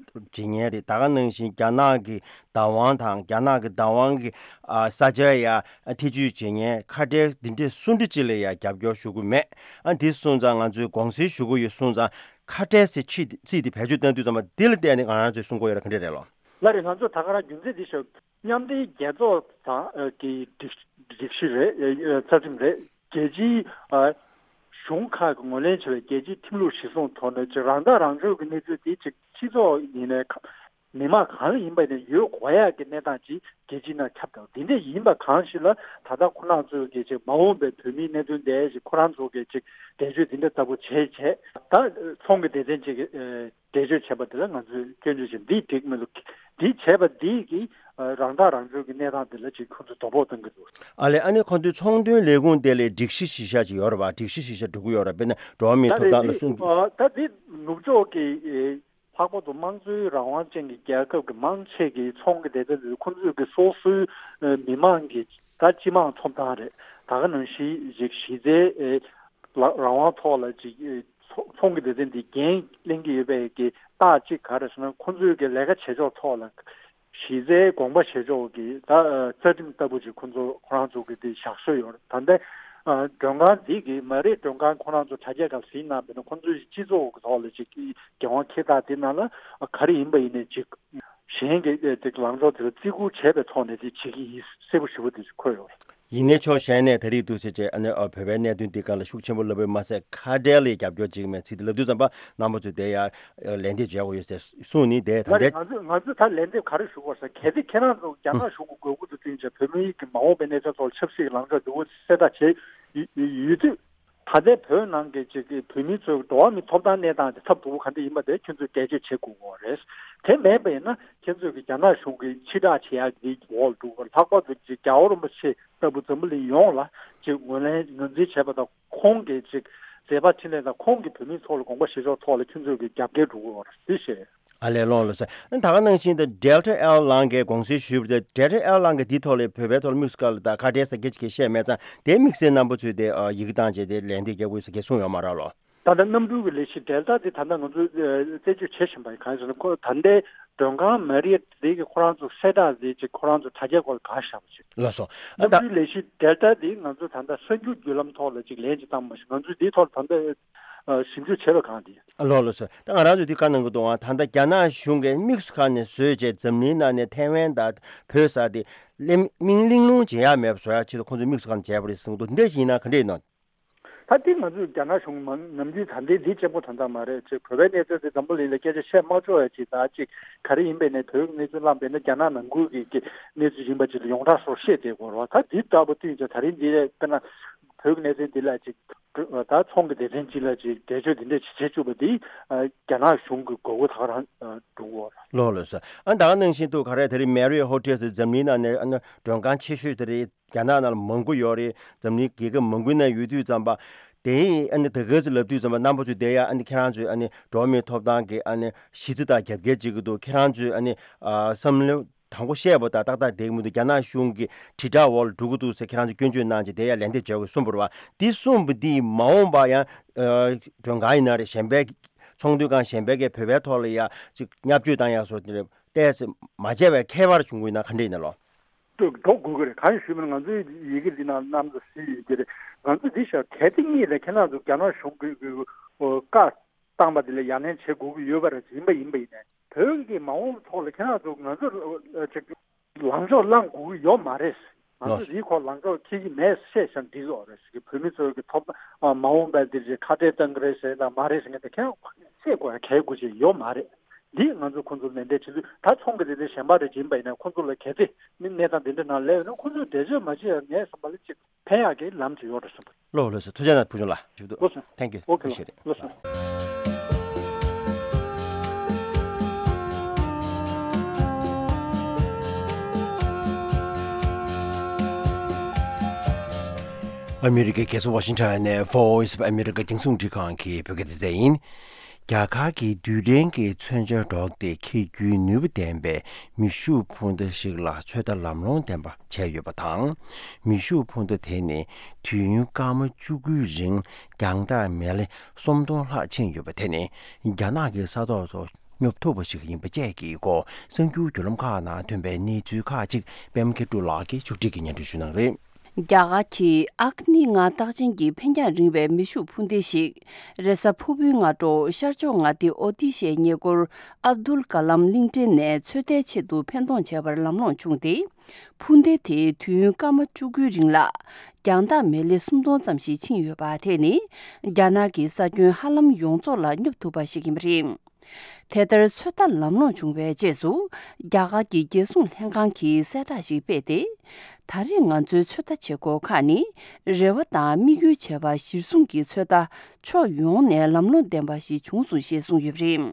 བྱེད་མཁན་རེད། ད་ག་ནང་བཞིན་རྒྱ་ནག་གི་བདག་དབང་དང་རྒྱ་ནག་གི་བདག་དབང་གི་ཨ་ས་ཆ་ཡ་ཐེ་ཇུས་བྱེད་མཁན་ཁ་བྲལ་འདི་འདྲས་སུ་འདྲ་ཅིག་ལ་ཡ་རྒྱབ་སྐྱོར་ཞུ་གི་མེད། ཨ་འདི་སོང་ཙང་ང་ཚོས་དགོངས་སེལ་ཞུ་གི་ཡོད་སོང་ཙང་། ཁ་བྲལ་ཟེར་ཚིག་ཚིག་འདི་བེད་སྤྱོད་བཏང་དུས་ཙམ་པ་འདི་ལ་བལྟས་ནས་ང་རང་ཚོས་གསུང་གི་ཡོད་ར། ག་འདྲས་རེད་ལོ། ལགས་རེད། ང་ཚོས་ད་ག་རང་རྒྱུ་མཚན་འདི་ཞུ། མཉམ་འབྲེལ་རྒྱལ་ཚོགས་དང་ཨ་གི་སྒྲིག་སྒྲིག་གཞི་རེད། ཨ་རྩ་ཁྲིམས་རེད། རྒྱལ་སྤྱིའི་ཨ་གཞུང་ཁག་གིས་ངོས་ལེན་བྱས་པའི་རྒྱལ་སྤྱིའི་ཁྲིམས་ལུགས་གཞིར་བཟུང་ཐོག་ནས་ཅིག་རང་ཐག་རང་གཅོད་ཀྱི་གནས་ཚུལ་དེ་ཅིག་སྤྱི་ཚོགས་ཡིན་ནའི་ཁ་མི་མང་གང་ཡིན་པ་ཡིན་ནའི་ཡོད་དགོས་ཡག་གི་གནས་སྟངས་ཅིག་རྒྱལ་སྤྱིའི་ནང་ཁྱབ་བསྡད་པ་འདི་འདྲ་ཡིན་པ་གང་ཞིག་ལ། ད་ལྟ་ཁོ་རང་ཚོས་ཀྱི་ཅིག་མ་འོངས་པའི་བོད་མིའི་གནད་དོན་དེ་ཅིག་ཁོ་རང་ཚོ་གི་ཅིག་འགྲེལ་བརྗོད་འདི་འདྲ་ལྟ་བུ་བྱས་བྱས། ད་ཚོང་གི་སྡེ་ཚན་ཅིག་གི་ཨ་འགྲེལ་བརྗོད་བྱས་པ་དེ་ལ་ང་ཚོས་སྐྱོན་བརྗོད་བྱེད། འདི་འགྲིག་མི་འདུག། འདི་བྱས་པ་འདི་གིས་ཨ་རང་ཐག་རང་གཅོད་ཀྱི་གནས་སྟངས་དེ་ལ་ཅིག་ཁོ་ཚོས་དོ་ཕོག་གཏོང་གི་འདུག། ཨ་ལས། ཨ་ནི་ཁོ་ཚོའི་ཚོང་དོན་ལས་ཁུངས་དེ་ལ་སྒྲིག་གཞི་གཞི་བཞག་ཅིག་ཡོད་རེད་པ། སྒྲིག་གཞི་གཞི་བཞག་འགྲོ་གི་ཡོད་རེད་པ། དཔེར་ན་འགྲོ་བ་མིའི་ད་ཐོབ་ཐང་ལ་སྲུང་ཨ་ད་འདི་ནུབ་ཕྱོགས་ཀྱི་ཨེ་ལྷག་པར་དུ་དམངས་གཙོའི་རང་དབང་ཅན་གྱི་རྒྱལ་ཁབ་ཀྱི་མང་ཆེ་གི་ཚོང་གི་སྡེ་ཚན་དེ་ཚོ་ཁོ་ཚོས་ཀྱི་སོ་སོའི་ཨེ་མི་མང་གི་ད་སྤྱི་དམངས་ཐོབ་ཐང་རེད། ད་ག་ནང་བཞིན་ཅིག་གཞི་རྩའི་ཨེ་ལ་རང་དབང་ཐོག་ལ་ཅིག་ཨེ་ཚོ་ཚོང་གི་སྡེ་ཚན་འདི་འགན་ལེན་གྱི་ཡོད་པའི་གི་རྟགས་གཅིག་ག་རེ་ཟེར་ན། ཁོ་ཚོས་གི་ལས་ཀ་བྱེད་ཕྱོགས་ཐོག་ལ་གཞི་རྩའི་དགོངས་པ་བཞེས་ཕྱོགས་ཀྱི་ད་ཨ་རྩ་ཁྲིམས་ལྟ་བུ་ཅིག་ཁོ་ཚོ་ཁོ་རང་ཚོ་གི་དེ་བཞག་སྲོལ་ཡོད་རེད། ད་ལྟ་ཨ་མགྲོན་ཁང་འདི་གི་མ་རེད། མགྲོན་ཁང་ཁོ་རང་ཚོ་དྲ་རྒྱ་སྒང་གཟིགས་གནང་བ་ཡིན་ན། ཁོ་ཚོའི་སྤྱི་ཚོགས་ཀྱི་ཐོག་ལ་ཅིག་འགན་དབང་འཁྱེར་སྟངས་དེ་ནང་ལ་ཨ་ག་རེ་ཡིན་པ་ཡིན་ནའི་ཅིག་གཞན་གྱི་ཨ་ཅིག་ལངས་ཕྱོགས་དེ་ལ་བརྩི་བཀུར་བྱས་པའི་ཐོག་ནས་དེ་བྱེད་ཀྱི་ཡིན་གསལ་པོ་ཞེ་པོ་དེ་ཅིག་འཁོད་ཡོད་རེད། ཡིན་ནའི་ཕྱོགས་གཞན་ནས་ད་རེས་འདུག་ཟེར་བྱས་ཨ་ནི་ཨ་བོད་པའི་གནད་དོན་འདི་སྒང་ལ་ཤུགས་ཆེན་པོ་ལབ་པ་མ་ཟད། ཁ་བྲལ་ལ་རྒྱབ་སྐྱོར་བྱེད་ཀྱི་མེད་ཚིག་དེ་ལབ་དུས་ཙམ་པ་རྣམ་པ་ཚོས་དེ་ཡ་ལན་འདེབས་བྱེད་དགོས་ཡོད་ཟེར་གསུངས་ནི་དེ་ད་ལྟ། ང་ཚོས་ང་ཚོས་ད་ལན་འདེབས་ག་རེ་ཞུ་དགོས་ཟེར། གལ་ཏེ་ཁྱེད་རང་ཚོ་རྒྱ་ནག་གཞུང་གི་དགོས་མཁོ་དང་བསྟུན་བྱས་བོད་མིའི་གི་མ་འོངས་པའི་གནས་ཚུལ་ཐོག་ལ་ཆབ་སྲིད་ཀྱི་ལངས་ཕྱོགས་འདི་འོ་གསལ་བསྒྲགས་བྱས་ཡོད་ཡོད་དུས། ད་ལྟའི་བོད་ནང་གི་ཅིག་གི་བོད་མི་ཚོའི་འགྲོ་བ་མིའི་ཐོབ་ཐང་གནས་སྟངས་དེ་ཚབ་ཏུ་ག་འདྲ་ཡིན་པ་དེ་ཁྱོད་ཚོས་འགྲེལ་བརྗོད་བྱེད་དགོས་ཀྱི་ཡོད་རེད། དེ་མེད་པ་ཡིན་ན་ཁྱོད་ཚོས་ཀྱི་རྒྱ་ནག་གཞུང་གི་ཕྱིར་བསྒྲགས་བྱེད་ཡག་གི་འོག་ལ་འགྲོ་གི། ལྷག་པར་དུ་ཅིག་རྒྱལ་བ་རིན་པོ་ཆེ་ལྟ་བུ་འཛམ་བུ་གླིང་ཡོངས་ལ་ཅིག་ངོས་ལེན་ངོས་འཛིན་བྱས་པ་དང་། ཁོང་གི་ཅིག་མཛད་པ་འཕྲིན་ལས་དང་ཁོང་གི་བོད་མིའི་ཐོག་ལ་དགོངས་པ་བཞེས་ཕྱོགས་ཐོག་ལ་ཁྱོད་ཚོས་ཀྱི་རྒྱབ་འགལ་འགྲོ་གི་ཡོད་རེད་ཟེར། ཨ་ལས། ལགས་ལགས་སོ། ད་ག་ནང་བཞིན་དུ་Delta Airline གིས་དགོངས་སེལ་ཞུས་པ་དེ། Delta Airline གིས་འདིའི་ཐོག་ལ་བོད་པའི་ཐོག་ལ་དམིགས་སུ་བཀར་ལ་ད་ཁ་བྲལ་ཟེར་སྐད་ཆ་བཤད་མེད་ཙང་། དེའི་དམིགས་བསལ་རྣམ་པ་ཚོས་དེ་ཨ་ཡི་གེ་བཏང་བྱས་དེ་ལན་དེ་རྒྱག་དགོས་ཟེར་སྐད་གསུངས་ཡོད་མ་རེད་ལོ། ད་ལྟ་གནམ་གྲུ་གི་ལས་གཞི་Delta དེ་ད་ལྟ་ང་ཚོས་ཨ་རྩད་གཅོད་བྱེད་བཞིན་པ་ཡིན། གང་ཡིན་ཟེར་ན། ཁོ་ད་ལྟའི་མགྲོན་ཁང་Marriott དེ་གི་ཁོ་རང་ཚོ་གསལ་བསྒྲགས་དེ་ཅིག་ཁོ་རང་ཚོ་དྲ་རྒྱའི་སྐོར་ལ་གང་བཞག་པ་ཅིག་ལགས་སོ། ཨ་གནམ་ད་གྲུའི་ལས་གཞི་Delta དེ་ང་ཚོས་ད་ལྟ་གསར་འགྱུར་བརྒྱུད་ལམ་ཐོག་ལ་ཅིག་ལན་ཅིག་བཏང་མ་ཤེས། ང་ཚོས་འདིའི་ཐོག་ལ་ད་ལྟ་ཨ་ཞིབ་འཇུག་བྱས་པ་གང་དེ། ཨ་ལགས་ལགས་སོ། ད་ང་རང་ཚོས་འདི་བཀའ་གནང་གི་འདུག་ཨང་། ད་ལྟ་རྒྱ་ནག་གཞུང་གིས་དམིགས་སུ་བཀར་ནས་བཟོས་བྱས་འཛམ་གླིང་ནང་ནས་ཐའེ་ཝན་དང་བོད་ས་དེ་གླེང་མིང་གླེང་སློང་བྱེད་ཡག་མེད་པ་བཟོ་ཡག་ཆེད་དུ་ཁོང་ཚོས་དམིགས་སུ་བཀར་ནས་བྱས་པ་རེད་གསུངས་འདུག། འདི་འདྲ་ཞིག་ཡིན་ན་ག་འདྲ་ཡིན་ནམ། ད་འདི་ང་ཚོས་རྒྱ་ནག་གཞུང་མང་ནམ་རྒྱུན་ད་འདི་འདི་གཅིག་པོ་ད་ལྟ་མ་རེད། ཅིག་བོད་པའི་གནས་ཚུལ་དེ་འཛམ་བུ་གླིང་ལ་སྐད་ཆ་བཤད་མ་ཆོག་ཡ་ཅིག་ད་ཅིག་ག་རེ་ཡིན་པའི་ནས་བོད་ཀྱི་གནས་ཚུལ་བླངས་པས་ན་རྒྱ་ནག་ནང་ཁུལ་གྱི་གི་གནས་ཚུལ་ཡིན་པ་ཅིག་ལ་ཡོངས་གྲགས་སོར་བཤད་བསྡད་དགོས་རེད་བ། ད་འདི་ལྟ་བུ་བསྟུན་ཅིག་ད་རིང་འདི་ལས་དཔེར་ན་བོད་ཀྱི་གནས་ཚུལ་འདི་ལ་ཅིག་ད་ཚོང་གི་སྡེ་ཚན་ཅིག་ལ་ཅིག་འགྲེལ་བརྗོད་འདི་འདྲ་ཅིག་བྱེད་བཅུག་པ་འདི་རྒྱ་ནག་གཞུང་གི་དགོས་མཁོ་ད་ག་རང་འགྲོ་གི་ཡོད་རེད། ལགས་ལགས་སོ། ཨ་ད་ག་ནང་བཞིན་དུ་ག་རེ་ད་རིང་Marriott Hotel འཛམ་གླིང་ནང་ནས་ཨ་ནི་མགྲོན་ཁང་ཆེ་ཤོས་དེ་རེད། རྒྱ་ནག་ནང་ལ་མང་པོ་ཡོད་རེད། འཛམ་གླིང་རྒྱལ་ཁབ་མང་པོའི་ནང་ཡོད་དུས་ཙམ་པ། དེ་ཡིས་ཨ་ནི་ད་ག་ཚོད་ལབ་དུས་ཙམ་པ་རྣམ་པ་ཚོས་དེ་ཡང་ཨ་ནི་ཁྱེད་རང་ཚོས་ཨ་ནི་འགྲོ་བ་མིའི་ཐོབ་ཐང་གི་ཨ་ནི་གཞི་རྩ་དང་རྒྱབ་འགལ་བྱེད་ཀྱི་འདུག། ཁྱེད་རང་ཚོས་ཨ་ནི་ཨ་བསམ་བློ་ དང་པོ་བཤད་པ་དང་ཏག་ཏག་བསྡད་ཀྱི་མི་འདུག་རྒྱ་ནག་གཞུང་གི་དྲིལ་བསྒྲགས་འོག་ལ་འགྲོ་གི་འདུག་ཟེར་ཁྱེད་རང་ཚོ་སྐྱོན་བརྗོད་གནང་བྱས་དེ་ཡང་ལན་འདེབས་བྱས་དགོས་གསུངས་པ་རེད་བ། འདི་གསུངས་པ་འདིས་མ་འོངས་པ་ཡང་མགྲོན་ཁང་ཡིན་ན་རེད། གཞན་པའི་ཚོང་དོན་ཁང་གཞན་པའི་གི་བོད་པའི་ཐོག་ལ་ཡང་ཅིག་བརྙས་བཅོས་བཏང་ཡག་སོགས་དེ་ཏོག་ཙམ་མ་བྱས་པའི་ཁྱད་པར་བྱུང་གི་ཡོད་ན་ག་འདྲ་ཡིན་ན་ལོ། འགྲོ་དགོས་ཀྱི་རེད། གང་ཡིན་ཞུས་པ་ན་ང་ཚོའི་ཡི་གེ་འདི་ནང་གནམ་ས་སིལ་ཡི་གེ་རེད། ང་ཚོ་འདི་ཤར་གལ་ཏེ་གཉིས་ལས་ཁྱེད་རང་ཚོ་རྒྱ་ནག་གཞུང་གི་བཀའ་བཏང་པ་འདི་ལ་ཡ་ལན་བྱེད་དགོས་ཀྱི་ཡོད་པ་རེད། ཡིན་པ་ཡིན་པ་ཡིན་ནའི་བོད་ཀྱི་མ་འོངས་ཐོག་ལ་ཁྱེད་རང་ཚོ་ང་ཚོ་ཅིག་ལངས་ཕྱོགས་བླང་དགོས་ཀྱི་ཡོད་མ་རེད། ང་ཚོ་འདིའི་སྐོར་ལངས་ཕྱོགས་འཁྱེར་གྱི་མེད་བཤད་བཞག་འདི་ཚོ་རེད་ཟེར་གི། བོད་མི་ཚོ་གི་ཐོབ་མ་འོངས་པ་འདི་རེད་ཁ་བྲལ་གཏང་གི་རེད་ཟེར་ན་མ་རེད་ཟེར་མཁན་དེ་ཁྱེད་རང་བཤད་དགོས་ཡ་གལ་དགོས་ཆེ་ཡོད་མ་རེད། འདི་ང་ཚོ་ཁོང་ཚོ་ལན་འདེབས་བྱེད་དུས་ད་ཚོང་གི་རེད་དེ་གཞན་པ་རེད་ཡིན་པ་ཡིན་ན་ཁོང་ཚོ་ལ་གལ་ཏེ་མི་གནས་སྟངས་འདི་འདྲ་ནང་སླེབས་ཡོད་ན་ཁོང་ཚོས་འགྲེལ་བརྗོད་མ་བྱེད་ཡ་ངས་བསམ་པ་ལ་ཅིག་ཕན་ཡག་གི་ལམ་ཅིག་ཡོད་རེད་བསམ་པ། ལགས་ལགས་སོ། ཐུགས་རྗེ་གནང་བུ་ཆུང་ལགས། ཞུ་གཏུག་ལགས་སོ། Thank you. Okay. Appreciate it. ལགས་སོ། ཨ་མི་རི་ཀའི་རྒྱལ་ས་ཝ་ཤིང་ཊོན་ནས་Voice of America རྒྱང་སྲིང་འཕྲིན་ཁང་གི་བོད་སྐད་སྡེ་ཚན་ཡིན། རྒྱ་གར་གྱི་རྡུལ་ཕྲན་གྱི་མཚོན་ཆ་སྒྲོག་སྟེ་འཁྱེར་རྒྱུའི་ནུས་པ་ལྡན་པའི་མེ་ཤུགས་འཕུར་མདའ་ཞིག་ལ་ཚོད་ལྟ་ལམ་ལྷོང་ལྡན་པ་བྱས་ཡོད་པ་དང་། མེ་ཤུགས་འཕུར་མདའ་དེ་ནི་དུས་ཡུན་སྐར་མ་བཅུ་དགུའི་རིང་རྒྱང་ཐག་མེ་ལེ་སུམ་སྟོང་ལྷག་ཕྱིན་ཡོད་པ་དེ་ནི་རྒྱ་ནག་གི་ས་ཐོག་ཏུ་སྙོབ་ཐུབ་པ་ཞིག་ཡིན་པ་བཅས་ཀྱི་སྐོར་གསར་འགྱུར་བརྒྱུད་ལམ་ཁག་ནང་ཐོན་པའི་གནས་ཚུལ་ཁག་ཅིག་པད་མ་མཁས་གྲུབ་ལགས་ཀྱིས་ཕྱོགས་སྒྲིག་གིས་སྙན་སྒྲོན་ཞུ་གནང་རེད། རྒྱ་གར་གྱི་ཨག་ནི་ལྔ་རྟགས་ཅན་གྱི་འཕེན་རྒྱང་རིང་བའི་མེ་ཤུགས་འཕུར་མདའ་ཞིག་རེས་གཟའ་ཕུར་བུའི་སྔ་དྲོ་ཤར་ཕྱོགས་མངའ་སྡེ་ཨོ་ཏི་ཤའི་ཉེ་འཁོར་ཨབ་དུལ་ཀ་ལམ་གླིང་ཕྲན་ནས་ཚོད་ལྟའི་ཆེད་དུ་འཕེན་གཏོང་བྱས་པར་ལམ་ལྷོང་བྱུང་སྟེ། འཕུར་མདའ་དེས་དུས་ཡུན་སྐར་མ་བཅུ་དགུའི་རིང་ལ་རྒྱང་ཐག་མེ་ལེ་སུམ་སྟོང་ཙམ་ཞིག་ཕྱིན་ཡོད་པ་དེ་ནི་རྒྱ་ནག་གི་ས་ཁྱོན་ཧ་ལམ་ཡོངས་རྫོགས་ལ་སྙོབ་ཐུབ་པ་ཞིག་ཡིན་པ་རེད། དེ་ལྟར་ཚོད་ལྟ་ལམ་ལྷོང་བྱུང་བའི་རྗེས་སུ་རྒྱ་གར་གྱི་རྒྱལ་སྲུང་ལྷན་ཁང་གིས་གསལ་བསྒྲགས་ཤིག་སྤེལ་ཏེ། ད་རེས་ང་ཚོའི་ཚོད་ལྟ་བྱེད་སྒོ་ཁག་ནི་རེ་བ་དང་དམིགས་ཡུལ་བྱས་པ་གཞིར་བཟུང་གིས་ཚོད་ལྟ་ཕྱོགས་ཡོངས་ནས་ལམ་ལྷོང་ལྡན་པ་ཞིག་བྱུང་སོང་ཞེས་གསུངས་ཡོད་པ་རེད།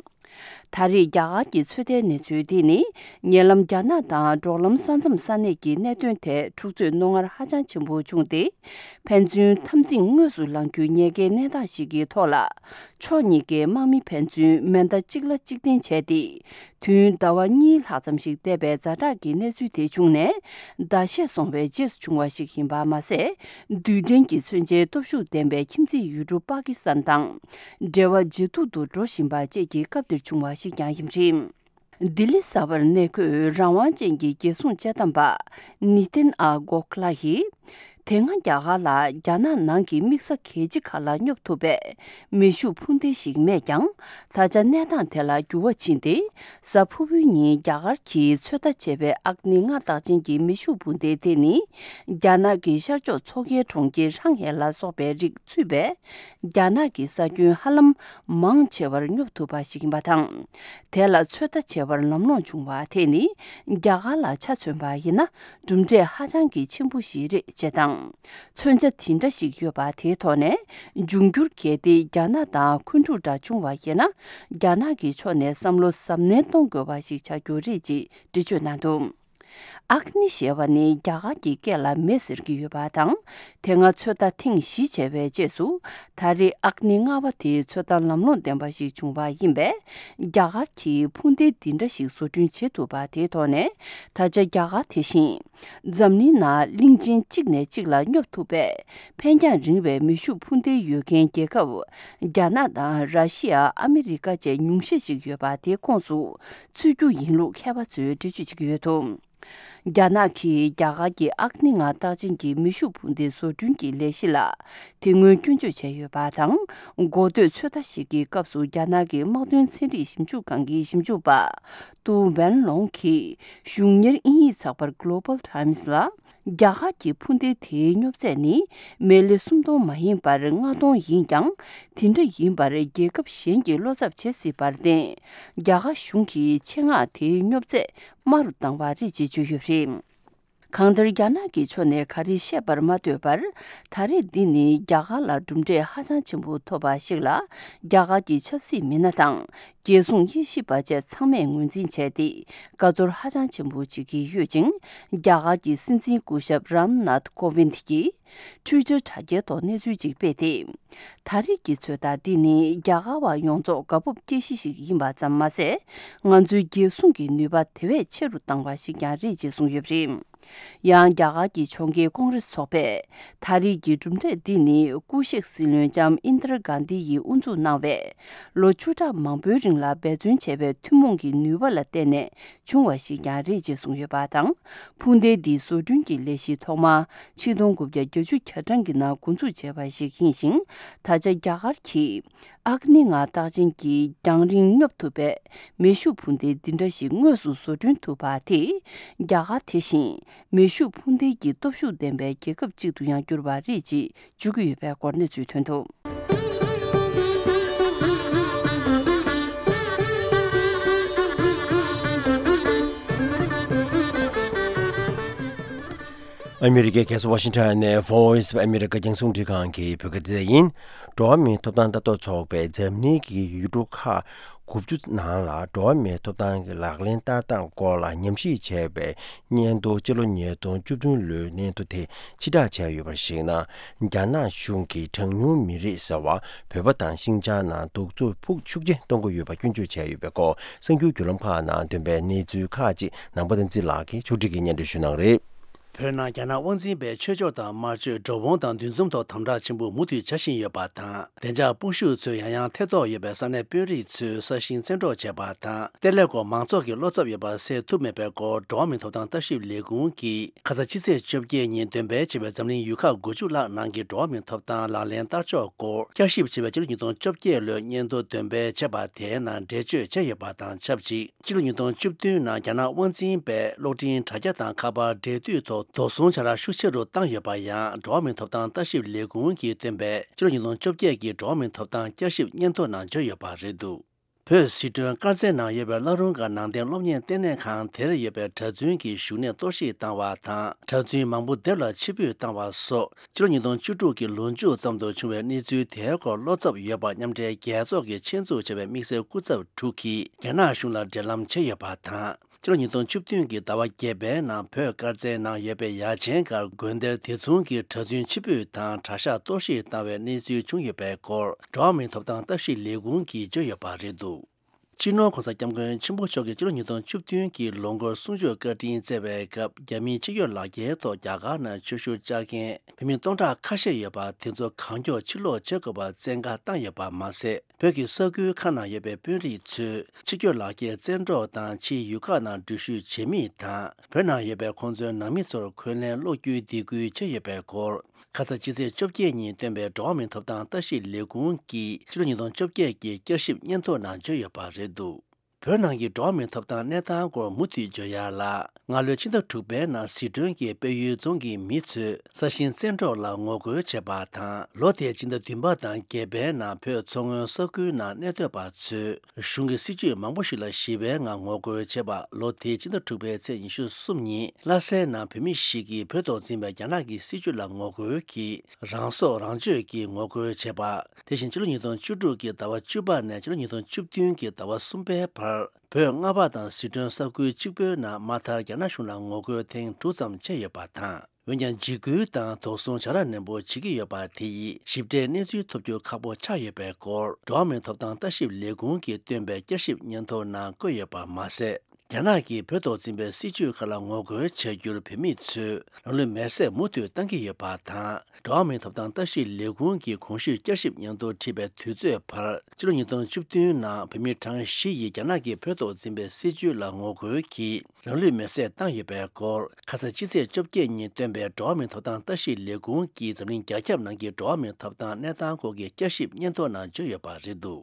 ད་རེས་རྒྱ་གར་གྱི་ཚོད་ལྟའི་གནས་ཚུལ་འདི་ནི་ཉེ་ལམ་རྒྱ་ནག་དང་འབྲོག་ལམ་ས་མཚམས་ས་གནས་ཀྱི་གནད་དོན་ཐད་འཁྲུག་རྩོད་རྣོ་ངར་ཧ་ཅང་ཆེན་པོ་བྱུང་སྟེ། ཕན་ཚུན་འཐབ་འཛིང་དངོས་སུ་ལངས་རྒྱུའི་ཉེན་ཁའི་གནས་སྟངས་ཤིག་གི་ཐོག་ལ། ཕྱོགས་གཉིས་ཀའི་དམག་མི་ཕན་ཚུན་མེ་མདའ་གཅིག་ལ་གཅིག་འཐེན་བྱས་ཏེ། དུས་ཡུན་ཟླ་བ་གཉིས་ལྷག་ཙམ་ཞིག་འདས་པའི་ཛ་དྲག་གི་གནས་ཚུལ་དེ་བྱུང་ནས། ཟླ་ཤས་སོང་བའི་རྗེས་སུ་བྱུང་བ་ཞིག་ཡིན་པ་མ་ཟད། རྡུལ་ལྡན་གྱི་མཚོན་ཆའི་སྟོབས་ཤུགས་ལྡན་པའི་ཁྱིམ་མཚེས་ཡུལ་གྲུ་པ་ཀི་སི་ཐན་དང་འབྲེལ་བ་ཇེ་སྡུག་ཏུ་འགྲོ་བཞིན་པ་བཅས་ཀྱི་སྐབས་འདིར་བྱུང་བ་ཞིག་ཀྱང་ཡིན་པ་རེད། ལྡི་ལི་གསར་པར་གནས་འཁོད་རང་དབང་ཅན་གྱི་རྒྱལ་སྲུང་དཔྱད་གཏམ་པ་ནི་ཏིན་ཨ་གོ་ཁ་ལ་ཡིས། དེ་སྔ་རྒྱ་གར་ལ་རྒྱ་ནག་ནང་གི་དམིགས་ས་གལ་ཆེ་ཁག་ལ་སྙོབ་ཐུབ་པའི་མེ་ཤུགས་འཕུར་མདེལ་ཞིག་མེད་ཀྱང་། ད་ཆ་གནས་སྟངས་དེ་ལ་འགྱུར་བ་ཕྱིན་ཏེ། གཟའ་ཕུར་བུའི་ཉིན་རྒྱ་གར་གྱིས་ཚོད་ལྟ་བྱས་པའི་ཨག་ནི་ལྔ་རྟགས་ཅན་གྱི་མེ་ཤུགས་འཕུར་མདེལ་དེ་ནི། རྒྱ་ནག་གི་ཤར་ཕྱོགས་མཚོ་ཁའི་གྲོང་ཁྱེར་ཧྲང་ཧའེ་ལ་སོགས་པའི་རིགས་ཚུད་པའི། རྒྱ་ནག་གི་ས་ཁྱོན་ཧ་ལམ་མང་ཆེ་བར་སྙོབ་ཐུབ་པ་ཞིག་ཡིན་པ་དང་། དེ་ལ་ཚོད་ལྟ་བྱེད་པར་ལམ་ལྷོང་བྱུང་བ་དེ་ནི་རྒྱ་གར་ལ་ཆ་མཚོན་པ་ཡིན་ན་གྲུབ་འབྲས་ཧ་ཅང་གི་ཆེན་པོ་ཞིག་རེད་ཅེས་དང་། མཚོན་ཆ་དེ་འདྲ་ཞིག་ཡོད་པ་དེའི་ཐོག་ནས་འབྱུང་འགྱུར་གལ་ཏེ་རྒྱ་ནག་དང་འཁོན་འཁྲུག་འདྲ་བྱུང་བ་ཡིན་ན་རྒྱ་ནག་གི་ཕྱོགས་ནས་བསམ་བློ་གཟབ་ནན་གཏོང་དགོས་པ་ཞིག་ཆགས་རྒྱུ་རེད་ཅེས་འགྲེལ་བརྗོད་གནང་འདུག་ཨག་ནི་ཞེས་པ་ནི་རྒྱ་གར་གྱི་སྐད་ལ་མེ་ཟེར་གྱི་ཡོད་པ་དང་། དེ་སྔ་ཚོད་ལྟ་ཐེངས་བཞི་བྱས་པའི་རྗེས་སུ། ད་རེས་ཨག་ནི་ལྔ་པ་དེའི་ཚོད་ལྟ་ལམ་ལྷོང་ལྡན་པ་ཞིག་བྱུང་བ་ཡིན་པས། རྒྱ་གར་གྱིས་འཕུར་མདེལ་འདི་འདྲ་ཞིག་བཟོ་སྐྲུན་བྱེད་ཐུབ་པ་དེའི་ཐོག་ནས། ད་ཆ་རྒྱ་གར་དེ་བཞིན། འཛམ་གླིང་ནང་གླིང་ཆེན་གཅིག་ནས་གཅིག་ལ་སྙོབ་ཐུབ་པའི་འཕེན་རྒྱང་རིང་བའི་མེ་ཤུགས་འཕུར་མདེལ་ཡོད་མཁན་རྒྱལ་ཁབ། རྒྱ་ནག་དང་ར་ཤི་ཡ། ཨ་མི་རི་ཀ་བཅས་ཉུང་ཤས་ཤིག་ཡོད་པ་དེའི་ཁོངས་སུ་ཚུད་རྒྱུ་ཡིན་ལུགས་མཁས་པ་ཚོས་འགྲེལ་བརྗོད་བྱེད་ཀྱི་ཡོད་འདུག་རྒྱ་ནག་གིས་རྒྱ་གར་གྱི་ཨག་ནི་ལྔ་རྟགས་ཅན་གྱི་མེ་ཤུགས་འཕུར་མདེལ་བཟོ་སྐྲུན་གྱི་ལས་གཞི་ལ་དེ་སྔོན་སྐྱོན་བརྗོད་བྱས་ཡོད་པ་དང་། འགོ་སྟོད་ཚོད་ལྟ་ཞིག་གི་སྐབས་སུ་རྒྱ་ནག་གི་དམག་དོན་ཚན་རིག་ཞིབ་འཇུག་ཁང་གི་ཞིབ་འཇུག་པ་ཏུའུ་ཝན་ལོང་གིས་གཞུང་གཉེར་དབྱིན་ཡིག་ཚགས་པར་Global Times ལ། རྒྱ་གར་གྱི་འཕུར་མདེལ་དེའི་སྙོབ་ཚད་ནི་མེ་ལེ་སུམ་སྟོང་མ་ཡིན་པར་ལྔ་སྟོང་ཡིན་ཀྱང་། དེ་འདྲ་ཡིན་པར་རྒྱལ་ཁབ་གཞན་གྱིས་བློ་འཚབ་བྱེད་སྲིད་པར་བརྟེན། རྒྱ་གར་གཞུང་གིས་ཆེད་མངགས་དེའི་སྙོབ་ཚད་དམའ་རུ་བཏང་བ་རེད་ཅེས་བརྗོད་ཡོད་པ་རེད། གང་ལྟར་རྒྱ་ནག་གི་ཕྱོགས་ནས་ག་རེ་བཤད་པར་མ་ལྟོས་པར། ད་རེས་འདི་ནི་རྒྱ་གར་ལ་གྲུབ་འབྲས་ཧ་ཅང་ཆེན་པོ་ཐོབ་པ་ཞིག་ལ། རྒྱ་གར་གྱི་ཆབ་སྲིད་མི་སྣ་དང་། རྒྱལ་སྲུང་དབྱེ་ཞིབ་པ་བཅས་ཚང་མས་ངོས་འཛིན་བྱས་ཏེ། བཀའ་ཚོར་ཧ་ཅང་ཆེན་པོ་བྱེད་ཀྱི་ཡོད་ཅིང་། རྒྱ་གར་གྱི་སྲིད་འཛིན་སྐུ་ཞབས་རམ་ནཱཐ་ཀོ་ཝིན་གྱིས། ཊུའི་ཊར་དྲ་རྒྱའི་ཐོག་གནས་ཚུལ་ཅིག་སྤེལ་ཏེ། ད་རེས་ཀྱི་ཚོད་ལྟ་འདི་ནི་རྒྱ་གར་བ་ཡོངས་རྫོགས་དགའ་སྤོབས་སྐྱེ་གཞི་ཞིག་ཡིན་པ་ཙམ་མ་ཟད། ང་ཚོའི་རྒྱལ་སྲུང་གི་ནུས་པ་དེ་བས་ཆེ་རུ་བཏང་བ་ཞིག་ཀྱང་རེད་ཅེས་གསུངས་ཡོད་པ་རེད། ཡང་རྒྱ་གར་གྱི་ཕྱོགས་འགལ་ཀོང་རེས་ཚོགས་པས། ད་རེས་ཀྱི་གྲུབ་འབྲས་འདི་ནི་སྐུ་གཤེགས་སྲིད་བློན་ལྕམ་ཨིན་དྲ་གྷན་དྷི་ཡིས་དབུ་འཛུགས་གནང་བའི། ལོ་བཅུ་ཕྲག་མང་པོའི་རིང་ལ་འབད་བརྩོན་བྱས་པའི་ཐུན་མོང་གི་ནུས་པ་ལ་བརྟེན་ནས། བྱུང་བ་ཞིག་ཀྱང་རེད་ཅེས་གསུངས་ཡོད་པ་དང་། འཕུར་མདེལ་འདིའི་བཟོ་སྐྲུན་གྱི་ལས་གཞི་ཐོག་མ་ཆིག་སྟོང་དགུ་བརྒྱ་བརྒྱད་ཅུ་གྱ་གྲངས་ཀྱི་ནང་འགོ་འཛུགས་བྱས་པ་ཞིག་ཡིན་ཞིང་། ད་ཆ་རྒྱ་གར་གྱིས་ཨག་ནི་ལྔ་རྟགས་ཅན་གྱི་རྒྱང་རིང་སྙོབ་ཐུབ་པའི་མེ་ཤུགས་འཕུར་མདེལ་འདི་འདྲ་ཞིག་དངོས་སུ་བཟོ་སྐྲུན་ཐུབ་པ་དེས། རྒྱ་གར་དེ་བཞིན་མེ་ཤུགས་འཕུར་མདེལ་གྱི་སྟོབས་ཤུགས་ལྡན་པའི་རྒྱལ་ཁབ་ཅིག་ཏུ་ཡང་གྱུར་པ་རེད་ཅེས། འཇུག་གི་ཡོད་པའི་སྐོར་གནས་ཚུལ་ཐོན་འདུག་ཨ་མི་རི་ཀའི་རྒྱལ་ས་ཝ་ཤིང་ཊོན་ནས་Voice of America རྒྱང་སྲིང་རླུང་འཕྲིན་ཁང་གི་བོད་སྐད་སྡེ་ཡིན། འགྲོ་བ་མིའི་ཐོབ་ཐང་ལྟ་རྟོག་ཚོགས་པས་འཛམ་གླིང་གི་ཡུལ་གྲུ་ཁག་དགུ་བཅུ་ནང་ལ་འགྲོ་བ་མིའི་ཐོབ་ཐང་གི་ལག་ལེན་བསྟར་སྟངས་སྐོར་ལ་ཉམས་ཞིབ་བྱས་པའི་སྙན་ཐོ་སྤྱི་ལོ་ཉིས་སྟོང་བཅུ་བདུན་ལོའི་སྙན་ཐོ་དེ་ཕྱིར་བསྒྲགས་བྱས་ཡོད་པར་གཞིགས་ན། རྒྱ་ནག་གཞུང་གིས་གྲངས་ཉུང་མི་རིགས་ཟེར་བ་བོད་པ་དང་ཤིན་ཅང་ནང་གདུག་རྩུབ་ཤུགས་ཆེ་གཏོང་གི་ཡོད་པ་སྐྱོན་བརྗོད་བྱས་ཡོད་པའི་སྐོར་གསར་འགྱུར་བརྒྱུད་ལམ་ཁག་ནང་ཐོན་པའི་གནས་ཚུལ་ཁག་ཅིག་ནང་པ་བསྟན་འཛིན་ལགས་ཀྱིས་ཕྱོགས་སྒྲིག་གིས་སྙན་སྒྲོན་ཞུ་གནང་གི་རེད། བོད་ནང་རྒྱ་ནག་དབང་འཛིན་པའི་ཆོས་ཕྱོགས་དང་དམར་གཅོད་འགྲོ་འོང་དང་འདུ་འཛོམས་ཐོག་དམ་དྲག་ཆེན་པོ་མུ་མཐུད་བྱ་བཞིན་ཡོད་པ་དང་། བདེ་འཇགས་དཔུང་ཤུགས་ཚོས་ཡང་ཡང་ཐེ་གཏོགས་ཡོད་པའི་ས་གནས་དཔོན་རིགས་ཚོས་ས་ཞིང་བཙན་འཕྲོག་བྱས་པ་དང་། གཏེར་ལས་སྐོར་མང་ཚོགས་ཀྱི་བློ་འཚབ་ཡོད་པ་སེལ་ཐུབ་མེད་པའི་སྐོར་འགྲོ་བ་མིའི་ཐོབ་ཐང་ལྟ་ཞིབ་ལས་ཁུངས་ཀྱིས་ཁ་ས་ཕྱི་ཚེས་བཅོ་བརྒྱད་ཉིན་འདོན་སྤེལ་བྱས་པའི་འཛམ་གླིང་ཡུལ་ཁག་དགུ་བཅུ་ལྷག་ནང་གི་འགྲོ་བ་མིའི་ཐོབ་ཐང་ལག་ལེན་བསྟར་ཕྱོགས་སྐོར་བསྐྱར་ཞིབ་བྱས་པའི་ཕྱི་ལོ་ཉིས་སྟོང་བཅོ་བརྒྱད་ལོའི་སྙན་ཐོ་འདོན་སྤེལ་བྱས་པ་དེའི་ནང་འགྲེལ་བརྗོད་བྱས་ཡོད་པ་དང་ཆབས་ཅིག་ཕྱི་ལོ་ཉིས་སྟོང་བཅུ་བདུན་ནང་རྒྱ་ནག་དབང་འཛིན་པས་གློག་འཕྲིན་དྲ་རྒྱ་དང་ཁ་པར་འབྲེལ་མཐུད་ཐོག་དོགས་ཟོན་བྱ་ར་ཤུགས་ཆེ་རུ་བཏང་ཡོད་པ་ཡང་འགྲོ་བ་མིའི་ཐོབ་ཐང་ལྟ་ཞིབ་ལས་ཁུངས་ཀྱིས་བཏོན་པའི་ཕྱི་ལོ་ཉིས་སྟོང་བཅོ་བརྒྱད་ཀྱི་འགྲོ་བ་མིའི་ཐོབ་ཐང་བསྐྱར་ཞིབ་སྙན་ཐོ་ནང་བརྗོད་ཡོད་པ་རེད་འདུག་བོད་ཟི་ཁྲོན་དཀར་རྩེ་ནང་ཡོད་པའི་བླ་རུང་སྒར་ནང་བསྟན་སློབ་གཉེར་ལྟེ་གནས་ཁང་དེར་ཡོད་པའི་གྲྭ་བཙུན་གྱི་བཞུགས་གནས་གཏོར་བཤིག་བཏང་བ་དང་། གྲྭ་བཙུན་མང་པོ་སྡེབ་ལ་ཕྱིར་འབུད་བཏང་བ་སོགས་ཕྱི་ལོ་ཉིས་སྟོང་བཅུ་དྲུག་གི་ལོ་མཇུག་ཙམ་དུ་བྱུང་བའི་གནས་ཚུལ་དེའི་སྐོར་བློ་འཚབ་ཡོད་པ་མཉམ་འབྲེལ་རྒྱལ་ཚོགས་ཀྱིས་ཆེད་འཛུགས་བྱས་པའི་དམིགས་བསལ་སྐུ་ཚབ་དྲུག་གིས་རྒྱ་ནག་གཞུང་ལ་འབྲེལ་ལམ་བྱས་ཡོད་པ་དང་། ཕྱི་ལོ་ཉིས་སྟོང་བཅུ་བདུན་གྱི་ཟླ་བ་བརྒྱད་པའི་ནང་བོད་དཀར་རྩེའི་ནང་ཡོད་པའི་ཡ་ཆེན་སྒར་དགོན་སྡེར་དེ་མཚུངས་ཀྱི་གྲྭ་བཙུན་ཕྱིར་འབུད་དང་གྲྭ་ཤག་གཏོར་བཤིག་བཏང་བའི་གནས་ཚུལ་བྱུང་ཡོད་པའི་སྐོར་འགྲོ་བ་མིའི་ཐོབ་ཐང་ལྟ་ཞིབ་ལས་ཁུངས་ཀྱིས་བརྗོད་ཡོད་པ་རེད་འདུག་སྤྱི་ནོར་༧གོང་ས་༧སྐྱབས་མགོན་ཆེན་པོ་མཆོག་གིས་སྤྱི་ལོ་ཉིས་སྟོང་བཅུ་བདུན་གྱི་ལོ་འཁོར་གསུང་ཆོས་བཀའ་དྲིན་སྩལ་བའི་སྐབས་རྒྱ་མིའི་ཕྱི་སྐྱོད་ལག་འཁྱེར་ཐོག་རྒྱ་གར་ནང་ཆོས་ཞུ་བཅར་མཁན་བོད་མི་སྟོང་ཕྲག་ཁ་ཤས་ཡོད་པ་དེ་ཚོ་གང་མགྱོགས་ཕྱིར་ལོག་བྱེད་དགོས་པ་བཙན་བཀའ་བཏང་ཡོད་པ་མ་ཟད། བོད་ཀྱི་ས་ཁུལ་ཁག་ནང་ཡོད་པའི་དཔོན་རིགས་ཚོས་ཕྱི་སྐྱོད་ལག་འཁྱེར་བཙན་འཕྲོག་དང་ཕྱིའི་ཡུལ་ཁག་ནང་འགྲུལ་བཞུད་བྱེད་མིན་དང་། བོད་ནང་ཡོད་པའི་ཁོང་ཚོའི་ནང་མི་ཚོར་འཁོན་ལན་སློག་རྒྱུའི་སྡིགས་སྐུལ་བྱས་ཡོད་པའི་སྐོར། ཁ་ས་ཕྱི་ཚེས་བཅོ་བརྒྱད་ཉིན་བཏོན་པའི་འགྲོ་བ་མིའི་ཐོབ་ཐང་ལྟ་ཞིབ་ལས་ཁུངས་ཀྱི་ཕྱི་ལོ་ཉིས་སྟོང་བཅོ་བརྒྱད་ཀྱི་བསྐྱར་ཞིབ་སྙན་ཐོ་ནང་བརྗོད་ཡོད་པ་རེད་འདུག་བོད་ནང་གི་འགྲོ་བ་མིའི་ཐོབ་ཐང་གནས་སྟངས་སྐོར་མུ་མཐུད་བརྗོད་ཡ་ལ། སྔ་ལོའི་ཕྱི་ཟླ་དྲུག་པའི་ནང་ཟི་ཁྲོན་གྱི་དཔལ་ཡུལ་རྫོང་གི་མི་ཚོས་ས་ཞིང་བཙན་འཕྲོག་ལ་ངོ་རྒོལ་བྱས་པ་དང་། ལོ་དེའི་ཕྱི་ཟླ་བདུན་པ་དང་བརྒྱད་པའི་ནང་བོད་མཚོ་སྔོན་ས་ཁུལ་ནང་གནས་སྡོད་པ་ཚོས་གཞུང་གི་སྲིད་ཇུས་མང་པོ་ཞིག་ལ་ཞི་བའི་ངང་ངོ་རྒོལ་བྱས་པ། ལོ་དེའི་ཕྱི་ཟླ་དྲུག་པའི་ཚེས་ཉི་ཤུ་གསུམ་ཉིན་ལྷ་སའི་ནང་བོད་མི་ཞིག་གིས་བོད་ཐོག་འཛིན་པའི་རྒྱ་ནག་གི་སྲིད་ཇུས་ལ་ངོ་རྒོལ་གྱིས་རང་སྲོག་རང་གཅོད་ཀྱིས་ངོ་རྒོལ་བྱས་པ། དེ་བཞིན་ཕྱི་ལོ་ཉིས་སྟོང་བཅུ་དྲུག་གི་ཟླ་བ་བཅུ་པ་ནས་ཕྱི་ལོ་ཉིས་སྟོང་བཅུ་བདུན་གྱི་ཟླ་བ་གསུམ་པའི་བར་བོད་མངའ་འཕགས་དང་ཟི་ཁྲོན་ས་ཁུལ་གཅིག་པུའི་ནང་མ་མཐར་རྒྱ་ནག་གཞུང་ལ་ངོ་རྒོལ་ཐེངས་དྲུག་ཙམ་བྱས་ཡོད་པ་དང་། འོན་ཀྱང་འཇིགས་སྐུལ་དང་དོགས་ཟོན་བྱ་ར་ནན་པོ་བྱེད་ཀྱི་ཡོད་པ་དེ་ཡིས་ཞིབ་ཕྲའི་གནས་ཚུལ་ཐོབ་རྒྱུ་ཁག་པོ་ཆགས་ཡོད་པའི་སྐོར་འགྲོ་བ་མིའི་ཐོབ་ཐང་ལྟ་ཞིབ་ལས་ཁུངས་ཀྱིས་བཏོན་པའི་བསྐྱར་ཞིབ་སྙན་ཐོ་ནང་བཀོད་ཡོད་པ་མ་ཟད། རྒྱ་ནག་གིས་བོད་ཐོག་འཛིན་པའི་སྲིད་ཇུས་ཁག་ལ་ངོ་རྒོལ་བྱ་རྒྱུར་བོད་མི་ཚོས་རང་ལུས་མེར་སྲེག་མུ་མཐུད་བཏང་གི་ཡོད་པ་དང་། འགྲོ་བ་མིའི་ཐོབ་ཐང་ལྟ་ཞིབ་ལས་ཁུངས་ཀྱི་གོང་ཞུས་བསྐྱར་ཞིབ་སྙན་ཐོ་བྲིས་པའི་དུས་ཚོད་བར་ཕྱི་ལོ་ཉིས་སྟོང་བཅུ་བདུན་ནང་བོད་མི་གྲངས་བཞི་ཡིས་རྒྱ་ནག་གིས་བོད་ཐོག་འཛིན་པའི་སྲིད་ཇུས་ལ་ངོ་རྒོལ་གྱིས་རང་ལུས་མེར་སྲེག་བཏང་ཡོད་པའི་སྐོར་ཁ་ས་ཕྱི་ཚེས་བཅོ་བརྒྱད་ཉིན་བཏོན་པའི་འགྲོ་བ་མིའི་ཐོབ་ཐང་ལྟ་ཞིབ་ལས་ཁུངས་ཀྱིས་འཛམ་གླིང་རྒྱ་ཁྱབ་ནང་གི་འགྲོ་བ་མིའི་ཐོབ་ཐང་གནས་སྟངས་སྐོར་གྱི་བསྐྱར་ཞིབ་སྙན་ཐོ་ནང་བརྗོད་ཡོད་པ་རེད་འདུག་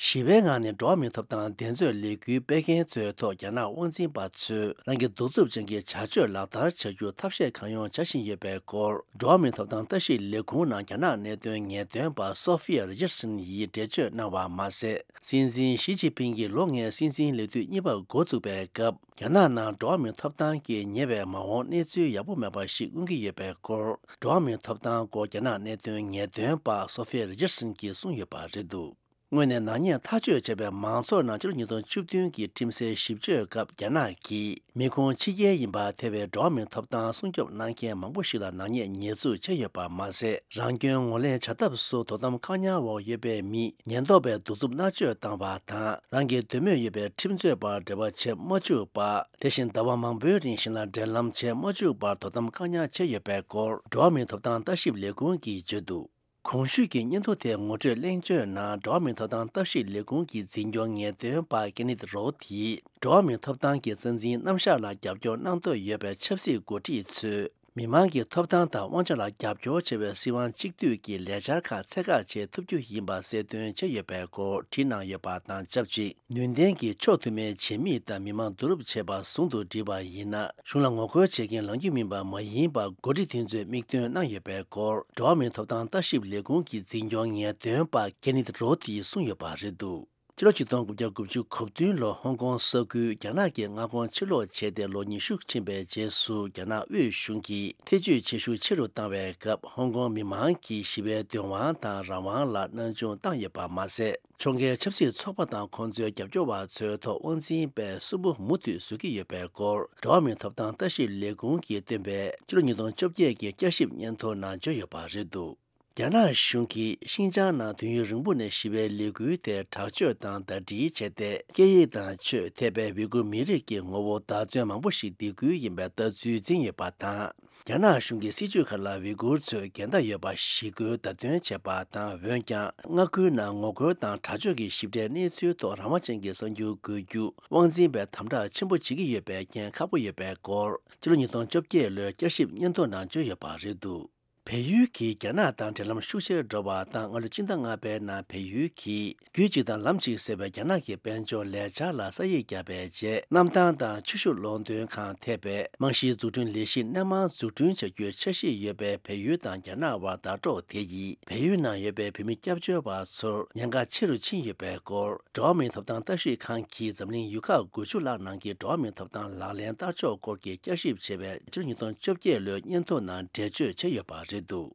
ཞི་བའི་ངང་ནས་འགྲོ་བ་མིའི་ཐོབ་ཐང་འགྲན་རྩོད་ལས་འགུལ་སྤེལ་མཁན་ཚོའི་ཐོག་རྒྱ་ནག་དབང་འཛིན་པ་ཚོས་རང་གི་གདུག་རྩུབ་ཅན་གྱི་བྱ་སྤྱོད་ལག་བསྟར་བྱ་རྒྱུར་ཐབས་ཤེས་གང་ཡོང་བྱ་བཞིན་ཡོད་པའི་སྐོར། འགྲོ་བ་མིའི་ཐོབ་ཐང་ལྟ་ཞིབ་ལས་ཁུངས་ནང་རྒྱ་ནག་གནད་དོན་ངེས་སྟོན་པ་སོ་ཧྥི་ཡ་རི་ཅར་སན་ཡིས་འགྲེལ་བརྗོད་གནང་བ་མ་ཟད། སྲིད་འཛིན་ཞི་ཅིན་ཕིང་གིས་ལོ་ལྔའི་སྲིད་འཛིན་ལས་དུས་གཉིས་པ་འགོ་བཙུགས་པའི་སྐབས། རྒྱ་ནག་ནང་འགྲོ་བ་མིའི་ཐོབ་ཐང་གི་ཉེ་བའི་མ་འོངས་གནས་ཚུལ་ཡག་པོ་མེད་པ་ཞིག་མངོན་གྱི་ཡོད་པའི་སྐོར། འགྲོ་བ་མིའི་ཐོབ་ཐང་སྐོར་རྒྱ་ནག་གནད་དོན་ངེས་སྟོན་པ་སོ་ཧྥི་ཡ་རི་ཅར་སན་གྱིས་གསུངས་ཡོད་པ་རེད་འདུག། དངོས་གནས་ནག་ཉེས་ཐག་གཅོད་བྱས་པའི་མང་ཚོགས་ནང་ཕྱི་ལོ་ཉིས་སྟོང་བཅུ་བདུན་གྱི་ཁྲིམས་སའི་ཞིབ་དཔྱོད་སྐབས། རྒྱ་ནག་གིས་མི་ཁུངས་ཕྱི་རྒྱལ་ཡིན་པ་ཐེ་བའི་འགྲོ་བ་མིའི་ཐོབ་ཐང་སྲུང་སྐྱོབ་གནང་མཁན་མང་པོ་ཞིག་ལ་ནག་ཉེས་ཉེས་འཛུགས་བྱས་ཡོད་པ་མ་ཟད། རང་སྐྱོན་ངོས་ལེན་བྱ་ཐབས་སུ་དོ་དམ་བཀག་ཉར་འོག་ཡོད་པའི་མི་ཉེན་རྟོག་པས་གདུག་རྩུབ་མནར་གཅོད་བཏང་བ་དང་། རང་གི་འདོད་མོས་ཡོད་པའི་ཁྲིམས་རྩོད་པར་འབྲེལ་བ་བྱེད་མ་བཅུག་པ། དེ་བཞིན་ཟླ་བ་མང་པོའི་རིང་ཞིང་ལ་འབྲེལ་ལམ་བྱེད་མ་བཅུག་པར་དོ་དམ་བཀག་ཉར་བྱས་ཡོད་པའི་སྐོར། འགྲོ་བ་མིའི་ཐོབ་ཐང་ལྟ་ཞིབ་ལས་ཁུངས་ཀྱིས་བརྗོད་འདུག། གོང་ཞུས་ཀྱི་སྙན་ཐོ་དེ་ངོ་སྤྲོད་གླེང་བརྗོད་ནང་འགྲོ་བ་མིའི་ཐོབ་ཐང་ལྟ་ཞིབ་ལས་ཁུངས་ཀྱི་འཛིན་སྐྱོང་ངེས་སྟོན་པ་ཀེ་ནེད་རོ་ཐིས། འགྲོ་བ་མིའི་ཐོབ་ཐང་གི་རྩ་འཛིན་རྣམ་གཞག་ལ་རྒྱབ་སྐྱོར་གནང་འདོད་ཡོད་པའི་ཆབ་སྲིད་འགོ་ཁྲིད་ཚོས། མི་མང་གི་ཐོབ་ཐང་དང་དབང་ཆ་ལ་རྒྱབ་སྐྱོར་བྱེད་པའི་སྲིད་དབང་གཅིག་སྡུད་ཀྱི་ལས་འཆར་ཁག་ཚད་བཀག་བྱེད་ཐུབ་རྒྱུ་ཡིན་པ་གསལ་སྟོན་བྱས་ཡོད་པའི་སྐོར་བྲིས་གནང་ཡོད་པ་དང་ཆབས་ཅིག། ནུས་ལྡན་གྱི་ཕྱོགས་མཐུན་མའི་བྱེད་མིག་དང་མི་མང་བསྡུ་རུབ་བྱས་པ་ཟུང་དུ་བསྒྲིལ་བ་ཡིན་ན། གཞུང་ལ་ངོ་རྒོལ་བྱེད་མཁན་ལངས་རྒྱུ་མིན་པ་མ་ཡིན་པར་འགོ་ཁྲིད་དེ་ཚོས་མིག་སྟོན་གནང་ཡོད་པའི་སྐོར། འགྲོ་བ་མིའི་ཐོབ་ཐང་ལྟ་ཞིབ་ལས་ཁུངས་ཀྱི་འཛིན་སྐྱོང་ངེས་སྟོན་པ་ཀེ་ནེད་རོ་ཐིས་གསུངས་ཡོད་པ་རེད་འདུག། ཕྱི་ལོ་ཆིག་སྟོང་དགུ་བརྒྱ་དགུ་བཅུ་གོ་བདུན་ལོར་ཧོང་ཀོང་ས་ཁུལ་རྒྱ་ནག་གི་མངའ་ཁོངས་ཕྱིར་ལོག་བྱས་ཏེ་ལོ་ཉི་ཤུ་ཕྱིན་པའི་རྗེས་སུ། རྒྱ་ནག་དབུས་གཞུང་གིས་ཐེ་ཇུས་བྱེད་ཤུགས་ཆེ་རུ་བཏང་བའི་སྐབས། ཧོང་ཀོང་མི་མང་གིས་ཞི་བའི་འདོད་དབང་དང་རང་དབང་ལ་སྣང་ཆུང་བཏང་ཡོད་པ་མ་ཟད། ཕྱོགས་འགལ་ཆབ་སྲིད་ཚོགས་པ་དང་ཁོང་ཚོའི་རྒྱབ་སྐྱོར་བ་ཚོའི་ཐོག་དབང་འཛིན་པས་སུན་པོ་མུ་མཐུད་བཟོ་གི་ཡོད་པའི་སྐོར། འགྲོ་བ་མིའི་ཐོབ་ཐང་ལྟ་ཞིབ་ལས་ཁུངས་ཀྱིས་བཏོན་པའི་ཕྱི་ལོ་ཉིས་སྟོང་བཅོ་བརྒྱད་ཀྱི་བསྐྱར་ཞིབ་སྙན་ཐོ་ནང་བརྗོད་ཡོད་པ་རེད་འདུག། རྒྱ་ནག་གཞུང་གིས་ཤིན་ཅང་ནང་དུས་ཡུན་རིང་པོ་ནས་ཞི་བའི་ལས་འགུལ་དེ་དྲག་སྤྱོད་དང་ཟླ་སྒྲིལ་བྱས་ཏེ། སྐད་ཡིག་དང་ཆོས་ཐེ་བའི་ཝི་གུར་མི་རིགས་ཀྱི་ངོ་བོ་བདག་བཙོན་མང་པོ་ཞིག་སྡིགས་སྐུལ་ཡིན་པའི་ལྟ་ཚུལ་འཛིན་ཡོད་པ་དང་། རྒྱ་ནག་གཞུང་གི་སྲིད་བྱུས་ཁག་ལ་ཝི་གུར་ཚོས་འགལ་ཟླ་ཡོད་པ་ཞི་རྒོལ་བརྡ་སྟོན་བྱས་པ་དང་། འོན་ཀྱང་། མངའ་ཁུལ་ནང་ངོ་རྒོལ་དང་དྲག་སྤྱོད་ཀྱི་ཞིབ་ཕྲའི་གནས་ཚུལ་ཐོག་རང་དབང་ཅན་གྱི་གསར་འགྱུར་འགོད་རྒྱུ་དབང་འཛིན་པས་དམ་དྲག་ཆེན་པོ་བྱེད་ཀྱི་ཡོད་པའི་རྐྱེན་ཁག་པོ་ཡོད་པའི་སྐོར། ཕྱི་ལོ་ཉིས་སྟོང་བཅོ་བརྒྱད་ལོའི་བསྐྱར་ཞིབ་སྙན་ཐོ་ནང་བརྗོད་ཡོད་པ་རེད་འདུག། བལ་ཡུལ་གྱིས་རྒྱ་ནག་དང་འབྲེལ་ལམ་ཤུགས་ཆེར་འགྲོ་བ་དང་། སྔ་ལོ་སྤྱི་ཟླ་ལྔ་པའི་ནང་བལ་ཡུལ་གྱིས་རྒྱུད་གཅིག་དང་ལམ་གཅིག་ཟེར་བའི་རྒྱ་ནག་གི་དཔལ་འབྱོར་ལས་འཆར་ལ་ས་ཡིག་བརྒྱབ་པའི་རྗེས། གནམ་ཐང་དང་ཆུ་ཤུགས་གློག་འདོན་ཁང་ཐེ་བའི་རྨང་གཞིའི་འཛུགས་སྐྲུན་ལས་གཞི་སྣེ་མང་འཛུགས་སྐྲུན་བྱ་རྒྱུའི་འཆར་གཞི་ཡོད་པས། བལ་ཡུལ་དང་རྒྱ་ནག་དབར་ཟླ་གྲོགས་དེ་ཡིས་བལ་ཡུལ་ནང་ཡོད་པའི་བོད་མི་སྐྱབས་བཅོལ་བ་ཚོར་ཉེན་ཁ་ཆེ་རུ་ཕྱིན་ཡོད་པའི་སྐོར། འགྲོ་བ་མིའི་ཐོབ་ཐང་ལྟ་ཞིབ་ཁང་གིས་འཛམ་གླིང་ཡུལ་ཁག་དགུ་བཅུ་ལྷག་ནང་གི་འགྲོ་བ་མིའི་ཐོབ་ཐང་ལག་ལེན་བསྟར་ཕྱོགས་སྐོར་གྱི་བསྐྱར་ཞིབ་བྱས་པའི་ཕྱི་ལོ་ཉིས་སྟོང་བཅོ་བརྒྱད་ལོའི་སྙན་ཐོ་ནང་འགྲེལ་བརྗོད་བྱས་ཡོད་པ་རེད་འདུག།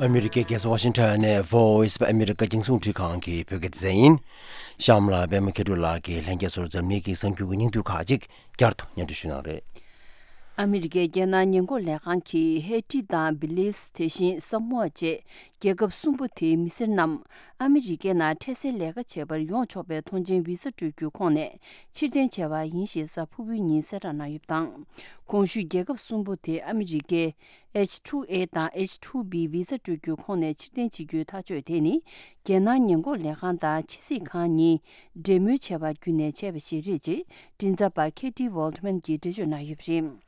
ཨ་མི་རི་ཀའི་རྒྱལ་ས་ཝ་ཤིང་ཊོན་ནས་Voice of America རྒྱང་སྲིང་རླུང་འཕྲིན་ཁང་གི་བོད་སྐད་སྡེ་ཚན་ཡིན། གཤམ་ལ་པད་མ་མཁས་གྲུབ་ལགས་ཀྱིས་ལྷན་རྒྱས་ཚོར་འཛམ་གླིང་གི་གསར་འགྱུར་གྱི་སྙིང་བསྡུས་ཁག་ཅིག་བསྐྱར་དུ་སྙན་སྒྲོན་ཞུ་གནང་རེད། ཨ་མི་རི་ཀའི་རྒྱལ་ནང་ཉེན་འགོག་ལས་ཁང་གིས་ཧེ་ཊི་དང་བི་ལིས། དེ་བཞིན་ས་མོ་ཨ་བཅས་རྒྱལ་ཁབ་གསུམ་པོ་དེའི་མི་སེར་རྣམས་ཨ་མི་རི་ཀའི་ནང་འཕྲལ་སེལ་ལས་ཀ་བྱེད་པར་ཡོང་ཆོག་པའི་ཐོངས་མཆན་བི་ས་སྤྲོད་རྒྱུའི་ཁོངས་ནས་ཕྱིར་འཐེན་བྱས་པ་ཡིན་ཞེས་གཟའ་ཕུར་བུའི་ཉིན་གསལ་བསྒྲགས་གནང་ཡོད་པ་དང་། གོང་ཞུས་རྒྱལ་ཁབ་གསུམ་པོ་དེ་ཨ་མི་རི་ཀའི་ཨེཆ་ཊུ་ཨེ་དང་ཨེཆ་ཊུ་བི་བི་ས་སྤྲོད་རྒྱུའི་ཁོངས་ནས་ཕྱིར་འཐེན་བྱེད་རྒྱུའི་ཐག་གཅོད་དེ་ནི། རྒྱལ་ནང་ཉེན་འགོག་ལས་ཁང་དང་ཕྱི་སྲིད་ཁང་གཉིས་འབྲེལ་མོལ་བྱས་པ་བརྒྱུད་ནས་བྱས་པ་ཞིག་རེད་ཅེས་མགྲིན་ཚབ་པ་ཁེ་ཏི་ཝོལ་ཏི་མན་གྱིས་འགྲེལ་བརྗོད་གནང་ཡོད་པ་རེད།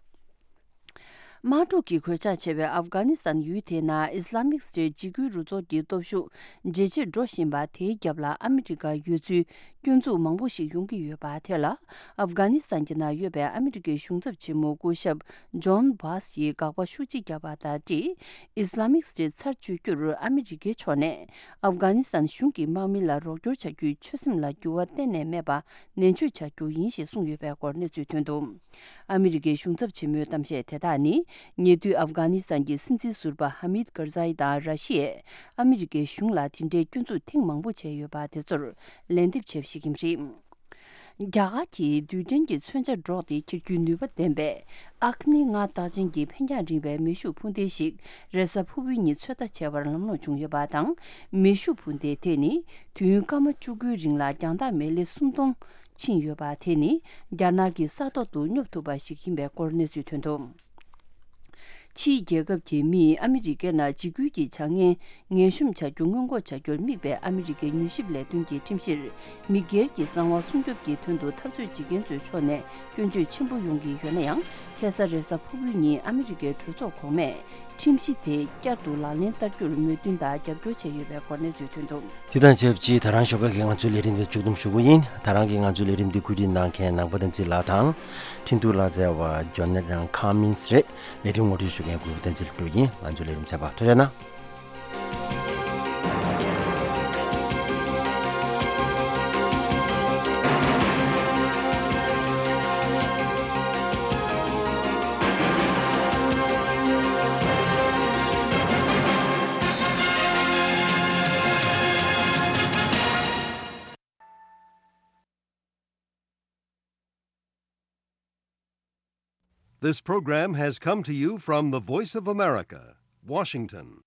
དམག་འཁྲུག་གིས་གོད་ཆག་ཆེ་བའི་ཨབ་གྷ་ནི་སི་ཐན་ཡུལ་དེའི་ནང་ཨི་སི་ལ་མིག་སི་ཊེཊ་འཇིགས་སྐུལ་རུ་ཚོགས་ཀྱི་སྟོབས་ཤུགས་ཇེ་ཆེར་འགྲོ་བཞིན་པ་དེའི་རྒྱབ་ལ་ཨ་མི་རི་ཀ་ཡོད་ཚུལ་སྐྱོན་འཛུགས་མང་པོ་ཞིག་ཡོང་གི་ཡོད་པ་དེ་ལ། ཨབ་གྷ་ནི་སི་ཐན་གྱི་ནང་ཡོད་པའི་ཨ་མི་རི་ཀའི་གཞུང་ཚབ་ཆེན་མོ་སྐུ་ཞབས་ཇོན་བྷཱས་ཡིས་དགག་པ་ཤུགས་ཆེ་བརྒྱབ་པ་དང་འབྲེལ། ཨི་སི་ལ་མིག་སི་ཊེཊ་ཚར་གཅོད་རྒྱུར་ཨ་མི་རི་ཀའི་ཕྱོགས་ནས་ཨབ་གྷ་ནི་སི་ཐན་གཞུང་གི་དམག་མི་ལ་རོགས་སྐྱོར་བྱ་རྒྱུའི་ཆོད་སེམས་ལ་འགྱུར་བ་གཏན་ནས་མེད་པ་ནན་བརྗོད་བྱ་རྒྱུ་ཡིན་ཞེས་གསུངས་ཡོད་པའི་སྐོར་གནས་ཚུལ་ཐོན་འདུག། ཨ་མི་རི་ཀའི་གཞུང་ཚབ་ཆེན་མོའི་གཏམ་བཤད་དེ་དག་ནི། ཉེ་དུས་ཨབ་གྷ་ནི་སི་ཐན་གྱི་སྲིད་འཛིན་ཟུར་པ་ཧ་མིད་ཀར་ཛའི་དང་ར་ཤི་ཡས་ཨ་མི་རི་ཀའི་གཞུང་ལ་དེ་འདྲའི་སྐྱོན་འཛུགས་ཐེངས་མང་པོ་བྱས་ཡོད་པ་དེ་ཚོར་ལན་འདེབས་བྱས་པ་ཞིག་ཡིན་པ་རེད། རྒྱ་གར་གྱིས་རྡུལ་ཕྲན་གྱི་མཚོན་ཆ་སྒྲོག་སྟེ་འཁྱེར་རྒྱུའི་ནུས་པ་ལྡན་པའི་ཨག་ནི་ལྔ་རྟགས་ཅན་གྱི་འཕེན་རྒྱང་རིང་བའི་མེ་ཤུགས་འཕུར་མདེལ་ཞིག་རེས་གཟའ་ཕུར་བུའི་ཉིན་ཚོད་ལྟ་བྱས་པར་ལམ་ལྷོང་བྱུང་ཡོད་པ་དང་། མེ་ཤུགས་འཕུར་མདེལ་དེ་ནི་དུས་ཡུན་སྐར་མ་བཅུ་དགུའི་རིང་ལ་རྒྱང་ཐག་མེ་ལེ་སུམ་སྟོང་ཕྱིན་ཡོད་པ་དེ་ནི་རྒྱ་ནག་གི་ས་ཐོག་ཏུ་སྙོབ་ཐུབ་པ་ཞིག་ཡིན་པའི་སྐོར་གནས་ཚུལ་ཐོན་འདུག། ཕྱིའི་རྒྱལ་ཁབ་ཀྱི་མིས་ཨ་མི་རི་ཀའི་ནང་འཇིགས་སྐུལ་གྱི་བྱ་ངན་ངན་ཤོམ་བྱ་རྒྱུ་སྔོན་འགོག་བྱ་རྒྱུར་དམིགས་པའི་ཨ་མི་རི་ཀའི་མྱུལ་ཞིབ་ལས་དོན་གྱི་ཁྲིམས་གཞིར། མི་སྒེར་གྱི་གསང་བ་སྲུང་སྐྱོབ་ཀྱི་དོན་དུ་འཐབ་རྩོད་བྱེད་མཁན་ཚོའི་ཕྱོགས་ནས་སྐྱོན་བརྗོད་ཆེན་པོ་ཡོང་གི་ཡོད་ན་ཡང་། ཁ་སང་རེས་གཟའ་ཕུར་བུའི་ཉིན་ཨ་མི་རི་ཀའི་གྲོས་ཚོགས་གོང་མས་ཁྲིམས་གཞི་དེ་བསྐྱར་དུ་ལག་ལེན་བསྟར་རྒྱུར་མོས་མཐུན་དང་རྒྱབ་སྐྱོར་བྱས་ཡོད་པའི་གོ་གནས་ཚུལ་ཐོན་འདུག། དེ་དང་ཆབས་ཅིག་ད་རང་ཞོགས་ཀ་གི་ང་ཚོའི་ལས་རིམ་དེ་མཇུག་བསྡོམས་ཞུ་གི་ཡིན། ད་རང་གི་ང་ཚོའི་ལས་རིམ་འདི་བཀོད་སྒྲིག་གནང་མཁན་ནང་པ་བསྟན་འཛིན་ལགས་དང་། འཕྲིན་གཏོང་ལག་རྩལ་བ་ཇོ་ནེ་ཊན་ཁ་མིན་སི་རེད། ལས་རིམ་ངོ་སྤྲོད་ཞུ་མཁན་གུ་རུ་བསྟན་འཛིན་སློབ་ཕྲུག་ཡིན། ང་ཚོའི་ལས་རིམ་ཚན་པ་ཐུགས་རྗེ་གནང་། This program has come to you from the Voice of America, Washington.